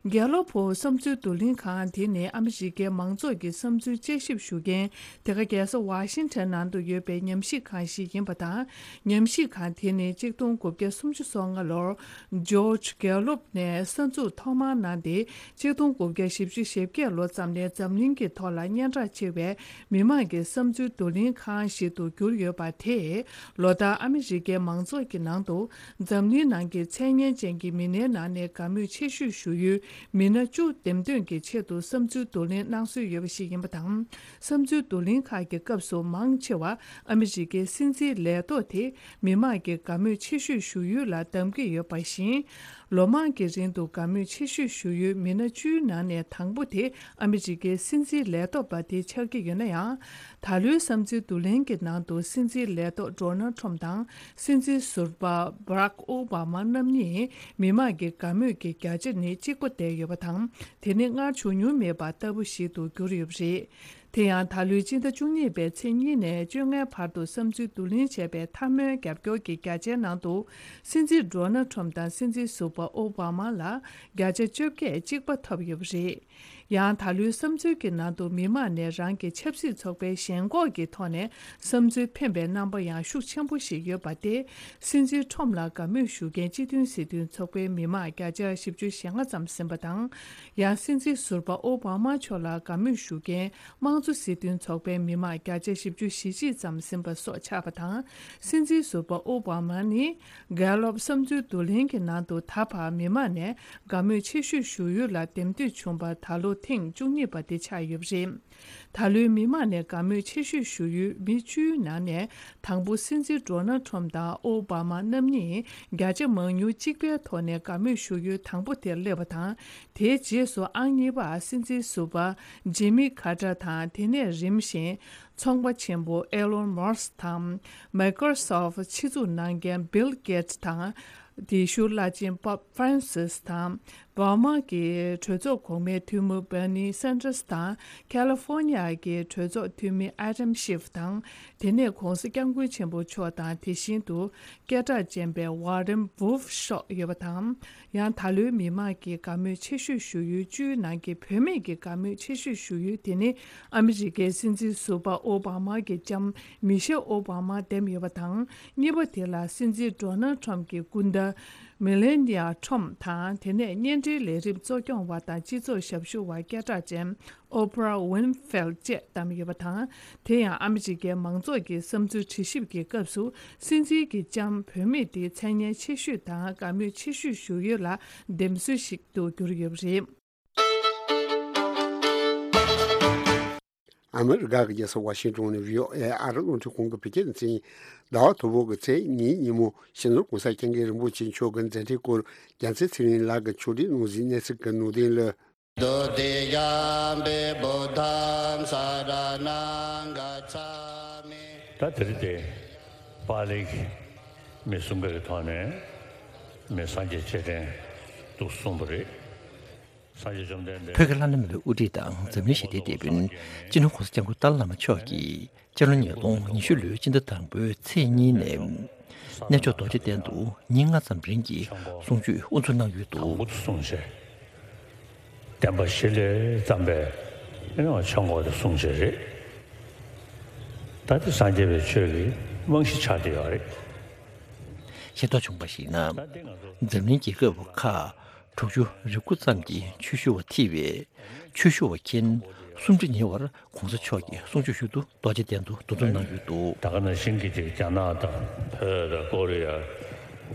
གྷེ་ལོབ་བོད་བསམ་ཚུལ་བསྡུ་ལེན་ཁང་དེ་ནི་ཨ་མི་རི་ཀའི་མང་ཚོགས་ཀྱི་བསམ་ཚུལ་དཔྱད་ཞིབ་ཞུ་མཁན་དེ་ག་རྒྱལ་ས་ཝ་ཤིང་ཊོན་ནང་དུ་ཡོད་པའི་ཉམས་ཞིབ་ཁང་ཞིག་ཡིན་པ་དང་། ཉམས་ཞིབ་ཁང་དེ་ནི་གཅིག་སྟོང་དགུ་བརྒྱ་སུམ་ཅུ་སོ་ལྔ་ལོར་ཇོརྗ་གྷེ་ལོབ་ནས་གསར་འཛུགས་ཐོག་མར་གནང་སྟེ། གཅིག་སྟོང་དགུ་བརྒྱ་བཞི་བཅུ་ཞེ་བརྒྱད་ལོ་ཙམ་ནས་འཛམ་གླིང་གི་ཐོག་ལ་སྙན་གྲགས་ཆེ་བའི་མི་དམངས་ཀྱི་བསམ་ཚུལ་བསྡུ་ལེན་ཁང་ཞིག་ཏུ་གྱུར་ཡོད་པ་དེས། ལོ་ལྟར་ཨ་མི་རི་ཀའི་མང་ཚོགས་ཀྱི་ནང་དུ་འཛམ་གླིང་ནང་གི་མཚན་སྙན་ཅན་གྱི་མི་སྣའི་ནང་ནས་དགའ་མོས་ཆེ་ཤོས་ཞུ་ཡུལ་མི་སྣ་བཅུ་འདེམས་ཐོན་གྱི་ཆེད་དུ་བསམ་ཚུལ་བསྡུ་ལེན་གནང་སྲོལ་ཡོད་པ་ཞིག་ཡིན་པ་དང་། བསམ་ཚུལ་བསྡུ་ལེན་ཁག་གི་སྐབས་སུ་མང་ཆེ་བ་ཨ་མི་རི་ཀའི་སྲིད་འཛིན་ལས་ཐོག་དེ་མི་དམངས་ཀྱིས་དགའ་མོས་ཆེ་ཤོས་ཞུ་ཡུལ་ལ་གདམ་གྱི་ཡོད་པ་བཞིན། ལོ་མང་གི་རིང་དུ་དགའ་མོས་ཆེ་ཤོས་ཞུ་ཡུལ་མི་སྣ་བཅུའི་ནང་ནས་དང་པོ་དེ་ཨ་མི་རི་ཀའི་སྲིད་འཛིན་ལས་ཐོག་པ་དེ་ཆགས་ཀྱི་ཡོད་ན་ཡང་། ད་ལོའི་བསམ་ཚུལ་བསྡུ་ལེན་གྱི་ནང་དུ་སྲིད་འཛིན་ལས་ཐོག་ཌོ་ནལ་ཁྲོམ་དང་སྲིད་འཛིན་ཟུར་པ་བྷ་རག་ཨོ་བྷ་མ་རྣམ་གཉིས་མི་དམངས་ཀྱི་དགའ་མོས་ཀྱི་བརྒྱ་ཆ་ནི་གཅིག་པ་བསྡད་ཡོད་པ་དང་། དེ་ནི་སྔར་བྱུང་མྱོང་མེད་པ་ལྟ་བུ་ཞིག་ཏུ་གྱུར་ཡོད་པ་རེད། དེ་ཡང་ད་ལོའི་སྤྱི་ཟླ་བཅུ་གཉིས་པའི་ཚེས་གཉིས་ནས་བཅོ་ལྔའི་བར་དུ་བསམ་ཚུལ་བསྡུ་ལེན་བྱས་པའི་འཐབ་མོའི་རྒྱབ་སྐྱོར་གྱི་བརྒྱ་ཆའི་ནང་དུ་སྲིད་འཛིན་ཌོ་ནལ་ཁྲོམ་དང་སྲིད་འཛིན་ཟུར་པ་ཨོ་བྷ་མ་ལ་བརྒྱ་ཆ་བཅོ་བརྒྱད་གཅིག་པ་ཐོབ་ཡོད་པ་རེད། ཡང་ད་ལོའི་བསམ་ཚུལ་གྱི་ནང་དུ་མི་མང་ནས་རང་གི་ཆབ་སྲིད་ཚོགས་པའི་ཞེན་ཁོག་གི་ཐོག་ནས་བསམ་ཚུལ་འཕེན་པའི་རྣམ་པ་ཡང་ཤུགས་ཆེན་པོ་ཞིག་ཡོད་པ་སྟེ། སྲིད་འཛིན་ཁྲོམ་ལ་དགའ་མོས་ཞུ་མཁན་སྤྱི་མཐུན་སྲིད་དོན་ཚོགས་པའི་མི་མང་བརྒྱ་ཆ་བཞི་བཅུ་ཞེ་ལྔ་ཙམ་ཟིན་པ་དང་། ཡང་སྲིད་འཛིན་ཟུར་པ་ཨོ་བྷ་མ་མཆོག་ལ་དགའ་མོས་ཞུ་མཁན་དམངས་གཙོ་སྲིད་དོན་ཚོགས་པའི་མི་མང་བརྒྱ་ཆ་བཞི་བཅུ་ཞེ་གཅིག་ཙམ་ཟིན་པ་སོགས་ཆགས་པ་དང་། སྲིད་འཛིན་ཟུར་པ་ཨོ་བྷ་མ་ནི་གྷེ་ལོབ་བསམ་ཚུལ་བསྡུ་ལེན་གྱི་ནང་དུ་ད་བར་མི་མང་ནས་དགའ་མོས་ཆེ་ཤོས་ཞུ་ཡུལ་ལ་འདེམས་ཐོན་བྱུང་བ་ད་ལོ་ཐེངས་བཅུ་གཉིས་པ་དེ་ཆགས་ཡོད་པ་རེད། ད་ལོའི་མི་མང་ནས་དགའ་མོས་ཆེ་ཤོས་ཞུ་ཡུལ་མི་བཅུའི་ནང་ནས་དང་པོ་སྲིད་འཛིན་ཌོ་ནལ་ཁྲོམ་དང་ཨོ་བྷ་མ་རྣམ་གཉིས་བརྒྱ་ཆ་མང་ཉུང་གཅིག་པའི་ཐོག་ནས་དགའ་མོས་ཞུ་ཡུལ་དང་པོ་དེར་སླེབས་པ་དང་། དེའི་རྗེས་སུ་ཨང་གཉིས་པར་སྲིད་འཛིན་ཟུར་པ་ཇི་མི་ཁ་ཏར་དང་། དེ་ནས་རིམ་བཞིན་ཚོང་པ་ཆེན་པོ་ཨེ་ལོན་མཱ་སྐ་དང་། མའི་ཀོ་རོ་སོབ་ཕྱི་འཛུགས་གནང་མཁན་བྷིལ་གེ་ཏི་དང་། དེའི་ཤུལ་བླ་ཆེན་པོབ་ཧྥ་རན་སིས་དང་། འོ་མ་གི་གྲོས་ཚོགས་གོང་མའི་འཐུས་མི་བྷར་ནི་སན་ཏར་སི་དང་། ཁ་ལི་ཧྥོ་ ཀོ་ནི་ཡ་གི་གྲོས་ཚོགས་འཐུས་མི་ཨ་དམ་ཤིབ་དང་། དེ་ནས་༸གོང་ས་༸སྐྱབས་མགོན་ཆེན་པོ་མཆོག་དང་། དེ་བཞིན་དུ་སྐད་གྲགས་ཅན་པའི་ཝ་རན་ཝུལ་ཧྥ་མཆོག་ཡོད་པ་དང་། ཡང་ད་ལོའི་མི་མང་གི་དགའ་མོས་ཆེ་ཤོས་ཞུ་ཡུལ་བཅུའི་ནང་གི་བུད་མེད་ཀྱི་དགའ་མོས་ཆེ་ཤོས་ཞུ་ཡུལ་དེ་ནི་ཨ་མི་རི་ཀའི་སྲིད་འཛིན་ཟུར་པ་ཨོ་བྷ་མ་གི་ལྕམ་མི་ཤེལ་ཨོ་བྷ་མ་འདེམས་ཡོད་པ་དང་། གཉིས་པ་དེ་ལ་སྲིད་འཛིན་ཌོ་ནལ་ཁྲམ་གྱི་སྐུ་ཟླ་མེ་ལེ་ནི་ཡ་ཁྲམ་དང་། དེ་ནས་བརྙན་འཕྲིན་ལས་རིམ་གཙོ་སྐྱོང་བ་དང་སྤྱི་ཚོགས་ཞབས་ཞུ་བ་སྐད་གྲགས་ཅན་ཨོ་པ་ར་ཝིན་ཧྥེལ་བཅས་བདམས་ཡོད་པ་དང་། དེ་ཡང་ཨ་མི་རི་ཀའི་མང་ཚོགས་ཀྱི་བསམ་ཚུལ་དྲི་ཞིབ་ཀྱི་སྐབས་སུ་སྲིད་འཛིན་གྱི་ལྕམ་བུད་མེད་དེ་མཚན་སྙན་ཆེ་ཤོས་དང་དགའ་མོས་ཆེ་ཤོས་ཞུ་ཡུལ་ལ་འདེམས་སྲོལ་ཞིག་ཏུ་གྱུར་ཡོད་པ་རེད། ཨ་མི་རི་ཀ་གི་རྒྱལ་ས་ཝ་ཤིང་ཏོན་ནས་བྷི་ཨོ་ཨེ་ཨ་རི་རླུང་འཕྲིན་ཁང་གི་བོད་སྐད་སྡེ་ཚན་ཡིན། ཟླ་བ་དང་པོ་གི་ཚེས་གཉིས་ཉིན་མོ་སྤྱི་ནོར་༸གོང་ས་༸སྐྱབས་མགོན་རིན་པོ་ཆེ་མཆོག་གི་མཛད་འཕྲིན་སྐོར་རྒྱལ་མཚན་ཚེ་རིང་ལགས་ཀྱིས་ཕྱོགས་སྒྲིག་གནང་ཟིན་གནས་ཚུལ་གྱི་ནང་དོན་ལ། ད་དེ་རིང་དེ་པཱ་ལིའི་མི་གསུམ་ཀ་གི་ཐོག་ནས་མི་སངས་རྒྱས་རྗེས་དྲན་དུ་གསུངས་པ་རེད། སངས་རྒྱས་བཅོམ་ལྡན་འདས། བོད་ཀྱི་བླ་ན་མེད་པའི་དབུ་ཁྲིད་དང་འཛམ་གླིང་ཞི་བདེའི་དེད་དཔོན་སྤྱི་ནོར་༸གོང་ས་༸སྐྱབས་མགོན་ཏཱ་ལའི་བླ་མ་མཆོག་གིས་སྤྱི་ལོ་ཉིས་སྟོང་ཉི་ཤུ་ལོའི་སྤྱི་ཟླ་དང་པོའི་ཚེས་གཉིས་ནས་གནས་མཆོག་རྡོ་རྗེ་གདན་དུ་ཉིན་ལྔ་ཙམ་རིང་གི་གསུང་ཆོས་དབུ་འཛུགས་གནང་ཡོད་འདུག། དང་པོ་དུ་གསུངས་བྱས། བསྟན་པ་གཞི་ལས་བརྩམས་པའི་ཨེ་ནི་ཆོས་འཁོར་དེ་གསུངས་བྱས་རེད། ད་དེ་སངས་རྒྱས་པའི་ཆོས་ཀྱི་རྨང་གཞི་ཆགས་བསྡད་ཡོད་རེད། ཤེས་རྟོགས་བྱུང་བར་གཞིགས་ན། འཛམ་གླིང་རྒྱལ་ཁབ་ཁག་དྲུག་ཅུ་རེ་དགུ་ཙམ་གྱི་ཆོས་ཞུ་བ་ཐེ་བའི་ཆོས་ཞུ་བ་མཁན་སུམ་ཁྲི་ཉེ་བར་༸གོང་ས་མཆོག་གི་གསུང་ཆོས་ཞུ་དུ་རྡོ་རྗེ་གདན་དུ་འདུ་འཛོམས་གནང་ཡོད་འདུག། ད་ག་ནང་བཞིན་གྱི་ཅིག་རྒྱ་ནག་དང་བོད་དང་ཀོ་རི་ཡ།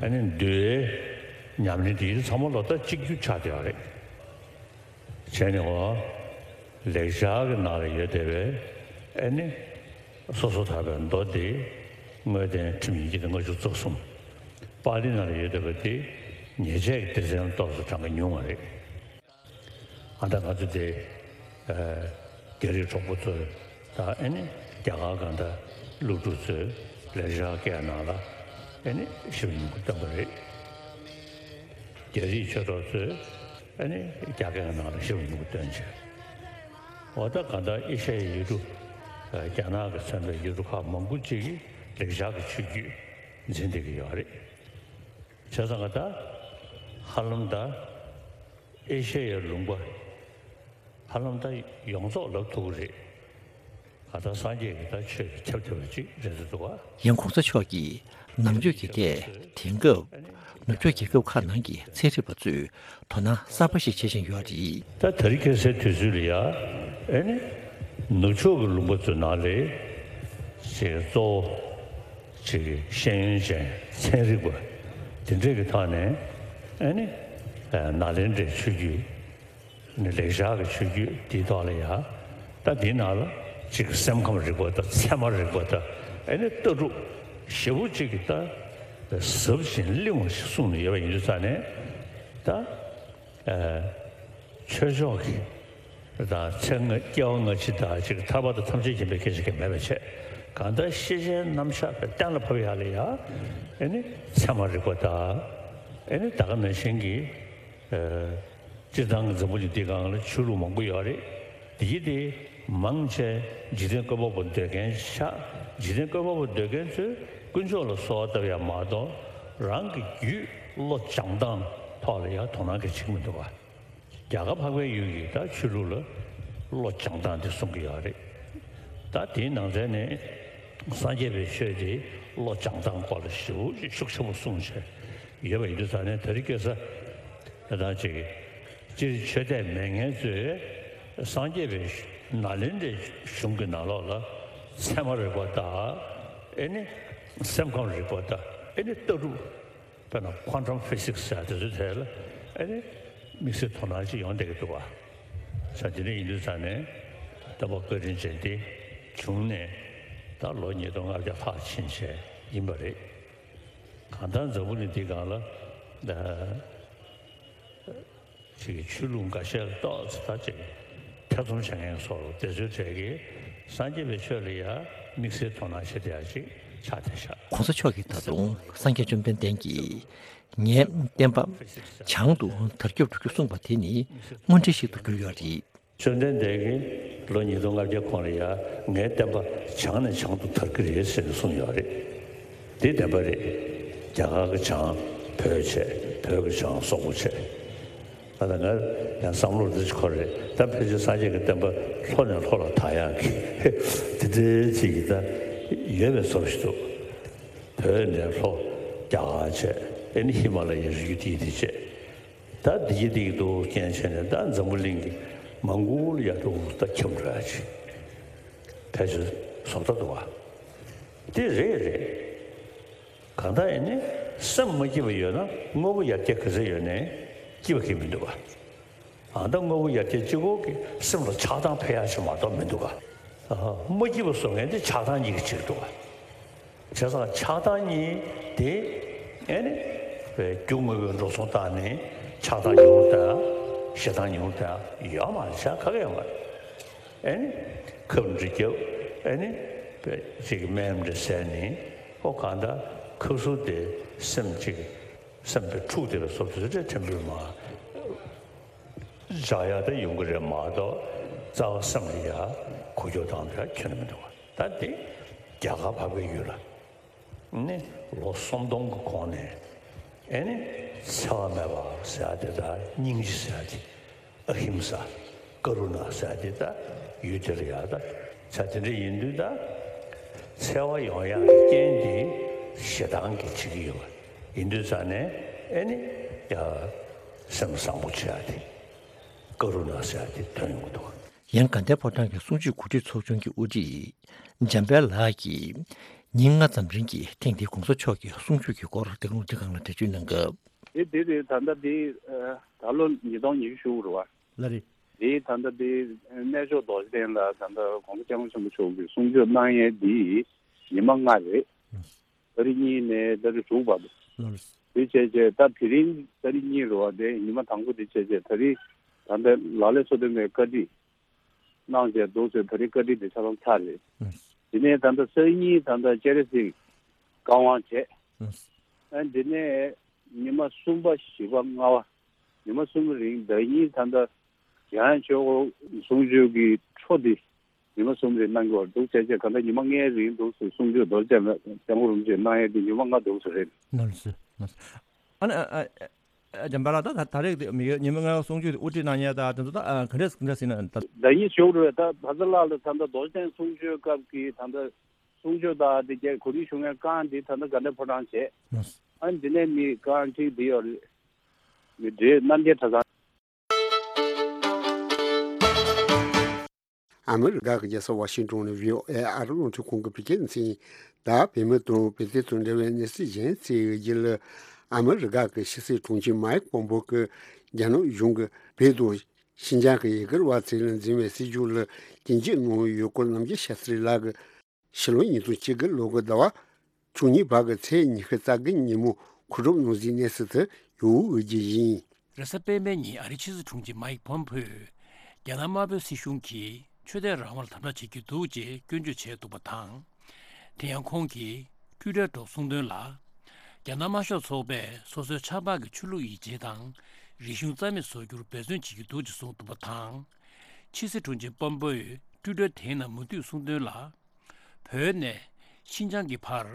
ཨ་ནི་འདུལ་བའི་ཉམས་ལེན་དེ་ཚང་མ་ལོ་ལྟར་གཅིག་གྱུར་ཆགས་བསྡད་ཡོད་རེད། བྱས་ནས་འོ། ལེགས་སྦྱར་གྱི་ནང་ལ་ཡོད་བསྡད་པའི་ཨེ་ནི། སོ་སོ་ཐར་པའི་མདོ་དེ་དངོས་བསྟན་ཁྲིམས་ཡིན་གྱི་ལྔ་བཅུ་རྩ་གསུམ། པཱ་ལི་ནང་ལ་ཡོད་བསྡད་པ་དེ་ཉེས་བྱས་ཀྱི་སྡེ་ཚན་ཏོག་ཙམ་གྲངས་ཀ་ཉུང་བ་རེད། ཨ་ད་ང་ཚོ་དེ་རྒྱ་རིགས་གྲོགས་པོ་ཚོས་ད་ཨེ་ནི་རྒྱ་གར་གང་ལྟར་སློབ་ཕྲུག་ཚོས་ལེགས་སྦྱར་སྐད་ནང་ལ་ཨེ་ནི་ཞིབ་ཉུང་གི་བཏོན་པ་རེད། རྒྱ་རིགས་ཆོས་གྲོགས་ཚོས་ཨ་ནི་རྒྱ་སྐད་ནང་ལ་ཞིབ་ཉུང་གི་བཏོན་བྱས། འོ་ད་གང་ལྟར་ཨེ་ཤ་ཡའི་ཡུལ་གྲུ། རྒྱ་ནག་གིས་མཚོན་པའི་ཡུལ་གྲུ་ཁག་མང་པོ་ཅིག་གིས་ལེགས་སྦྱར་གྱི་ཆོས་བརྒྱུད་འཛིན་བསྡད་ཀྱི་ཡོད་རེད། བྱས་ཙང་ད་ཧ་ལམ་ད་ཨེ་ཤ་ཡའི་ལུང་པ་ཧ་ལམ་ད་ཡོངས་རྫོགས་ལབ་ཐུབ་ཀྱི་རེད། ད་ལྟ་སངས་རྒྱས་ཀྱི་ད་ཆོས་ཀྱི་ཁྱབ་ཐུབ་པ་ཅིག་རེད་འདུག་བ། ཡང་གོང་ས་མཆོག་གིས་ནང་ཆོས་ཀྱི་ཐད་དེང་སྐབས་ནུབ་ཕྱོགས་རྒྱལ་ཁབ་ཁག་ནང་གི་ཚན་རིག་པ་ཚོས་དོ་སྣང་གསར་པ་ཞིག་བྱེད་བཞིན་ཡོད་རེད། ད་དེ་རིང་ཁ་སང་དུས་ཚོད་ལ་ཡ་ཨེ་ནི་ནུབ་ཕྱོགས་ཀྱི་ལུང་པ་ཚོའི་ནང་ལས་ཅིག་གཙོ་བོ་ཅིག་ཤེས་ཡོན་ཅན་ཚན་རིག་པ་དེ་འདྲས་ཀྱི་ཐོག་ནས་ཨེ་ནི་ནཱ་ལེནྡྲའི་ཆོས་བརྒྱུད། ནི་ལེགས་སྦྱར་གྱི་ཆོས་བརྒྱུད་འདིའི་ཐོག་ལ་ཡང་ད་འདིའི་ནང་ལ་གཅིག་སེམས་ཁམས་རིག་པ་དང་ཚད་མ་རིག་པ་དང་ཨེ་ནི་ལྟ་གྲུབ་ཞེ་པོ་གཅིག་གི་ད་ཟབ་ཅིང་བརླིང་བ་ཞིག་གསུངས་ནས་ཡོད་པ་ཡིན་དུས་ཙང་ནས་ད་ཆོས་ཕྱོགས་ཀྱི་དང་ཚེ་སྔ་སྐྱེ་བ་སྔ་ཕྱི་དང་གཅིག་ཐར་པ་དང་ཐམས་ཅད་མཁྱེན་པའི་སྐད་ཆ་གང་མེད་པ་བྱས་གང་ལྟར་ཤེས་བྱའི་རྣམ་གཞག་གི་གཏན་ལ་ཕབ་ཡག་ལ་ཡང་ཨེ་ནི་ཚད་མ་རིག་པ་དང་ཨེ་ནི་ད་ག་ནང་བཞིན་གྱི། སྤྱིར་བཏང་གི་འཛམ་བུ་གླིང་འདིའི་སྒང་ལ་ཆོས་ལུགས་མང་པོ་ཡོད་རེད། དེ་ཡི་དེ་མང་ཆེ་འཇིག་རྟེན་བཀོད་པ་པོ་འདོད་མཁན་ཆགས། འཇིག་རྟེན་བཀོད་པ་པོ་འདོད་མཁན་ཚོས་དཀོན་མཆོག་ལ་གསོལ་བ་བཏབ་ཡ་མ་གཏོགས་རང་གི་རྒྱུད་བློ་སྦྱང་སྟངས་ཐོག་ལ་ཡ་དོ་སྣང་གི་བྱེད་ཀྱི་མི་འདུག་བ། རྒྱ་གར་འཕགས་པའི་ཡུལ་གྱི་ད་ཆོས་ལུགས་ལ་བློ་སྦྱང་སྟངས་དེ་གསུང་གི་ཡོད་རེད། ད་དེའི་ནང་ཚན་ནས་སངས་རྒྱས་པའི་ཆོས་དེ་བློ་སྦྱང་སྟངས་སྐོར་ལ་ཞེ་པོ་ཤུགས་ཆེན་པོ་གསུངས་བྱས་ཡོད་པ་ཡིན་དུས་ཙང་ནས་དེ་རིང་ཁ་སང་ད་ཅིག་སྤྱིར་ཆོས་དད་མེད་མཁན་ཚོས་སངས་རྒྱས་པའི་ནཱ་ལེནྡྲའི་གཞུང་གི་ནང་ལོགས་ལ་ཚད་མ་རིག་པ་དང་ཨེ་ནི་སེམས་ཁམས་རིག་པ་དང་ཨེ་ནི་ལྟ་གྲུབ། དཔེར་ན་quantum physics ཟེར་དེ་ཚོའི་ཐད་ལ་ཨེ་ནི་དམིགས་བསལ་དོ་སྣང་ཅིག་ཡོང་བསྡད་ཀྱི་འདུག་བ། ས་དེ་འདྲ་ཡིན་དུས་ཙང་ནས་སྟོན་པ་བཀའ་དྲིན་ཅན་དེ་བྱུང་ནས་ད་ལོ་ཉིས་སྟོང་ལྔ་བརྒྱ་ལྷག་ཕྱིན་བྱས་ཡིན་པ་རེད། གང་ལྟར་འཛམ་བུ་གླིང་འདིའི་སྒང་ལ་ཅིག་གི་ཆོས་ལུགས་འགའ་ཤས་ལ་ཏོག་ཙམ་ད་ཅིག་ཐེ་ཚོམ་བྱེད་མཁན་སོགས་དེ་ཚོའི་གྲས་ཀྱིས་སངས་རྒྱས་པའི་ཆོས་ལ་ཡང་དམིགས་བསལ་དོ་སྣང་བྱེད་བསྡད་ཡ་ཅིག་ཆགས་བསྡད་ཤག་གོང་ས་མཆོག་གིས་ད་དུང་སངས་རྒྱས་བཅོམ་ལྡན་འདས་ཀྱིས་ངའི་བསྟན་པ་བྱང་དུ་དར་ཁྱབ་འགྲོ་རྒྱུ་གསུངས་པ་དེ་ནི་དངོས་འབྲེལ་ཞིག་ཏུ་གྱུར་ཡོད་རེད། བཅོམ་ལྡན་འདས་ཀྱིས་ལོ་ཉིས་སྟོང་ལྔ་བརྒྱ་གོང་ལ་ཡ་ངའི་བསྟན་པ་བྱང་ནས་བྱང་དུ་དར་གྱི་རེད་ཟེར་ནས་གསུངས་ཡོད་རེད། དེ་བདེན་པ་རེད། རྒྱ་གར་གྱི་བྱང་བོད་བྱས། བོད་ཀྱི་བྱང་སོག་པོ་བྱས། ད་ལྟ་ང་ཡང་བསམ་བློ་འདི་འཁོར་རེད། ད་ཕལ་ཆེར་སངས་རྒྱས་ཀྱི་བསྟན་པ་ལྷོ་ནས་ལྷོ་ལ་དར་ཡག་གི་དེ་འདྲའི་ཅིག་གི་ད་ཡོད་པའི་བཟོ་ཞིག་འདུག་བོད་ནས་ལྷོ་རྒྱ་གར་བྱས། ཨེ་ནི་ཧི་མ་ལ་ཡའི་རི་རྒྱུད་དེ་དེ་བྱས། ད་འདི་གི་འདི་གི་འདུག་རྐྱེན་བྱས་ནས་ད་འཛམ་བུ་གླིང་གི་མང་པོ་ལ་ཡ་འདུག་ད་ཁྱབ་འགྲོ་ཡ་ཅིག་ཕལ་ཆེར་བཟོ་ལྟ་འདུག་བ། དེ་རེད་རེད། གང་ལྟར་ཡིན་ནའི་སེམས་མ་སྐྱིད་པ་ཡོད་ན་དངོས་པོ་ཡར་རྒྱས་ག་ཚོད་ཡོད་ནའི་སྐྱིད་པ་གང་ཡང་མི་འདུག་ག་ཨ་ད་དངོས་པོ་ཡར་རྒྱས་གཅིག་པོ་གིས་སེམས་ལ་ཆགས་སྡང་འཕེལ་ཡག་ཅིག་མ་གཏོགས་མི་འདུག་ག་ཨ་མ་སྐྱིད་པ་བཟོ་མཁན་དེ་ཆགས་སྡང་གཉིས་ཀྱི་ཕྱིར་འདུག་ག་བྱས་ཙང་ཆགས་སྡང་གཉིས་དེ་ཨེ་ནི་རྒྱུ་དངོས་པོའི་འགྲོ་སོང་བཏང་ནས་ཆགས་སྡང་ཉུང་རུ་བཏང་། ཞེ་སྡང་ཉུང་རུ་བཏང་ཡོད་མ་རེད། བྱ་ག་གེ་ཡོད་མ་རེད། ཨེ་ནི་ཁབ་འདྲ་བརྒྱབ། ཨེ་ནི་ཅིག་སྨན་འདྲ་བཟས་ནས་ཨོ་གང་ལྟར་ཁབ་སུབ་དེ་སེམས་ཅིག་སེམས་པའི་འཁྲུག་དེ་ལ་སོགས་པ་དེ་ཚོ་ཕྲན་བུ་མ་འཇགས་ཡག་དེ་ཡོང་གི་རེད་མ་གཏོགས་རྩ་བ་སེམས་ལ་ཡ་འགུལ་སྐྱོད་བཏང་ཡག་ཁྱོན་ནས་མི་འདུག་བ། ད་དེ་རྒྱ་གར་འཕགས་པའི་ཡུལ་ལ་ནི་ལོ་སུམ་སྟོང་གི་གོང་ནས་ཨེ་ནི་འཚེ་བ་མེད་པ་ཟེར་ཡག་དེ་དང་སྙིང་རྗེ་ཟེར་ཡག་དེ། ཨ་ཧིམ་ས། ཀ་རུ་ཎ་ཟེར་ཡག་དེ་ད་ཡུལ་དེ་ལ་ཡག་ད་ཆ་དེ་འདྲ་ཡིན་དུས་ད་འཚེ་བ་ཡོང་ཡག་གི་རྐྱེན་དེ་ཞེ་སྡང་གིས་བྱེད་ཀྱི་ཡོད་པ་ཡིན་དུས་ཙང་ནས་ཨེ་ནི་ཡ་སེམས་བཟང་པོ་བྱེད་ཡག་དེ་ཀ་རུ་ཎ་ཟེར་ཡག་དེ་ཐོན་ཡོང་གི་འདུག་ཡང་དགའ་ལྡན་ཕོ་བྲང་གི་གསུང་ཆོས་གོ་སྒྲིག་ཚོགས་ཆུང་གི་དབུ་ཁྲིད་འཇམ་དཔལ་ལགས་ཀྱིས་ཉིན་ལྔ་ཙམ་རིང་གི་ཐེངས་འདིའི་གོང་ས་མཆོག་གི་གསུང་ཆོས་ཀྱི་སྐོར་སྟེང་ལུང་འདི་སྒང་ལ་འགྲེལ་བརྗོད་གནང་སྐབས། དེ་དེ་རེད། ད་ལྟ་དེ་ད་ལོ་ཉིས་སྟོང་ཉི་ཤུ་རེད་བ། ལགས་རེད། དེ་ད་ལྟ་དེ་གནས་མཆོག་རྡོ་རྗེ་གདན་ལ་ད་ལྟ་གོང་ས་སྐྱབས་མགོན་ཆེན་པོ་མཆོག་གིས་གསུང་ཆོས་གནང་ཡས་དེ་ཉི་མ་ལྔ་རེད། ཨ་ཏ་རིག་གཉིས་ནས་ཏ་རིག་དྲུག་བར་དུ། ལགས་རེད། དེ་བྱས་བྱས་ད་དེ་རིང་ཏ་རིག་གཉིས་རེད་བ། དེ་ཉི་མ་དང་པོ་དེ་བྱས་བྱས་ད་རིང་ད་ལྟ་ལག་ལེན་སོ་བདུན་པའི་བཀའ་ཁྲིད་གནང་བྱས་འདུག་ཟེར། ད་རིང་བཀའ་ཁྲིད་དེ་ཆ་ཚང་ཚར་རེད། ལགས། དེ་ནས་ད་ལྟ་སང་ཉིན་ད་ལྟ་སྤྱན་རས་གཟིགས་བཀའ་དབང་བྱས། ལགས། ཨ་དེ་ནས་ཉི་མ་གསུམ་པ་བཞི་པ་ལྔ་པ་ཉི་མ་གསུམ་རིང་ཟླ་ཉིན་ད་ལྟ་རྒྱ་ནག་ཆོས་འཁོར་གསུང་ཆོས་ཀྱི་འཕྲོ་འདི་ཉི་མ་གསུམ་རེ་གནང་གི་བར་འདུག་བྱས་བྱས་ག་འདྲ་ཉི་མ་ལྔའི་རིང་འདུག་སེ་གསུང་ཆོས་རྡོ་རྗེ་འཆང་སྐྱབས་མགོན་རིན་པོ་ཆེ་གནང་ཡས་དེ་ཉི་མ་ལྔ་འདུག་སེ་རེད། ནོར་སི་ནོར་སི། ཨ་ནི་ཨ་ཨ་ཨ་འཇམ་དཔལ་ལགས། ད་ད་ད་རེས་དེ་མི་ཡོད་ཉི་མ་ལྔའི་གསུང་ཆོས་དེ་དབུ་ཁྲིད་གནང་ཡས་ད་དེ་ཚོ་ད་ཨ་ག་འདྲས་ག་འདྲས་ཟིན་ན་ད། ཟླ་ཉིན་ཞུགས་རེད། ད་ཕ་ས་ལགས་ལ་ད་ལྟ་རྡོ་རྗེ་འཆང་གསུང་ཆོས་སྐབས་ཀྱི་ད་ལྟ་གསུང་ཆོས་དང་དེ་རྒྱས་གོ་སྒྲིག་ཞུ་མཁན་རྐང་དེ་ད་ལྟ་དགའ་ལྡན་ཕོ་བྲང་བྱས། ནོར་སི། ཨ་ནི་དེ་ནས་མི་རྐང་ཁྲིད་དེ་ཡོད་རེད། མི་འདྲེ་རྣམ་རྒྱལ་གྲྭ་ཚང་། ཨ་མི་རི་ཀ་གི་རྒྱལ་ས་ཝ་ཤིང་ཏོན་ནས་བྷི་ཨོ་ཨེ་ཨ་རི་རླུང་འཕྲིན་ཁང་གི་བོད་སྐད་སྡེ་ཚན། ད་བོད་མི་དང་བོད་དོན་དང་འབྲེལ་བའི་གནས་ཚུལ་གཞན་ཞིག་གི་རྗེས་ལ། ཨ་མི་རི་ཀ་གི་ཕྱི་སྲིད་དྲུང་ཆེ་མའིག་པོམ་པེའོ་གིས་རྒྱ་ནག་གཞུང་གིས་བོད་དང་ཤིན་ཅང་གི་ཡུ་གུར་བ་ཚོ་ལ་འཛིན་པའི་སྲིད་བྱུས་ལ་རྐྱེན་འཇུག་གནང་ཡོད་སྐོར་རྣམ་རྒྱལ་ཤཱ་སྟྲི་ལགས་ཀྱིས་ཕྱི་ལོ་ཉིས་སྟོང་བཅུ་དགུ་ལོ་གི་ཟླ་བ་བཅུ་གཉིས་པ་གི་ཚེས་ཉི་ཤུ་རྩ་དགུ་ཉིན་མོ་གོ་སྒྲིག་གནང་ཟིན་གནས་ཚུལ་དེ་ཡོད་འོས་ཀྱི་ཡིན། རེས་གཟའ་སྤེན་པའི་ཉིན་ཨ་རིའི་ཕྱི་སྲིད་དྲུང་ཆེ་མའིག་པོམ་པེའོས་རྒྱ་ནག་དམར་པོའི་སྲིད་གཞུང་གིས་ཆོས་དད་རང་དབང་ལ་དམ་དྲག་བྱེད་ཀྱི་འདུག་ཅེས་སྐྱོན་བརྗོད་བྱས་འདུག་པ་དང་། དེ་ཡང་ཁོང་གིས་ཊུའི་ཊར་ཐོག་གསུངས་དོན་ལ། རྒྱ་ནག་དམར་ཤོག་ཚོགས་པས་སོ་སོའི་ཆབ་འབངས་ཀྱི་ཆོས་ལུགས་ཡིད་ཆེས་དང་རིག་གཞུང་རྩ་མེད་བཟོ་རྒྱུར་འབད་བརྩོན་བྱེད་ཀྱི་འདུག་ཅེས་གསུངས་འདུག་པ་དང་། ཕྱི་སྲིད་དྲུང་ཆེ་པོམ་པེའོས་ཊུའི་ཊར་དེའི་ནང་མུ་མཐུད་གསུངས་དོན་ལ། བོད་ནས་ཤིན་ཅང་གི་བར་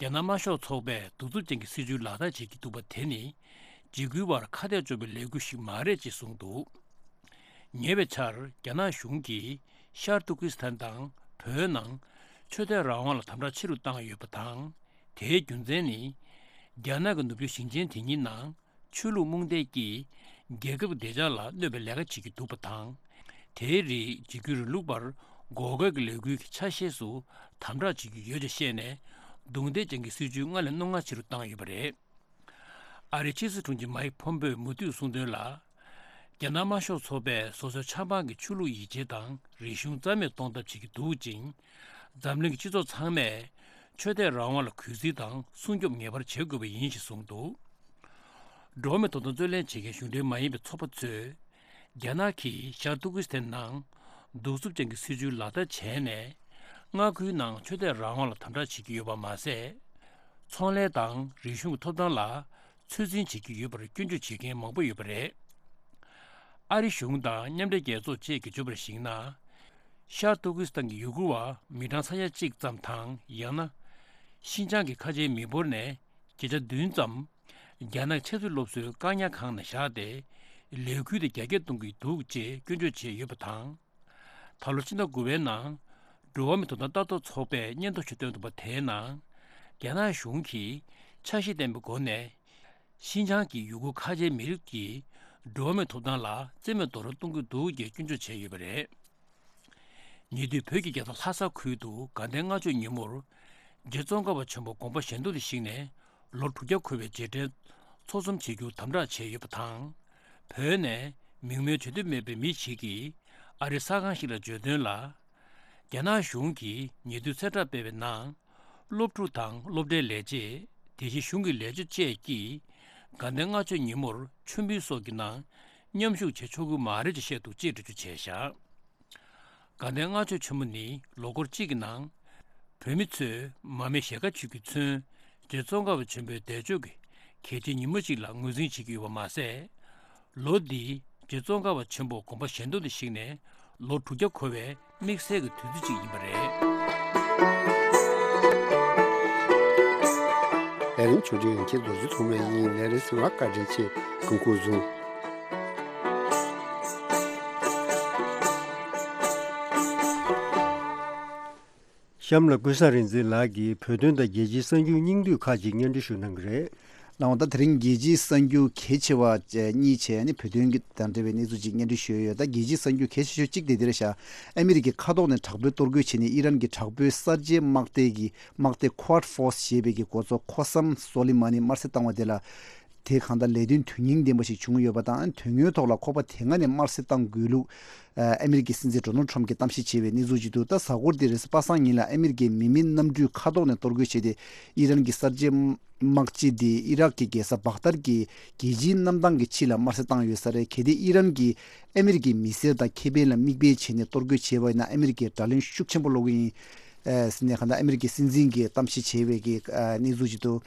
རྒྱ་ནག་དམར་ཤོག་ཚོགས་པས་གདུག་རྩུབ་ཅན་གྱི་སྲིད་བྱུས་ལག་བསྟར་བྱེད་ཀྱི་འདུག་པ་དེ་ནི་འཇིགས་སྐུལ་བར་ཁ་གཏད་གཅོག་པའི་ལས་འགུལ་ཞིག་མ་རེད་ཅེས་གསུངས་འདུག། ཉེ་བའི་ཆར་རྒྱ་ནག་གཞུང་གིས་ཤར་ཏུར་ཀི་སི་ཐན་དང་བོད་ནང་ཆོས་དད་རང་དབང་ལ་དམ་དྲག་ཆེ་རུ་བཏང་ཡོད་པ་དང་། དེའི་རྒྱུ་མཚན་ནི། རྒྱ་ནག་གི་ནུབ་ཕྱོགས་ཞིང་ཆེན་དེ་གཉིས་ནང་ཆོས་ལུགས་རྨོངས་དད་ཀྱིས་རྒྱལ་ཁབ་བདེ་འཇགས་ལ་གནོད་པའི་ལས་ཀ་བྱེད་ཀྱི་འདུག་པ་དང་། དེའི་རིགས་འཇིགས་སྐུལ་རིང་ལུགས་པར་འགོག་རྒོལ་གྱི་ལས་འགུལ་གྱི་ཆ་ཤས་སུ་དམ་དྲག་བྱེད་ཀྱི་ཡོད་ཅེས་བཤད་ནས། རྡུང་རྡེག་ཅན་གྱི་སྲིད་བྱུས་སྔར་ལས་རྣོ་ངར་ཆེ་རུ་བཏང་ཡོད་པ་རེད། ཨ་རིའི་ཕྱི་སྲིད་དྲུང་ཆེ་མའིག་ཕོམ་པེའོས་མུ་མཐུད་གསུངས་དོན་ལ། རྒྱ་ནག་དམར་ཤོག་ཚོགས་པས་སོ་སོའི་ཆབ་འབངས་ཀྱི་ཆོས་ལུགས་ཡིད་ཆེས་དང་རིག་གཞུང་རྩ་མེད་གཏོང་ཐབས་བྱེད་ཀྱི་འདུག་ཅིང་། འཛམ་གླིང་གི་སྤྱི་ཚོགས་ཚང་མས་ཆོས་དད་རང་དབང་ལ་གུས་བརྩི་དང་སྲུང་སྐྱོབ་ངེས་པར་བྱེད་དགོས་པ་ཡིན་ཞེས་གསུངས་འདུག། འགྲོ་བ་མིའི་ཐོབ་ཐང་རྩོད་ལེན་བྱེད་མཁན་གཞུང་འབྲེལ་མ་ཡིན་པའི་ཚོགས་པ་ཚོས། རྒྱ་ནག་གིས་ཤར་ཏུར་ཀི་སི་ཐན་ནང་གདུག་རྩུབ་ཅན་གྱི་སྲིད་བྱུས་ལག་བསྟར་བྱས་ནས། མངའ་ཁུལ་ནང་ཆོས་དད་རང་དབང་ལ་དམ་དྲག་བྱེད་ཀྱི་ཡོད་པ་མ་ཟད། ཚོང་ལས་དང་རིག་གཞུང་གི་ཐོབ་ཐང་ལ་ཚོད་འཛིན་བྱེད་ཀྱི་ཡོད་པར་སྐྱོན་བརྗོད་བྱེད་མཁན་མང་པོ་ཡོད་པ་རེད། ཨ་རི་གཞུང་དང་མཉམ་འབྲེལ་རྒྱལ་ཚོགས་བཅས་ཀྱིས་བརྗོད་པར་གཞིགས་ན། ཤར་ཏུར་ཀི་སི་ཐན་གྱི་ཡུ་གུར་བ་མི་གྲངས་ས་ཡ་གཅིག་ཙམ་དང་། ཡང་ན། ཤིན་ཅང་གི་ཁ་ཆེའི་མི་འབོར་ནས་བརྒྱ་ཆ་བདུན་ཙམ། རྒྱ་ནག་ཆབ་སྲིད་སློབ་གསོའི་བཀག་ཉར་ཁང་ནང་བཞག་སྟེ། ལས་འགུལ་དེ་རྒྱ་སྐྱེད་གཏོང་གི་འདུག་ཅེས་སྐྱོན་བརྗོད་བྱས་ཡོད་པ་དང་། ད་ལོ་ཕྱི་ཟླ་དགུ་པའི་ནང་། འགྲོ་བ་མིའི་ཐོབ་ཐང་ལྟ་རྟོག་ཚོགས་པས་སྙན་ཐོ་ཞིག་བཏོན་འདུག་པ། དེའི་ནང་། རྒྱ་ནག་གཞུང་གིས་འཆར་གཞི་ལྡན་པའི་སྒོ་ནས། ཤིན་ཅང་གི་ཡུ་གུར་ཁ་ཆེའི་མི་རིགས་ཀྱི་འགྲོ་བ་མིའི་ཐོབ་ཐང་ལ་བཙན་མའི་རྡོག་རོལ་གཏོང་གི་འདུག་ཅེས་སྐྱོན་བརྗོད་བྱས་ཡོད་པ་རེད། ཉེ་དུས་བོད་ཀྱི་རྒྱལ་ས་ལྷ་ས་ཁུལ་དུ་དགའ་ལྡན་ལྔ་མཆོད་ཉིན་མོར། རྗེ་ཙོང་ཁ་པ་ཆེན་པོ་དགོངས་པ་གཞན་དོན་དུ་གཤེགས་ནས་ལོ་དྲུག་བརྒྱ་འཁོར་བའི་རྗེས་དྲན་ཚོགས་འཛོམས་བྱེད་རྒྱུ་དམ་དྲག་བྱས་ཡོད་པ་དང་། བོད་ནས་མིང་སྨོས་བྱེད་འདོད་མེད་པའི་མི་ཞིག་གིས་ཨ་རིའི་གསར་ཁང་ཞིག་ལ་བརྗོད་དོན་ལ། རྒྱ་ནག་གཞུང་གིས་ཉེ་དུས་གསལ་བསྒྲགས་སྤེལ་བའི་ནང་། སློབ་ཕྲུག་དང་སློབ་གྲྭའི་ལས་བྱེད། དེ་བཞིན་གཞུང་གི་ལས་བྱེད་བཅས་ཀྱིས་དགའ་ལྡན་ལྔ་མཆོད་ཉིན་མོར་མཆོད་འབུལ་སོགས་ཀྱི་ནང་མཉམ་ཞུགས་བྱེད་ཆོག་གི་མ་རེད་ཅེས་བཤད་འདུག་ཅེས་འགྲེལ་བརྗོད་བྱས་བཞག་དགའ་ལྡན་ལྔ་མཆོད་ཆེན་མོ་ནི་ལོ་འཁོར་གཅིག་གི་ནང་། བོད་མི་ཚོས་མར་མེ་ཞལ་དཀར་མཆོད་རྒྱུས་མཚོན། རྗེ་ཙོང་ཁ་པ་ཆེན་པོའི་འདས་མཆོད་ཀྱི་གལ་ཆེའི་ཉིན་མོ་ཞིག་ལ་ངོས་འཛིན་བྱེད་ཀྱི་ཡོད་པ་མ་ཟད། ལོ་འདིའི་རྗེ་ཙོང་ཁ་པ་ཆེན་པོ་དགོངས་པ་གཞན་དོན་དུ་གཤེགས་ནས་ལོ་དྲུག་བརྒྱ་འཁོར་བའི་དམིགས་བསལ་གྱི་དུས་ཚོད་ཅིག་ཡིན་པ་རེད། ལས་རིམ་ཆུང་འདྲིས་ཡོང་མཁན་རྡོ་རྗེ་ཐོགས་མེད་ཡིན། ལས་རིམ་གསན་པར་བཀའ་དྲིན་ཆེ། སྐུ་ཁམས་བཟང་། གཤམ་ལ་ཀུན་བཟང་རིག་འཛིན་ལགས་ཀྱིས་བོད་དོན་དང་རྒྱལ་སྤྱིའི་གསར་འགྱུར་སྙིང་བསྡུས་ཁག་ཅིག་སྙན་སྒྲོན་ཞུ་གནང་གི་རེད། ལགས་འོང་། ད་དེ་རིང་རྒྱལ་སྤྱིའི་གསར་འགྱུར་གལ་ཆེ་བ་གཉིས་བྱས་ནས་བོད་དོན་གྱི་དང་འབྲེལ་བའི་གནས་ཚུལ་ཅིག་སྙན་སྒྲོན་ཞུས་ཡོད། ད་རྒྱལ་སྤྱིའི་གསར་འགྱུར་གལ་ཆེ་ཤོས་གཅིག་དེ་འདིར་བཞག་ཨ་མི་རི་ཀས་མཁའ་ཐོག་ནས་དྲག་པོའི་གཏོར་རྒོལ་བྱས་ནས་ཨི་རན་གྱི་དྲག་པོའི་གསར་བརྗེའི་དམག་སྡེ་གི་དམག་སྡེ་Quad Force ཞེས་པའི་གི་འགོ་གཙོ་ཁོ་སམ་སོ་ལི་མ་ནི་དམར་གསོད་བཏང་བ་དེ་ལ། དེ་གང་ལྟར་ལས་དོན་དོན་སྙིང་ལྡན་པ་ཞིག་བྱུང་ཡོད་པ་དང་། དོན་དངོས་ཐོག་ལ་ཁོ་པ་དེ་སྔ་ནས་དམར་གསོད་བཏང་དགོས་ལུགས། ཨ་མི་རི་ཀའི་སྲིད་འཛིན་ཌོ་ནལ་ཊམ་གྱིས་གཏམ་བཤད་བྱས་པའི་གནས་ཚུལ་ཅིག་འདུག་ད་གཟའ་འཁོར་འདིར་པ་སངས་ཉིན་ལ་ཨ་མི་རི་ཀའི་མི་མེད་གནམ་གྲུས་མཁའ་ཐོག་ནས་གཏོར་རྒོལ་བྱས་ཏེ། ཨི་རན་གྱི་གསར་བརྗེ་དམག་སྤྱི་དེ་ཨི་རག་གི་རྒྱལ་ས་བག་དར་གྱི་རྒྱལ་སྤྱིའི་གནམ་ཐང་གི་ཕྱི་ལ་དམར་གསོད་བཏང་ཡོད་ས་རེད། གལ་ཏེ་ཨི་རན་གྱིས་ཨ་མི་རི་ཀའི་མི་སེར་དང་ཁེ་ཕན་ལ་མིག་དཔེ་བྱས་ནས་གཏོར་རྒོལ་བྱས་པ་ཡིན་ན། ཨ་མི་རི་ཀས་དགྲ་ལན་ཤུགས་ཆེན་པོ་སློག་གི་ཡིན། ཨ་ཟེར་ནས་གང་ལྟར་ཨ་མི་རི་ཀའི་སྲིད་འཛིན་གྱིས་གཏམ་བཤད་བྱས་པའི་གི་ཨ་གནས་ཚུལ་ཅིག་འདུག་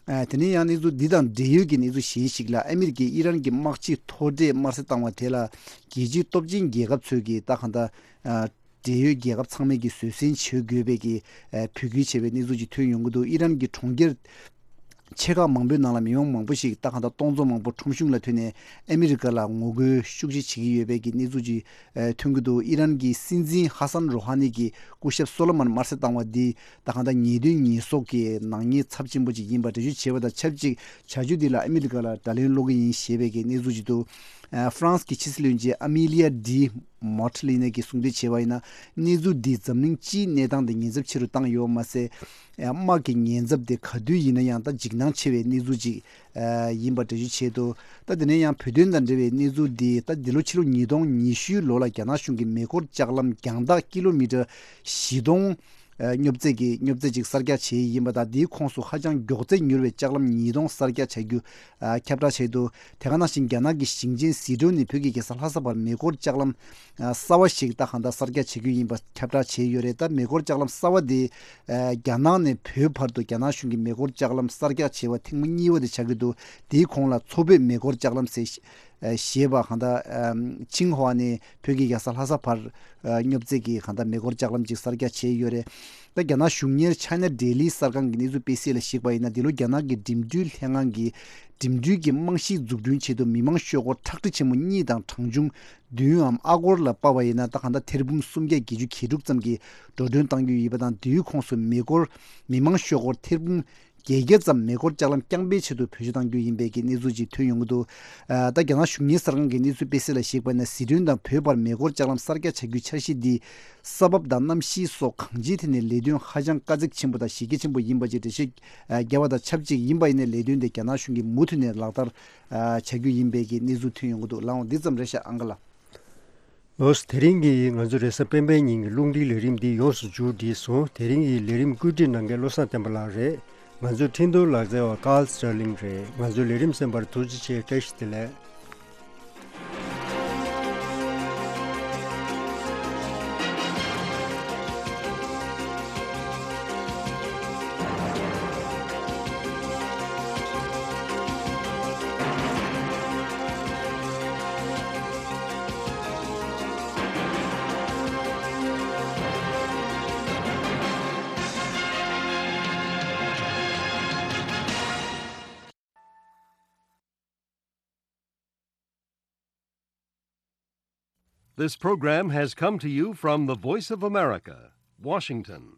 ཨ་དེ་ནས་ཡང་གནས་ཚུལ་འདི་དང་འབྲེལ་ཡོད་ཀྱི་གནས་ཚུལ་གཞན་ཞིག་ལ། ཨ་མི་རི་ཀས་ཨི་རན་གྱི་དམག་སྤྱི་མཐོ་གྲས་དམར་གསོད་བཏང་བ་དེ་ལ་རྒྱལ་སྤྱིའི་སྟོབས་ཆེན་རྒྱལ་ཁབ་ཚོས་ཀྱིས་ད་གང་ལྟར་ཨ་འབྲེལ་ཡོད་རྒྱལ་ཁབ་ཚང་མས་ཀྱིས་བཟོད་བསྲན་བྱེད་དགོས་པའི་གི་ཨ་འབོད་སྐུལ་བྱས་པའི་གནས་ཚུལ་ཅིག་ཐོན་ཡོང་གི་འདུག་ཨི་རན་གྱི་གྲོང་ཁྱེར་ཆེ་ཁག་མང་པོའི་ནང་ལ་མི་མང་མང་པོ་ཞིག་ད་གང་ལྟར་སྟོང་ཚོ་མང་པོ་ཁྲོམ་གཞུང་ལ་ཐོན་ནས་ཨ་མི་རི་ཀ་ལ་ངོ་རྒོལ་ཤུགས་ཆེ་བྱེད་ཀྱི་ཡོད་པའི་གི་གནས་ཚུལ་ཅིག་ཨ་ཐོན་གྱི་འདུག་ཨི་རན་གྱི་སྲིད་འཛིན་ཧ་སན་རོ་ཧ་ནི་གི་སྐུ་ཞབས་སོ་ལོ་མོན་དམར་གསོད་བཏང་བ་འདི་ད་གང་ལྟར་ཉེས་དོན་ཉེས་གསོག་གི་ནག་ཉེས་ཚབས་ཆེན་པོ་ཅིག་ཡིན་པ་འགྲེལ་བརྗོད་བྱས་པ་དང་ཆབས་ཅིག་བྱ་སྤྱོད་འདི་ལ་ཨ་མི་རི་ཀ་ལ་དགྲ་ལན་སློག་གི་ཡིན་ཞེས་པའི་གི་གནས་ཚུལ་ཅིག་འདུག་ཨ་ཧྥ་རན་སི་གི་ཕྱི་སྲིད་བློན་ཆེན་ཨ་མི་ལི་ཡ་ཌི་མོ་ཊི་ལི་ནི་གིས་གསུངས་དོན་བྱས་པ་ཡིན་ན། གནས་ཚུལ་འདིས་འཛམ་གླིང་སྤྱིའི་གནས་སྟངས་དེ་ཉེན་ཚབས་ཆེ་རུ་བཏང་ཡོད་མ་ཟད། དམག་གི་ཉེན་ཚབས་དེ་ག་དུས་ཡིན་ན་ཡང་ད་འཇིགས་སྣང་ཆེ་བའི་གནས་ཚུལ་ཅིག་ཨ་ཡིན་པ་འགྲེལ་བརྗོད་བྱས་འདུག་ད་དེ་ནས་ཡང་བོད་དོན་དང་འབྲེལ་བའི་གནས་ཚུལ་འདི། ད་འདི་ལོ་ཕྱི་ལོ་ཉིས་སྟོང་ཉི་ཤུའི་ལོ་ལ་རྒྱ་ནག་གཞུང་གིས་མེ་འཁོར་ལྕགས་ལམ་རྒྱང་ཐག་ཀི་ལོ་མི་ཊར་བཞི་སྟོང་ཨ་རྙོབ་ཚད་ཀྱི་རྙོབ་ཚད་ཅིག་གསར་རྒྱག་བྱས་ཡིན་པ་དང་། འདིའི་ཁོངས་སུ་ཧ་ཅང་མགྱོགས་ཚད་མྱུར་བའི་ལྕགས་ལམ་ཉིས་སྟོང་གསར་རྒྱག་བྱ་རྒྱུ་ཨ་ཁྱབ་བསྒྲགས་བྱས་འདུག་དེ་ག་ནང་བཞིན་རྒྱ་ནག་གི་ཞིང་ཆེན་ཟི་ཁྲོན་ནས་བོད་ཀྱི་རྒྱལ་ས་ལྷ་ས་བར་མེ་འཁོར་ལྕགས་ལམ་ཨ་གསར་བ་ཞིག་ད་གང་ལྟར་གསར་རྒྱག་བྱེད་རྒྱུ་ཡིན་པ་ཁྱབ་བསྒྲགས་བྱས་ཡོད་རེད། ད་མེ་འཁོར་ལྕགས་ལམ་གསར་བ་དེ་ཨ་རྒྱ་ནག་ནས་བོད་བར་དུ་རྒྱ་ནག་གཞུང་གིས་མེ་འཁོར་ལྕགས་ལམ་གསར་རྒྱག་བྱས་པ་ཐེངས་མ་གཉིས་པ་དེ་ཆགས་ཀྱི་འདུག་དེའི་གོང་ལ་མཚོ་བོད་མེ་འཁོར་ལྕགས་ལམ་ཟེར་ཨ་ཞེས་པ་གང་ལྟར་ཨ་ཆིང་ཧྭ་ནས་བོད་ཀྱི་རྒྱལ་ས་ལྷ་ས་བར་ཨ་རྙོབ་ཚད་ཀྱི་གང་ལྟར་མེ་འཁོར་ལྕགས་ལམ་ཅིག་གསར་རྒྱག་བྱས་ཡོད་རེད། ད་རྒྱ་ནག་གཞུང་གཉེར་China Daily གསར་ཁང་གི་གནས་ཚུལ་སྤེལ་གསལ་ལ་གཞིགས་པ་ཡིན་ན། འདི་ལོ་རྒྱ་ནག་གི་འགྲིམ་འགྲུལ་ལྷན་ཁང་གིས་འགྲིམ་འགྲུལ་གྱི་རྨང་གཞི་འཛུགས་སྐྲུན་ཆེད་དུ་མི་མང་ཤོག་སྒོར་ཁྲག་ཁྲིག་ཆེན་མོ་གཉིས་དང་གྲངས་ཆུང་བདུན་འམ་ཨ་སྒོར་ལ་དཔག་པ་ཡིན་ན། ད་གང་ལྟར་ཐེར་འབུམ་སུམ་བརྒྱ་བརྒྱད་ཅུ་གྱ་དྲུག་ཙམ་གྱི་འགྲོ་གྲོན་གཏང་རྒྱུ་ཡིན་པ་དང་། འདིའི་ཁོངས་སུ་མི་སྒོར་མི་མང་ཤོག་སྒོར་ཐེར་འབུམ་བརྒྱད་བརྒྱ་ཙམ་མེ་འཁོར་ལྕགས་ལམ་རྐྱང་པའི་ཆེད་དུ་བེད་སྤྱོད་གཏང་རྒྱུ་ཡིན་པའི་གི་གནས་ཚུལ་ཅིག་ཐོན་ཡོང་གི་འདུག་ཨ་ད་རྒྱ་ནག་གཞུང་གཉེར་གསར་ཁང་གི་གནས་ཚུལ་སྤེལ་གསལ་ལ་གཞིགས་པ་ན། ཟི་ཁྲོན་དང་བོད་བར་མེ་འཁོར་ལྕགས་ལམ་གསར་རྒྱག་བྱ་རྒྱུའི་འཆར་གཞི་འདི་ས་བབ་དང་གནམ་གཤིས་སོགས་གང་ཅིའི་ཐད་ནས་ལས་དོན་ཧ་ཅང་དཀའ་ཚེགས་ཆེན་པོ་དང་གཞི་རྒྱ་ཆེན་པོ་ཡིན་པ་ཅིག་འགྲེལ་བཤད་ཨ་བརྒྱབ་པ་དང་ཆབས་ཅིག་ཡིན་པ་ཡིན་ནའི་ལས་དོན་དེ་རྒྱ་ནག་གཞུང་གིས་མུ་མཐུད་ནས་ལག་བསྟར་ཨ་བྱ་རྒྱུ་ཡིན་པའི་གི་གནས་ཚུལ་ཐོན་ཡོང་གི་འདུག་ལགས་འོང་། འདི་ཙམ་རེད་ཤག་ཨང་ག་ལགས། ལགས་སོ། དེ་རིང་གི་ང་ཚོའི་རེས་གཟའ་སྤེན་པའི་ཉིན་གྱི་རླུང་འཕྲིན་ལས་རིམ་འདི་ཡོངས་སུ་མཇུག་བསྒྲིལ་སོང་། དེ་རིང་གི་ལས་རིམ་བཀོད་སྒྲིག་གནང་མཁན་བློ་བཟང་བསྟན་པ་ལགས་རེད། ང་ཚོའི་འཕྲིན་གཏོང་ལག་རྩལ་བ་ཀཱལ་སི་ཊར་ལིང་རེད། ང་ཚོའི་ལས་རིམ་གསན་པར་ཐུགས་རྗེ་ཆེ། བཀྲ་ཤིས་བདེ་ལེགས། This program has come to you from the Voice of America, Washington.